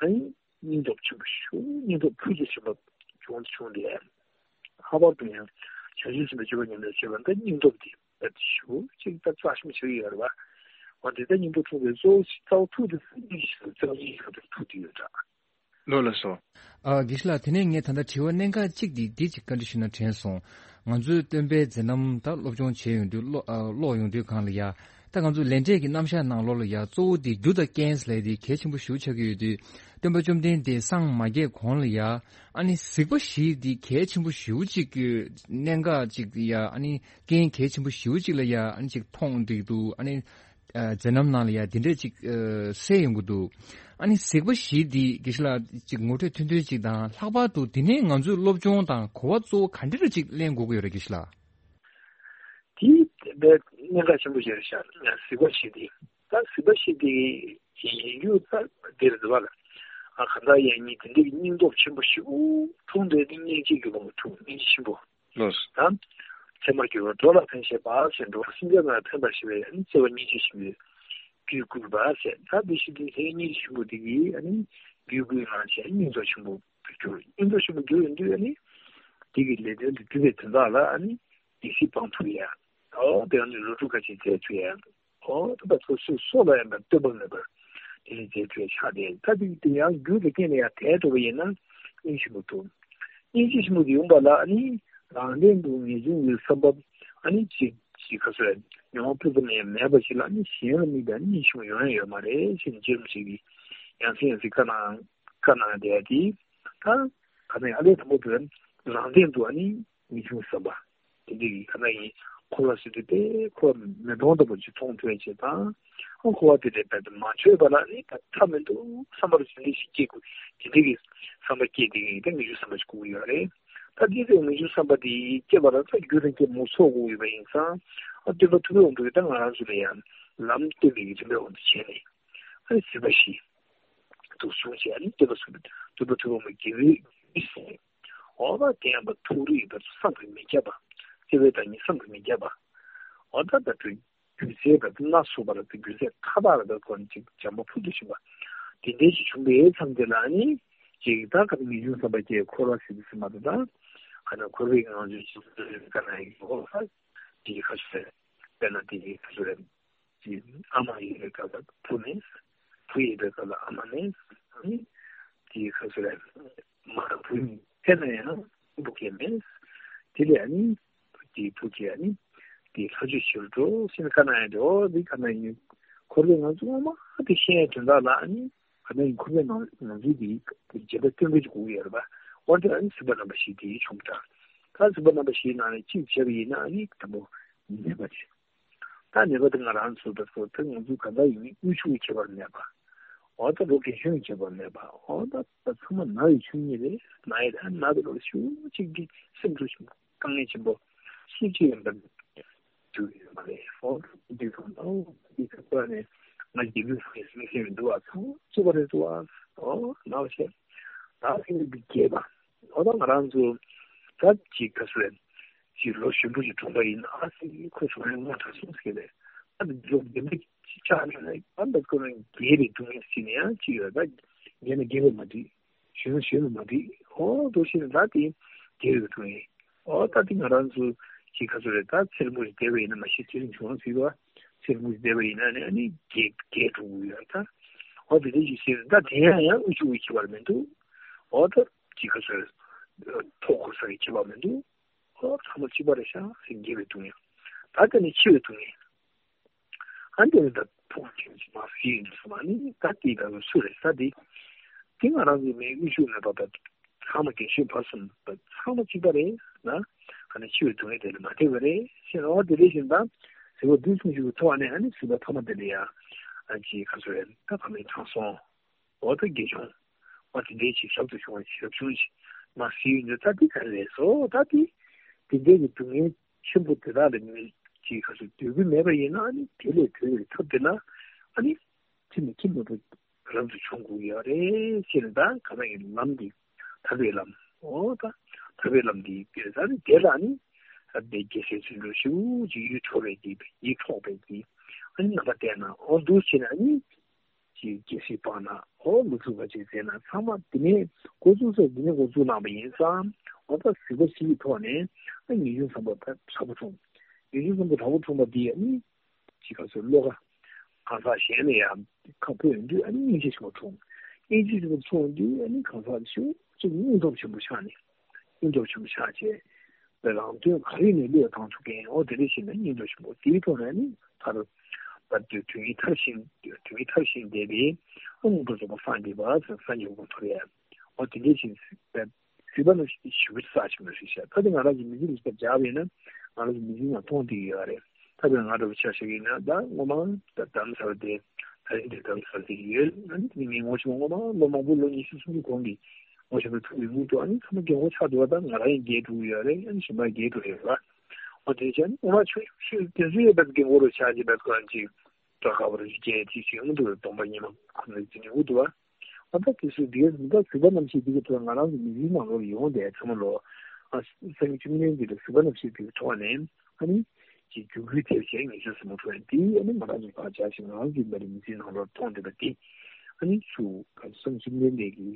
ཨ་ནི་སྙིང་སྟོབས་ཆེན་པོ་ཞིག་སྙིང་སྟོབས་ཕུན་སུམ་ཚོགས་པ་བྱུང་བྱུང་སྟེ། ལྷག་པར་དུ་ཡང་བྱང་ཆུབ་སེམས་དཔའི་སྤྱོད་པ་ཉམས་ལེན་བྱེད་པ་འདི་སྙིང་སྟོབས་འདི་ད་ཞུ་ཅིག་ད་རྩ་ཆེན་པོ་ཞིག་ཡོད་རེད་བ། འོ་དེ་ལྟར་སྙིང་སྟོབས་འཁྲུངས་པའི་གཙོ་བོ་རྩ་བ་ཐུག་དེ་སྙིང་རྗེ་ཞིག་རྩ་བ་སྙིང་རྗེ་ཁ་ཐུག་ཐུག་དེ་ཡོད་འདྲ། ལོ་ལ་སོ། ཨ་དགེ་བཤེས་ལགས། དེ་ནས་ངས་ད་ལྟ་དྲི་བ་གནད་འགག་གཅིག་འདི་འདི་གཅིག་བཀའ་འདྲི་ཞུ་ན་དྲན་སོང་། ང་ཚོས་སྟོན་པའི་མཛད་རྣམ་ད་སློབ་སྦྱོང་བྱས་ཡོང་དུས་ཀློག་ཨ་ཀློག་ཡོང་དུས་གང་ལ་ཡ། ད་ང་ཚོ་ལས་འབྲས་ཀྱི་རྣམ་གཞག་ནང་ལོགས་ལ་ཡ་གཙོ་བོ་འདི་རྒྱུ་དང་རྐྱེན་ཟེར་ལས་འདི་གལ་ཆེན་པོ་ཞེ་པོ་ཆགས་ཀྱི་ཡོད་དུས། སྟོན་པ་བཅོམ་ལྡན་འདས་སངས་མ་རྒྱས་གོང་ལ་ཡ། ཨ་ནི་གཟིགས་པ་བཞི་འདི་གལ་ཆེན་པོ་ཞེ་པོ་ཅིག་གི་གནད་འགག་ཅིག་ཡ། ཨ་ནི་རྐྱེན་གལ་ཆེན་པོ་ཞེ་པོ་ཅིག་ལ་ཡ། ཨ་ནི་ཅིག་མཐོང་འགྲིག་འདུག་ཨ་ནི། ཨ་མཛད་རྣམ་ནང་ལ་ཡ་དེ་འདྲས་ཅིག་ཨ་གསལ་ཡོང་གི་འདུག་ཨ་ནི་གཟིགས་པ་བཞི་འདི་དགེ་བཤེས་ལགས་ཅིག་ངོ་སྤྲོད་ཐུང་ཐུང་ཅིག་དང་། ལྷག་པར་དུ་དེ་ནས་ང་ཚོས་སློབ་སྦྱོང་དང་གོ་བ་གཙོ་བོ་ག་འདྲ་ཅིག་ལེན་དགོས་ཀྱི་ཡོད་རེད་དགེ་བཤེས་ལགས། དེ་དཔེ་གནད་འགག་ཆེན་པོ་ཞིག་རེད་ཤག་གཟིགས་པ་བཞི་འདི། ད་གཟིགས་པ་བཞི་འདི་ཡིན་རྒྱུ་ད་འདི་རེད་འདུག་བ་ལ། ཨ་གང་ལྟར་ཡང་ཉིད་དེ་འདྲའི་སྙིང་སྟོབས་ཆེན་པོ་ཞིག་འཁྲུངས་འདུག་དེ་སྙིང་རྗེ་གི་བང་འཁྲུངས་སྙིང་རྗེ་ཆེན་པོ། ལགས་སོ། ད་ཚད་མར་གྱུར་པ་འགྲོ་ལ་ཕན་བཞེད་པ་ཟེར། འགྲོ་བ་སེམས་ཅན་རྣམས་ལ་ཕན་པར་བྱེད་པའི་ཨ་ནི་བརྩེ་བ་སྙིང་རྗེ་ཆེན་པོའི་རྒྱུད་བསྐུལ་བ་ཟེར། ད་འདི་བཞི་འདི་ཚེ་སྙིང་རྗེ་ཆེན་པོ་འདི་གིས་ཨ་ནི་རྒྱུད་བསྐུལ་གནང་བྱས་སྙིང་སྟོབས་ཆེན་པོ་གྱུར། སྙིང་སྟོབས་ཆེན་པོ་གྱུར་ཡོང་དུས་ཨ་ནི་འདི་གི་ལས་དོན་དུ་སྒྲུབ་པའི་དོན་དག་ལ་ཨ་ནི་སྡིག་སྲིད་སྤང་ཐུབ་ཡ། ཨོ་དེ་ཨ་ནི་ལོ་དྲུག་ཁ་ཅིག་མཛད་ཐུབ་ཡ། ཨོ་ད་ད་ཚོ་སུ་སྲོག་ལ་ཡང་ད་ལྟོས་པ་མེད་པར་དེ་ནི་མཛད་ཐུབ་ཆགས་ཏེ། ད་དེ་དེ་ཡང་རྒྱུ་དང་རྐྱེན་ལ་ཡང་དད་འགྲོ་བ་ཡིན་ན་སྙིང་རྗེ་ཆེན་པོ་ཐོབ། སྙིང་རྗེ་ཆེན་པོ་དེ་ཡོང་པ་ལ་ཨ་ནི་རང་སྟེང་དུ་ངེས་འབྱུང་གི་བསམ་པ་ཨ་ནི་ཅིག་ཅིག་ག་ཚོད་མྱོང་བ་སྤུ་ཙམ་ཡང་མེད་པ་ཞིག་ལ་ཨ་ནི་གཞན་ལ་དམིགས་པའི་ཨ་ནི་སྙིང་རྗེ་ཆེན་པོ་ཡོང་ཡ་ཡོད་མ་རེད་ཅེས་ནི་རྗེ་རིན་པོ་ཆེ་གིས་ཡང་སེ་ཡང་སེ་བཀའ་གནང་བཀའ་གནང་བསྡད་དེ། ད་ག་ནས་ཨ་ལས་དང་པོ་དེ་རང་སྟེང་དུ་ཨ་ནི་ངེས་འབྱུང་བསམ་པ། དེ་འདྲ་ཡིན། ད་ལྟ་ཡིན་འཁོར་བ་ཟེར་དུས་དེ་འཁོར་བ་མེ་དོང་ལྟ་བུ་ཅིག་མཐོང་ཐུབ་ཡ་ཅིག་དང་། འཁོར་བ་དེ་འདྲའི་བར་དུ་མ་ཆོད་པ་ལ་ནི་ད་མཐའ་མི་འདུག་བསམ་པ་རུ་ཟིན་འདི་ཞིག་སྐྱེ་དགོས། དེ་འདྲ་གི་བསམ་པ་སྐྱེ་དེ་གི་ད་ངེས་འབྱུང་བསམ་པ་ཞིག་དགོས་ཀྱི་ཡོད་རེད། ད་འདི་ཚོའི་ངེས་འབྱུང་བསམ་པ་དེ་སྐྱེ་བ་ལ་ད་རྒྱུ་དང་རྐྱེན་མང་པོ་ཚོགས་དགོས་ཡོད་པ་ཡིན་ཙང་། ཨ་སྟོན་པ་ཐུབ་པའི་དབང་པོས་ད་ང་རང་ཚོ་ལ་ཡང་ལམ་སྟོན་པའི་གི་རིམ་པའི་དབང་དུ་བྱས་ནས། ཨ་ནི་གཟིགས་པ་བཞི། འདུག་བྱུང་བྱས་ནས་སྟོན་པ་གསུམ་སྟོན་པ་ཐུབ་པ་མ་དགེ་བའི་བཤེས་གཉེན། འོ་ད་དེ་ཡང་པ་ཐུགས་རིག་པ་བསམ་གྱིས་མི་ཁྱབ་པ། བརྩེ་བའི་བདག་ཉིད་བསམ་གྱིས་མི་ཁྱབ་པ། འོ་ད་ད་དུ་སྒྱུ་རྩལ་དང་སྣ་ཚོགས་པ་ལ་དུ་སྒྱུ་རྩལ་མཐའ་དག་ལ་དུ་གོ་ནས་ཅིག་བྱམས་པ་ཕུལ་དུ་ཕྱིན་པ། དེ་འདྲའི་ཞིག་བྱུང་པའི་མཚམས་དེ་ལ་ནི་ཅིག་ད་ག་ངེས་འབྱུང་བསམ་པ་སྐྱེ། འཁོར་བ་ཟེར་དུས་ཟེར་མ་ད་ད་ག་ན་འཁོར་བའི་ངང་ཚུལ་ཅིག་ག་ན་ཡིན་འོ་ད་དེ་ག་ཚོད་དཔེར་ན་དེ་ག་ཚོད་རེད། ཅིག་ཨ་མ་ཡིན་པའི་སྐབས་ལ་བུ་མེད། བུ་ཡིན་པའི་སྐབས་ལ་ཨ་མ་མེད། ཨ་ནི་དེའི་སྐབས་སུ་ལ་མ་བུ་གཉིས་ཕན་ན་ཡང་བུ་སྐྱེ་མེད། དེ་ལས་ཨ་ནི་དེའི་བུ་སྐྱེ་ཨ་ནི་དེའི་ལྷ་ཆོས་ཞིག་འགྲོ་ཟེར་ནས་བཀའ་གནང་ཡ་དེ། འོ་དེ་བཀའ་གནང་ཡིན། འཁོར་བའི་ངང་ཚུལ་ངོ་མ་དེ་ཤེས་ཡ་དོན་དག་ལ་ཨ་ནི་བཀའ་གནང་ཡིན། འཁོར་བའི་ངང་ངང་ཚུལ་དེ་རྗེས་དཔག་སྟོན་པའི་གོ་གི་ཡོད་རེད་པ། འོ་དེ་ཨ་ནི་སྲིད་པ་རྣམ་པ་བཞི་དེ་བྱུང་ད། ད་སྲིད་པ་རྣམ་པ་བཞིའི་ནང་ནས་གཅིག་བྱས་པ་ཡིན་ན་ཨ་ནི་དང་པོ་ནད་པ་རེད། ད་ནད་པ་དེ་ང་རང་ཚོ་ད་ཚོ་ད་ང་ཚོ་ག་འདྲ་ཡིན་མིན་དབུལ་ཕྱུག་གི་ཁྱད་པར་མེད་པ། འོ་ད་ལོ་རྒན་གཞོན་གྱི་ཁྱད་པར་མེད་པ། འོ་ད་ད་ཚང་མ་ན་ཡི་ཆུང་གཉིས་རེད། ན་ཡི་ད་ན་དེ་ལོ་ཞུ་གཅིག་གི་སེམས་ཚོ་ཞིག་དཀའ་ངལ་ཆེན་པོ་སུ་གཅིག་ཡིན་པ་དུ་ཡོད་མ་རེད། འོ་ད་འདི་ཚོ་ན་འོ་འདི་ཚོ་པ་ནས་ང་རྒྱལ་མོས་སུ་ངེས་སེམས་མི་སེམས་མི་འདུག་བ། ཚང་གཅིག་པ་རེད་འདུག་བ། འོ་ན་འོ་ཤེས་ད་སེམས་འདི་རྒྱས་པ། འོ་ད་ང་རང་ཚོ་ད་ཅིག་ག་ཚོད་ཅིག་ལོ་གཞོན་པོ་ཞིག་གྲོངས་པ་ཡིན་ན་ཨ་ཙི་ཁོ་ཚོ་ཡང་ང་དྲག་སོང་ཟེར་ནས། ཨ་ནི་ལོ་རྒན་པ་ཅིག་ཆགས་ནས་ཨ་ནི་ཁོ་རང་རྒས་པའི་སྡུག་བསྔལ་ཟེར་ནས་ཡང་ཅིག་ཡོད། ད་རྒས་ན་རྒས་པ་མ་འགྲིག་གཞོན་ན་གཞོན་པ་མ་འགྲིག་འོ་འདུག་ཟེར་ནས་ད་དེ་རྒས་པའི་སྡུག་བསྔལ། འོ་ད་དེ་ང་རང་ཚོ་ཅིག་ག་ཚོད་རེད། ད་ཚེ་རིང་པོ་ཞིག་བསྡད་པ་ཡིན་ན་མ་གཞི་ཚེ་རིང་བྱུང་ཟེར་བ། ཚེ་རིང་པོ་ཞིག་བསྡད་པ་ཡིན་ན་ནི་ཨ་ནི་རྒས་རྒས་འགྲོ་གི་ཡོད་ད། འོ་དེ་འདྲ་ཞིག་ཟེར་ནས་ད་དེ་ཡང་ཡང་དབུལ་ཕྱུག་གི་ཁྱད་པར་མི་འདུག་འོ་ད་ཅིག་ག་ཚོད་མཐོ་གོ་ས་གི་ཁྱད་པར་མི་འདུག་འོ་ཚང་མ་གཅིག་པ་རེད་ཤག་ཟེར། རྒས་པའི་སྡུག་བསྔལ། ད་དེ་ནས་འཆི་བའི་སྡུག་བསྔལ། ཨ་འདི་ནི་ད་ཕུང་ཁྱིམ་གྱི་མ་ཟིན་ཡིན་སོང་ཨ་ནི་ད་དེ་ད་སུ་རེད་ད་དེ། དེ་ང་རང་ཚོ་མི་དབུལ་ཕྱུག་མེད་པ་ད་ཚང་མ་རྒན་གཞོན་བར་གསུམ་ད་ཚང་མ་གཅིག་པ་རེད་ན། ཨ་ནི་འཆི་བའི་སྡུག་བསྔལ་དེ་ལས་མ་འདས་པ་རེད་ཟེར། འོ་དེ་འདྲ་བཞིན་ད་ཟེར་བ་འདུས་གསུམ་ཞིག་གི་ཐོག་ནས་ཨ་ནི་ཟེར་བ་ཐ་མ་དེ་ལ་ཡང་ཨ་ཅིག་ག་ཚོད་རེད། ད་ཕ་མའི་དྲང་སྲོང་། འོ་ད་དགེ་སྦྱོང་། འོ་དེ་འདྲའི་ཅིག་ཞབས་ཏུ་བྱུང་བ་ཞབས་ཆུང་ཞིག་མ་ཟིན་ཡོད་འདུག་ད་དེ་ག་རེ་རེད་ཟེར། ད་དེ་དེ་འདྲའི་གི་སྡུག་བསྔལ་ཆེན་པོ་དེ་དག་ལ་མི་ཅིག་ག་ཚོད་སྡོད་རྒྱུ་མེད་པ་ཡིན་ན་ཨ་ནི་དེ་ལས་གྲོལ་བའི་ཐབས་དེ་ལ་ཨ་ནི་ཅི་མི་ཅི་མེད་པ་རབ་ཏུ་བྱུང་དགོས་ཡོད་རེད་ཟེར་ནས། ད་ག་ན་ཡིན་ལམ་འདི་ཐར་པའི་ལམ། འོ་ད་ཐར་པའི་ལམ་འདི་དེ་ད་ནི་དེ་ལ་ནི། ད་ལྟའི་རྒྱལ་སྲས་བརྩོན་འགྲུས་ཞུ་ཅིག་ཡིད་འཕྲོག་པའི་གི་ཡིད་འཕྲོག་པའི་གི་ཨ་ནི་རྣམ་པ་བསྟན་ན་ཨོ་འདུག་བྱས་ན་ཨ་ནི་ཅིག་རྒྱལ་སྲས་སྤངས་ན་ཨོ་ལུག་ཕྲུག་པ་ཅིག་བཙལ་ན་ཚང་མ་དེ་ནས་འགོ་བཙུགས་ས་དེ་ནས་འགོ་བཙུགས་གནང་པ་ཡིན་ཙང་ཨོ་ད་གཟིགས་པ་ཞིག་གི་ཐོག་ནས་ཨ་ངེས་འབྱུང་བཟང་པོ་ད་དྲག་པོ་འཁྲུངས། ངེས་འབྱུང་བཟང་པོ་དྲག་པོ་འཁྲུངས་པ་འདི་ཨ་ནི་ཅིག་ག་ཚོད་བློ་ཁ་གང་ཟག་གཞན་ལ་ཡང་ཁ་ཕོ་ཡོང་དུས་ཨ་ནི་སྙིང་རྗེ་ཆེན་པོ་འཁྲུངས། སྙིང་རྗེ་ཆེན་པོ་འཁྲུངས་དུས་ཨ་ནི་གང་ཟག་ཞུ་ཅིག་སྙིང་སྟོབས་ཆེན་པོ་ཆགས་ནས་སྙིང་སྟོབས་ཆེན་པོ་ཆགས་བྱས་རང་དོན་ག་རེ་ནས་བློས་བཏང་ཐུབ་མཁན་ཨོ་དེ་འདྲ་ཞིག་ལ་སྙིང་སྟོབས་ཆེན་པོ་དེའི་ཐོག་ནས་ཨ་ནི་མཐར་ད་དུས་དུས་ངན་མཐར་ཕྱིན་དུས་ངན་མཐར་ཕྱིན་བསྡད་པའི་ཨ་མངོན་པར་རྫོགས་པ་སངས་རྒྱས་པ་སངས་རྒྱས་གོ་འཕང་ཐོབ་ཡ་ཨོ་དེ་འདྲ་ཞིག་གཟིགས་པ་ནི་ཞུ་བའི་རྩ་ཆེན་པོ་རེད་ཤག་ད་དེ་ང་རང་གི་མི་ཚེ་ལ་ཞིབ་ཕྲ་སྦྱར་བས་ན་ང་རང་གི་མི་ཚེ་ནང་མཐོང་བསྡད་ཀྱི་ཡོད་རེད། ད་དཔེར་ང་འདྲ་བོ་ཆ་བཞག་གི་ཡིན་ན་ད་སྔོན་མ་ད་རྡ་རམ་ས་ལ་དེ་ད་རིང་དེ་རྡ་རམ་ས་ལ་དེ་ཡོད་ཨ་ནི་དེ་ནི་ངོ་ཆེན་མོ་སྔོན་མ་ལོ་མང་པོ་ལོ་ཉི་ཤུ་སུམ་ཅུ་གོང་གི་ངོ་ཆེན་མོ་ཐུག་པའི་དབུ་ཐོག་ཨ་ནི་ཚང་མ་རྒན་གོག་ཆགས་འདུག་བ། ད་ང་རང་ཡང་རྒས་འགྲོ་གི་ཡོད་རེད། ཨ་ནི་གཞན་པ་རྒས་འགྲོ་ཡོད་རེད་བ། འོ་དེ་བྱས་ཨ་ནི་སྔོན་མ་ཆུང་ཆུང་དེ་ཚོ་ཡོད་པ་རྒན་གོག་རུ་ཆགས་ཀྱི་བས་ཁོ་རང་ཅིག་སྐྲ་དཀར་པོ་རེ་ཞིག་སྐྱེས་ཅིག་ཅིག་ཨ་འདུག་སྟོང་པ་ཉི་མ་ཁོ་ནི་དེ་ནི་དབུ་ཐོག་བ། ཨ་ད་དེ་ཚོ་འདིའི་རིམ་པ་གཟིགས་པ་རྣམ་ཤེས་འདི་གི་ཐོག་ང་རང་གི་མི་ཚེའི་ནང་ལོགས་ཡོང་བསྡད་ཚང་མ་ལོ། ཨ་སང་ཉིན་བཅུ་གཉིས་འདི་ལ་གཟིགས་པ་རྣམ་ཤེས་འདི་གི་ཐོག་ནས་ཨ་ནི་ཅིག་རྒྱུད་སྐུལ་ཐེབས་བྱས་ངེས་ཤེས་ཟིན་མ་ཐུབ་ཡ་འདི་ཨ་ནི་ང་རང་ཚོ་ཕར་བྱ་ཞིང་ང་རང་གི་མི་ཚེའི་ནང་ལོགས་མཐོང་བསྡད་པ་འདི་ཨ་ནི་ཚུ་ག་སང་ཉིན་བཅུ་གཉིས་འདི་གི་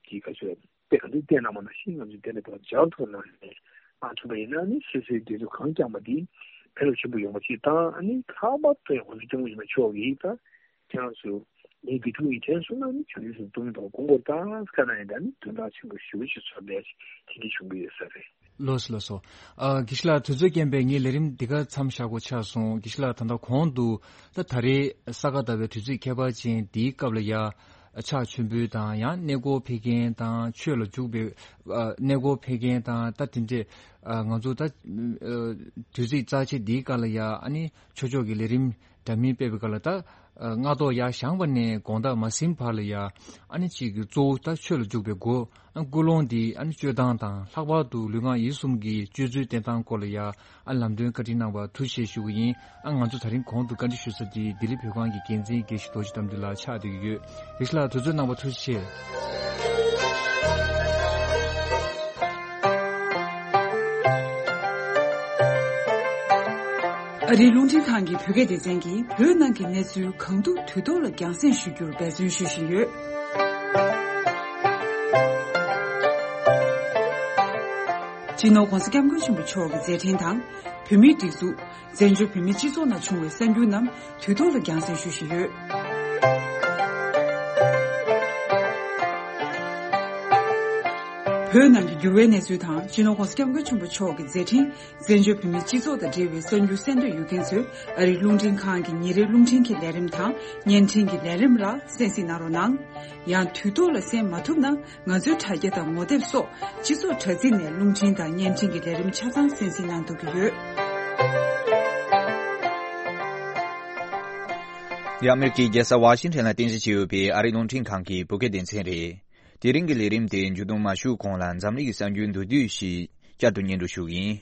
ཅིག་ག་ཚོད་དཔེ་ག་འདི་བལྟས་ན་མ་ན་ཤིང་ང་ཚོ་དེ་ལས་ཕར་སྦྱར་ཐུབ་ན་ནས་མ་ཐུབ་པ་ཡིན་ན་ཨ་ནི་སོ་སོའི་དེ་ཚོ་གང་བསྐྱངས་པ་འདི་ཕན་ཐོགས་ཆེན་པོ་ཡོང་བ་ཅིག་དང་ཨ་ནི་ལྷག་པར་དུ་ཡང་ང་ཚོ་སྐྱབས་མགོན་ཆེན་པོ་མཆོག་གིས་ད། ཁྱེད་རང་ཚོ་ངའི་དགེ་ཕྲུག་ཡིན་དྲན་སོང་ན་ནི་བྱང་ཆུབ་སེམས་སྟོང་ཉིད་དང་སྒོམ་དགོས་ད་སྐ་ན་ཡིན་ད་ནི་དོན་དག་ཆེན་པོ་ཞེ་པོ་ཅིག་ཚོར་བསྡད་ཅིག་དེ་འདྲ་བྱུང་གི་ཡོད་ས་རེད། ལགས་སོ་ལགས་སོ། ཨ་དགེ་བཤེས་ལགས་དུས་ཚོད་རྐྱེན་པས་ངའི་ལས་རིམ་འདི་ག་མཚམས་བཞག་དགོས་ཆགས་སོང་། དགེ་བཤེས་ལགས་ད་ལྟ་གོང་དུ་ད་ད་རེས་ས་ག་ཟླ་བའི་དུས་ཚིགས་ཁྱད་པར་ཅན་འདིའི་སྐབས་ལ་ཡ་ཕྱག་མཆོད་འབུལ་དང་ཡང་གནས་སྐོར་ཕེབས་མཁན་དང་ཆོས་ལ་འཇུག་པའི་ཨ་གནས་སྐོར་ཕེབས་མཁན་དང་ད་དེ་འདྲས་ཨ་ང་ཚོ་ད་ཨ་དུས་ཚིགས་རྩ་ཆེ་འདིའི་སྐབས་ལ་ཡ་ཨ་ནི་ཆོས་ཕྱོགས་ཀྱི་ལས་རིམ། འདྲ་མིན་སྤེལ་བའི་སྐབས་ལ་ད་ཨ་སྔ་ཐོག་ཡར་བཞེངས་པ་ནས་དགོང་དག་མ་ཟིན་བར་ལ་ཡ་ཨ་ནི་གཅིག་གི་གཙོ་བོ་ད་ཆོས་ལ་འཇུག་པའི་སྒོ་ཨ་ཀུན་སློང་འདི་ཨ་ནི་སྤྱོད་སྟངས་དང་ལྷག་པར་དུ་ལུས་ངག་ཡིད་གསུམ་གྱི་སྤྱོད་ཚུལ་བསྟེན་སྟངས་སྐོར་ལ་ཡ་ཨ་ལམ་སྟོན་བཀའ་དྲིན་གནང་བར་ཐུགས་རྗེ་ཆེ་ཞུ་གི་ཡིན། ཨ་ང་ཚོ་ད་རིང་གོང་དུ་བཀའ་འདྲི་ཞུ་ས་འདི་ལྡི་ལི་བོད་ཁང་གི་འགན་འཛིན་དགེ་བཤེས་རྡོ་རྗེ་དམ་འདུས་ལགས་ཆགས་བསྡད་ཀྱི་ཡོད། དགེ་བཤེས་ལགས་དུས་ཚོད་གནང་བར་ཐུགས་རྗེ་ཆེ། ཨ་རིའི་རླུང་འཕྲིན་ཁང་གི་བོད་སྐད་སྡེ་ཚན་གྱིས་བོད་ནང་གི་གནས་ཚུལ་གང་ཐུབ་དུས་ཐོག་ལ་རྒྱང་སྲིང་ཞུ་རྒྱུར་འབད་བརྩོན་ཞུ་བཞིན་ཡོད། སྤྱི་ནོར་༧གོང་ས་༧སྐྱབས་མགོན་ཆེན་པོ་མཆོག་གི་མཛད་འཕྲིན་དང་། བོད་མིའི་སྒྲིག་འཛུགས། བཙན་བྱོལ་བོད་མིའི་སྤྱི་ཚོགས་ནང་བྱུང་བའི་གསར་འགྱུར་རྣམས་དུས་ཐོག་ལ་རྒྱང་སྲིང་ཞུ་བཞིན་ཡོད། བོད་ནང་གི་འགྱུར་བའི་གནས་ཚུལ་དང་སྤྱི་ནོར་༧གོང་ས་༧སྐྱབས་མགོན་ཆེན་པོ་མཆོག་གི་མཛད་འཕྲིན། བཙན་བྱོལ་བོད་མིའི་སྤྱི་ཚོགས་དང་འབྲེལ་བའི་གསར་འགྱུར་གསན་འདོད་ཡོད་མཁན་ཚོས་ཨ་རིའི་རླུང་འཕྲིན་ཁང་གི་ཉིན་རེའི་རླུང་འཕྲིན་གྱི་ལས་རིམ་དང་བརྙན་འཕྲིན་གྱི་ལས་རིམ་ལ་གསན་གཟིགས་གནང་རོགས་གནང་། ཡང་དུས་ཐོག་ལ་གསན་མ་ཐུབ་ན་ང་ཚོའི་དྲ་རྒྱ་དང་ངོ་དེབ་སོགས་སྤྱི་ཚོགས་དྲ་ཚིགས་ནས་རླུང་འཕྲིན་དང་བརྙན་འཕྲིན་གྱི་ལས་རིམ་ཆ་ཚང་གསན་གཟིགས་གནང་ཐུབ་ཀྱི་ཡོད། འདི་ཨ་མེ་རི་ཀའི་རྒྱལ་ས་ཝ་ཤིང་ཊོན་ལ་རྟེན་གཞི་བྱས་ཡོད་པའི་ཨ་རིའི་རླུང་འཕྲིན་ཁང་གི་བོད་སྐད་སྡེ་ཚན་རེད། དེ་རིང་གི་ལས་རིམ་དེ་མཇུག་སྡོམ་མ་ཞུས་གོང་ལ་འཛམ་གླིང་གི་གསར་འགྱུར་མདོར་བསྡུས་ཤིག་བསྐྱར་དུ་སྙན་སྒྲོན་ཞུ་གི་ཡིན།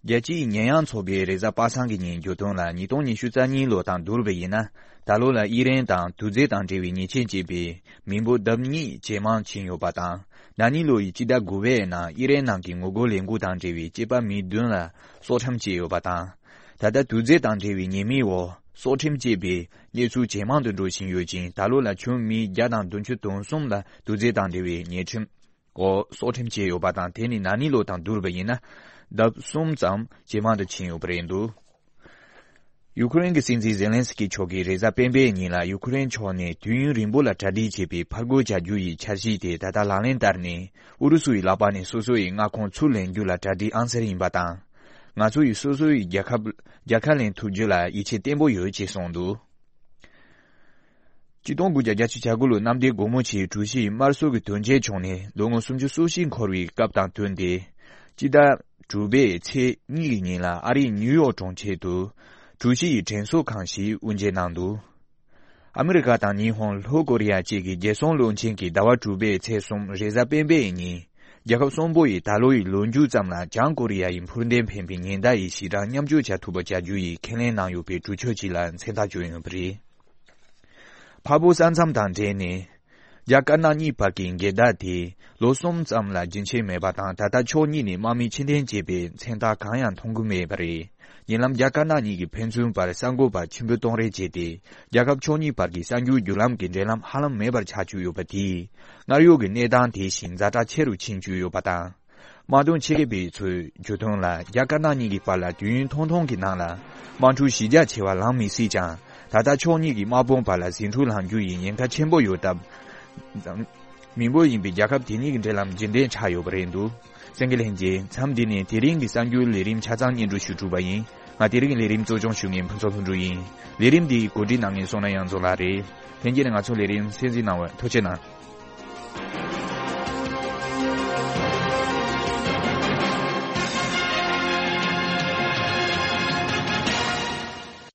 རྒྱལ་སྤྱིའི་ཉེས་ཡངས་ཚོགས་པའི་རེས་གཟའ་པ་སངས་ཀྱི་ཉིན་བརྗོད་དོན་ལ་ཉིས་སྟོང་ཉི་ཤུ་རྩ་གཉིས་ལོ་དང་བསྡུར་བ་ཡིན་ན། ད་ལོ་ལ་དབྱི་རན་དང་དུག་རྫས་དང་འབྲེལ་བའི་ཉེས་ཆད་བཅད་པའི་མི་འབོར་ལྡབ་གཉིས་ཇེ་མང་ཕྱིན་ཡོད་པ་དང་། ན་ནིང་ལོ་ཡི་སྤྱི་ཟླ་དགུ་པའི་ནང་དབྱི་རན་ནང་གི་ངོ་རྒོལ་ལས་འགུལ་དང་འབྲེལ་བའི་སྐྱེས་པ་མི་བདུན་ལ་སྲོག་ཁྲིམས་བཅད་ཡོད་པ་དང་། ད་ལྟ་དུག་རྫས་དང་འབྲེལ་བའི་ཉེས་མིང་འོག་སྲོག་ཁྲིམས་བཅད་པའི་གནས་ཚུལ་ཇེ་མང་དུ་འགྲོ་བཞིན་ཡོད་ཅིང་། ད་ལོ་ལ་ཁྱོན་མི་བརྒྱ་དང་བདུན་ཅུ་དོན་གསུམ་ལ་དུག་རྫས་དང་འབྲེལ་བའི་ཉེས་ཁྲིམས་འོག་སྲོག་ཁྲིམས་བཅད་ཡོད་པ་དང་། དེ་ནི་ན་ནིང་ལོ་དང་བསྡུར་བ་ཡིན་ན་ལྡབ་གསུམ་ཙམ་ཇེ་མང་དུ་ཕྱིན་ཡོད་པ་རེད་འདུག་ཡུ་ཁུ་རེན་གྱི་སྲིད་འཛིན་ཛེ་ལན་སི་ཀི་མཆོག་གིས་རེས་གཟའ་སྤེན་པའི་ཉིན་ལ་ཡུ་ཁུ་རེན་ཕྱོགས་ནས་དུས་ཡུན་རིང་པོ་ལ་གྲ་སྒྲིག་བྱས་པའི་ཕར་རྒོལ་བྱ་རྒྱུ་ཡི་འཆར་གཞི་དེ་ད་ལྟ་ལག་ལེན་བསྟར་ནས་ཨུ་རུ་སུ་ཡི་ལག་པ་ནས་སོ་སོ་ཡི་མངའ་ཁོངས་ཚུར་ལེན་རྒྱུ་ལ་གྲ་སྒྲིག་ཨང་གསར་ཡིན་པ་དང་། ང་ཚོ་ཡིས་སོ་སོ་ཡི་རྒྱལ་ཁབ་རྒྱལ་ཁ་ལེན་ཐུབ་རྒྱུ་ལ་ཡིད་ཆེས་བརྟན་པོ་ཡོད་ཅེས་གསུངས་འདུག་ཆིག་སྟོང་དགུ་བརྒྱ་བརྒྱད་ཅུ་གྱ་དགུ་ལོའི་གནམ་བདེ་སྒོ་མོ་ཆེའི་གྲུ་བཞི་དམར་གསོད་ཀྱི་དོན་རྐྱེན་བྱུང་ནས་ལོ་ངོ་སུམ་ཅུ་སོ་བཞི་འཁོར་བའི་སྐབས་དང་བསྟུན་ཏེ། སྤྱི་ཟླ་དྲུག་པའི་ཚེས་གཉིས་ཀྱི་ཉིན་ལ་ཨ་རིའི་ནིའུ་ཡོག་གྲོང་ཁྱེར་དུ་གྲུ་བཞི་ཡི་དྲན་གསོ་ཁང་ཞིག་དབུ་འབྱེད་གནང་འདུག་ཨ་མི་རི་ཀ་དང་ཉི་ཧོང་ལྷོ་ཀོ་རི་ཡ་བཅས་ཀྱི་རྒྱལ་སྲུང་བློན་ཆེན་གྱིས་ཟླ་བ་དྲུག་པའི་ཚེས་གསུམ་རེས་གཟའ་སྤེན་པའི་ཉིན། རྒྱལ་ཁབ་གསུམ་པོ་ཡིས་ད་ལོ་ཡི་ལོ་མཇུག་ཙམ་ལ་བྱང་ཀོ་རི་ཡ་ཡི་འཕུར་མདེལ་འཕེན་པའི་ཉེན་བརྡ་ཡི་ཞིབ་ཕྲ་མཉམ་སྤྱོད་བྱ་ཐུབ་པ་བྱ་རྒྱུ་ཡི་ཁས་ལེན་གནང་ཡོད་པའི་གྲོས་ཆོད་ཅིག་ལ་མཚན་རྟགས་བཅོལ་ཡོད་པ་རེད། འཕགས་བོད་ས་མཚམས་དང་འབྲེལ་ནས། རྒྱ་དཀར་ནག་གཉིས་བར་གྱི་འགལ་ཟླ་དེ་ལོ་གསུམ་ཙམ་ལ་རྒྱུན་ཆད་མེད་པ་དང་། ད་ལྟ་ཕྱོགས་གཉིས་ནས་དམག་མི་ཕྱིར་འཐེན་བྱས་པའི་མཚན་རྟགས་གང་ཡང་མཐོང་གི་མེད་པ་རེད། ཉེ་ལམ་རྒྱ་དཀར་ནག་གཉིས་ཀྱིས་ཕན་ཚུན་བར་གསར་འགོད་པ་ཆེན་པོ་གཏོང་རེས་བྱས་ཏེ། རྒྱལ་ཁབ་ཕྱོགས་གཉིས་བར་གྱི་གསར་འགྱུར་བརྒྱུད་ལམ་གྱི་འབྲེལ་ལམ་ཧ་ལམ་མེད་པར་ཆགས་བཅུག་ཡོད་པ་དེས། སྔར་ཡོད་ཀྱི་གནས་སྟངས་དེ་བཞིན་ཛ་དྲག་ཆེ་རུ་ཕྱིན་བཅུག་ཡོད་པ་དང་། དམག་དོན་ཆེད་མཁས་པ་ཚོས་བརྗོད་དོན་ལ། རྒྱ་དཀར་ནག་གཉིས་ཀྱི་བར་ལ་དུས་ཡུན་ཐུང་ཐུང་གི་ནང་ལ་དམག་འཁྲུག་གཞི་རྒྱ་ཆེ་བ་ལངས་མི་སྲིད་ཀྱང་། ད་ལྟ་ཕྱོགས་གཉིས་ཀྱི་དམག་དཔུང་བར་ལ་ཟིང་འཁྲུག་ལངས་རྒྱུ་ཡི་ཉེན་ཁ་ཆེན་པོ་ཡོད་སྟབས། མི་འབོར་ཡིན་པའི་རྒྱལ་ཁབ་དེ་གཉིས་ཀྱི་འབྲེལ་ལམ་རྒྱུན་ལྡན་ཆགས་ཡོད་པ་རེད་འདུག་གསན་མཁན་ལྷན་རྒྱས། མཚམས་འདི་ནས་དེ་རིང་གི་གསར་འགྱུར་ལས་རིམ་ཆ་ཚང་སྙན་སྒྲོན་ཞུ་གྲུབ་པ་ཡིན། ང་དེ་རིང་གི་ལས་རིམ་གཙོ་སྐྱོང་ཞུ་མཁན་ཕུན་ཚོགས་ལྷུན་གྲུབ་ཡིན། ལས་རིམ་འདི་གོ་སྒྲིག་གནང་མཁན་བསོད་ནམས་དབྱངས་མཚོ་ལགས་རེད། ལྷན་རྒྱས་ནས་ང་ཚོ་ལས་རིམ་གསན་གཟིགས་གནང་བར་ཐུགས་རྗེ་གནང་།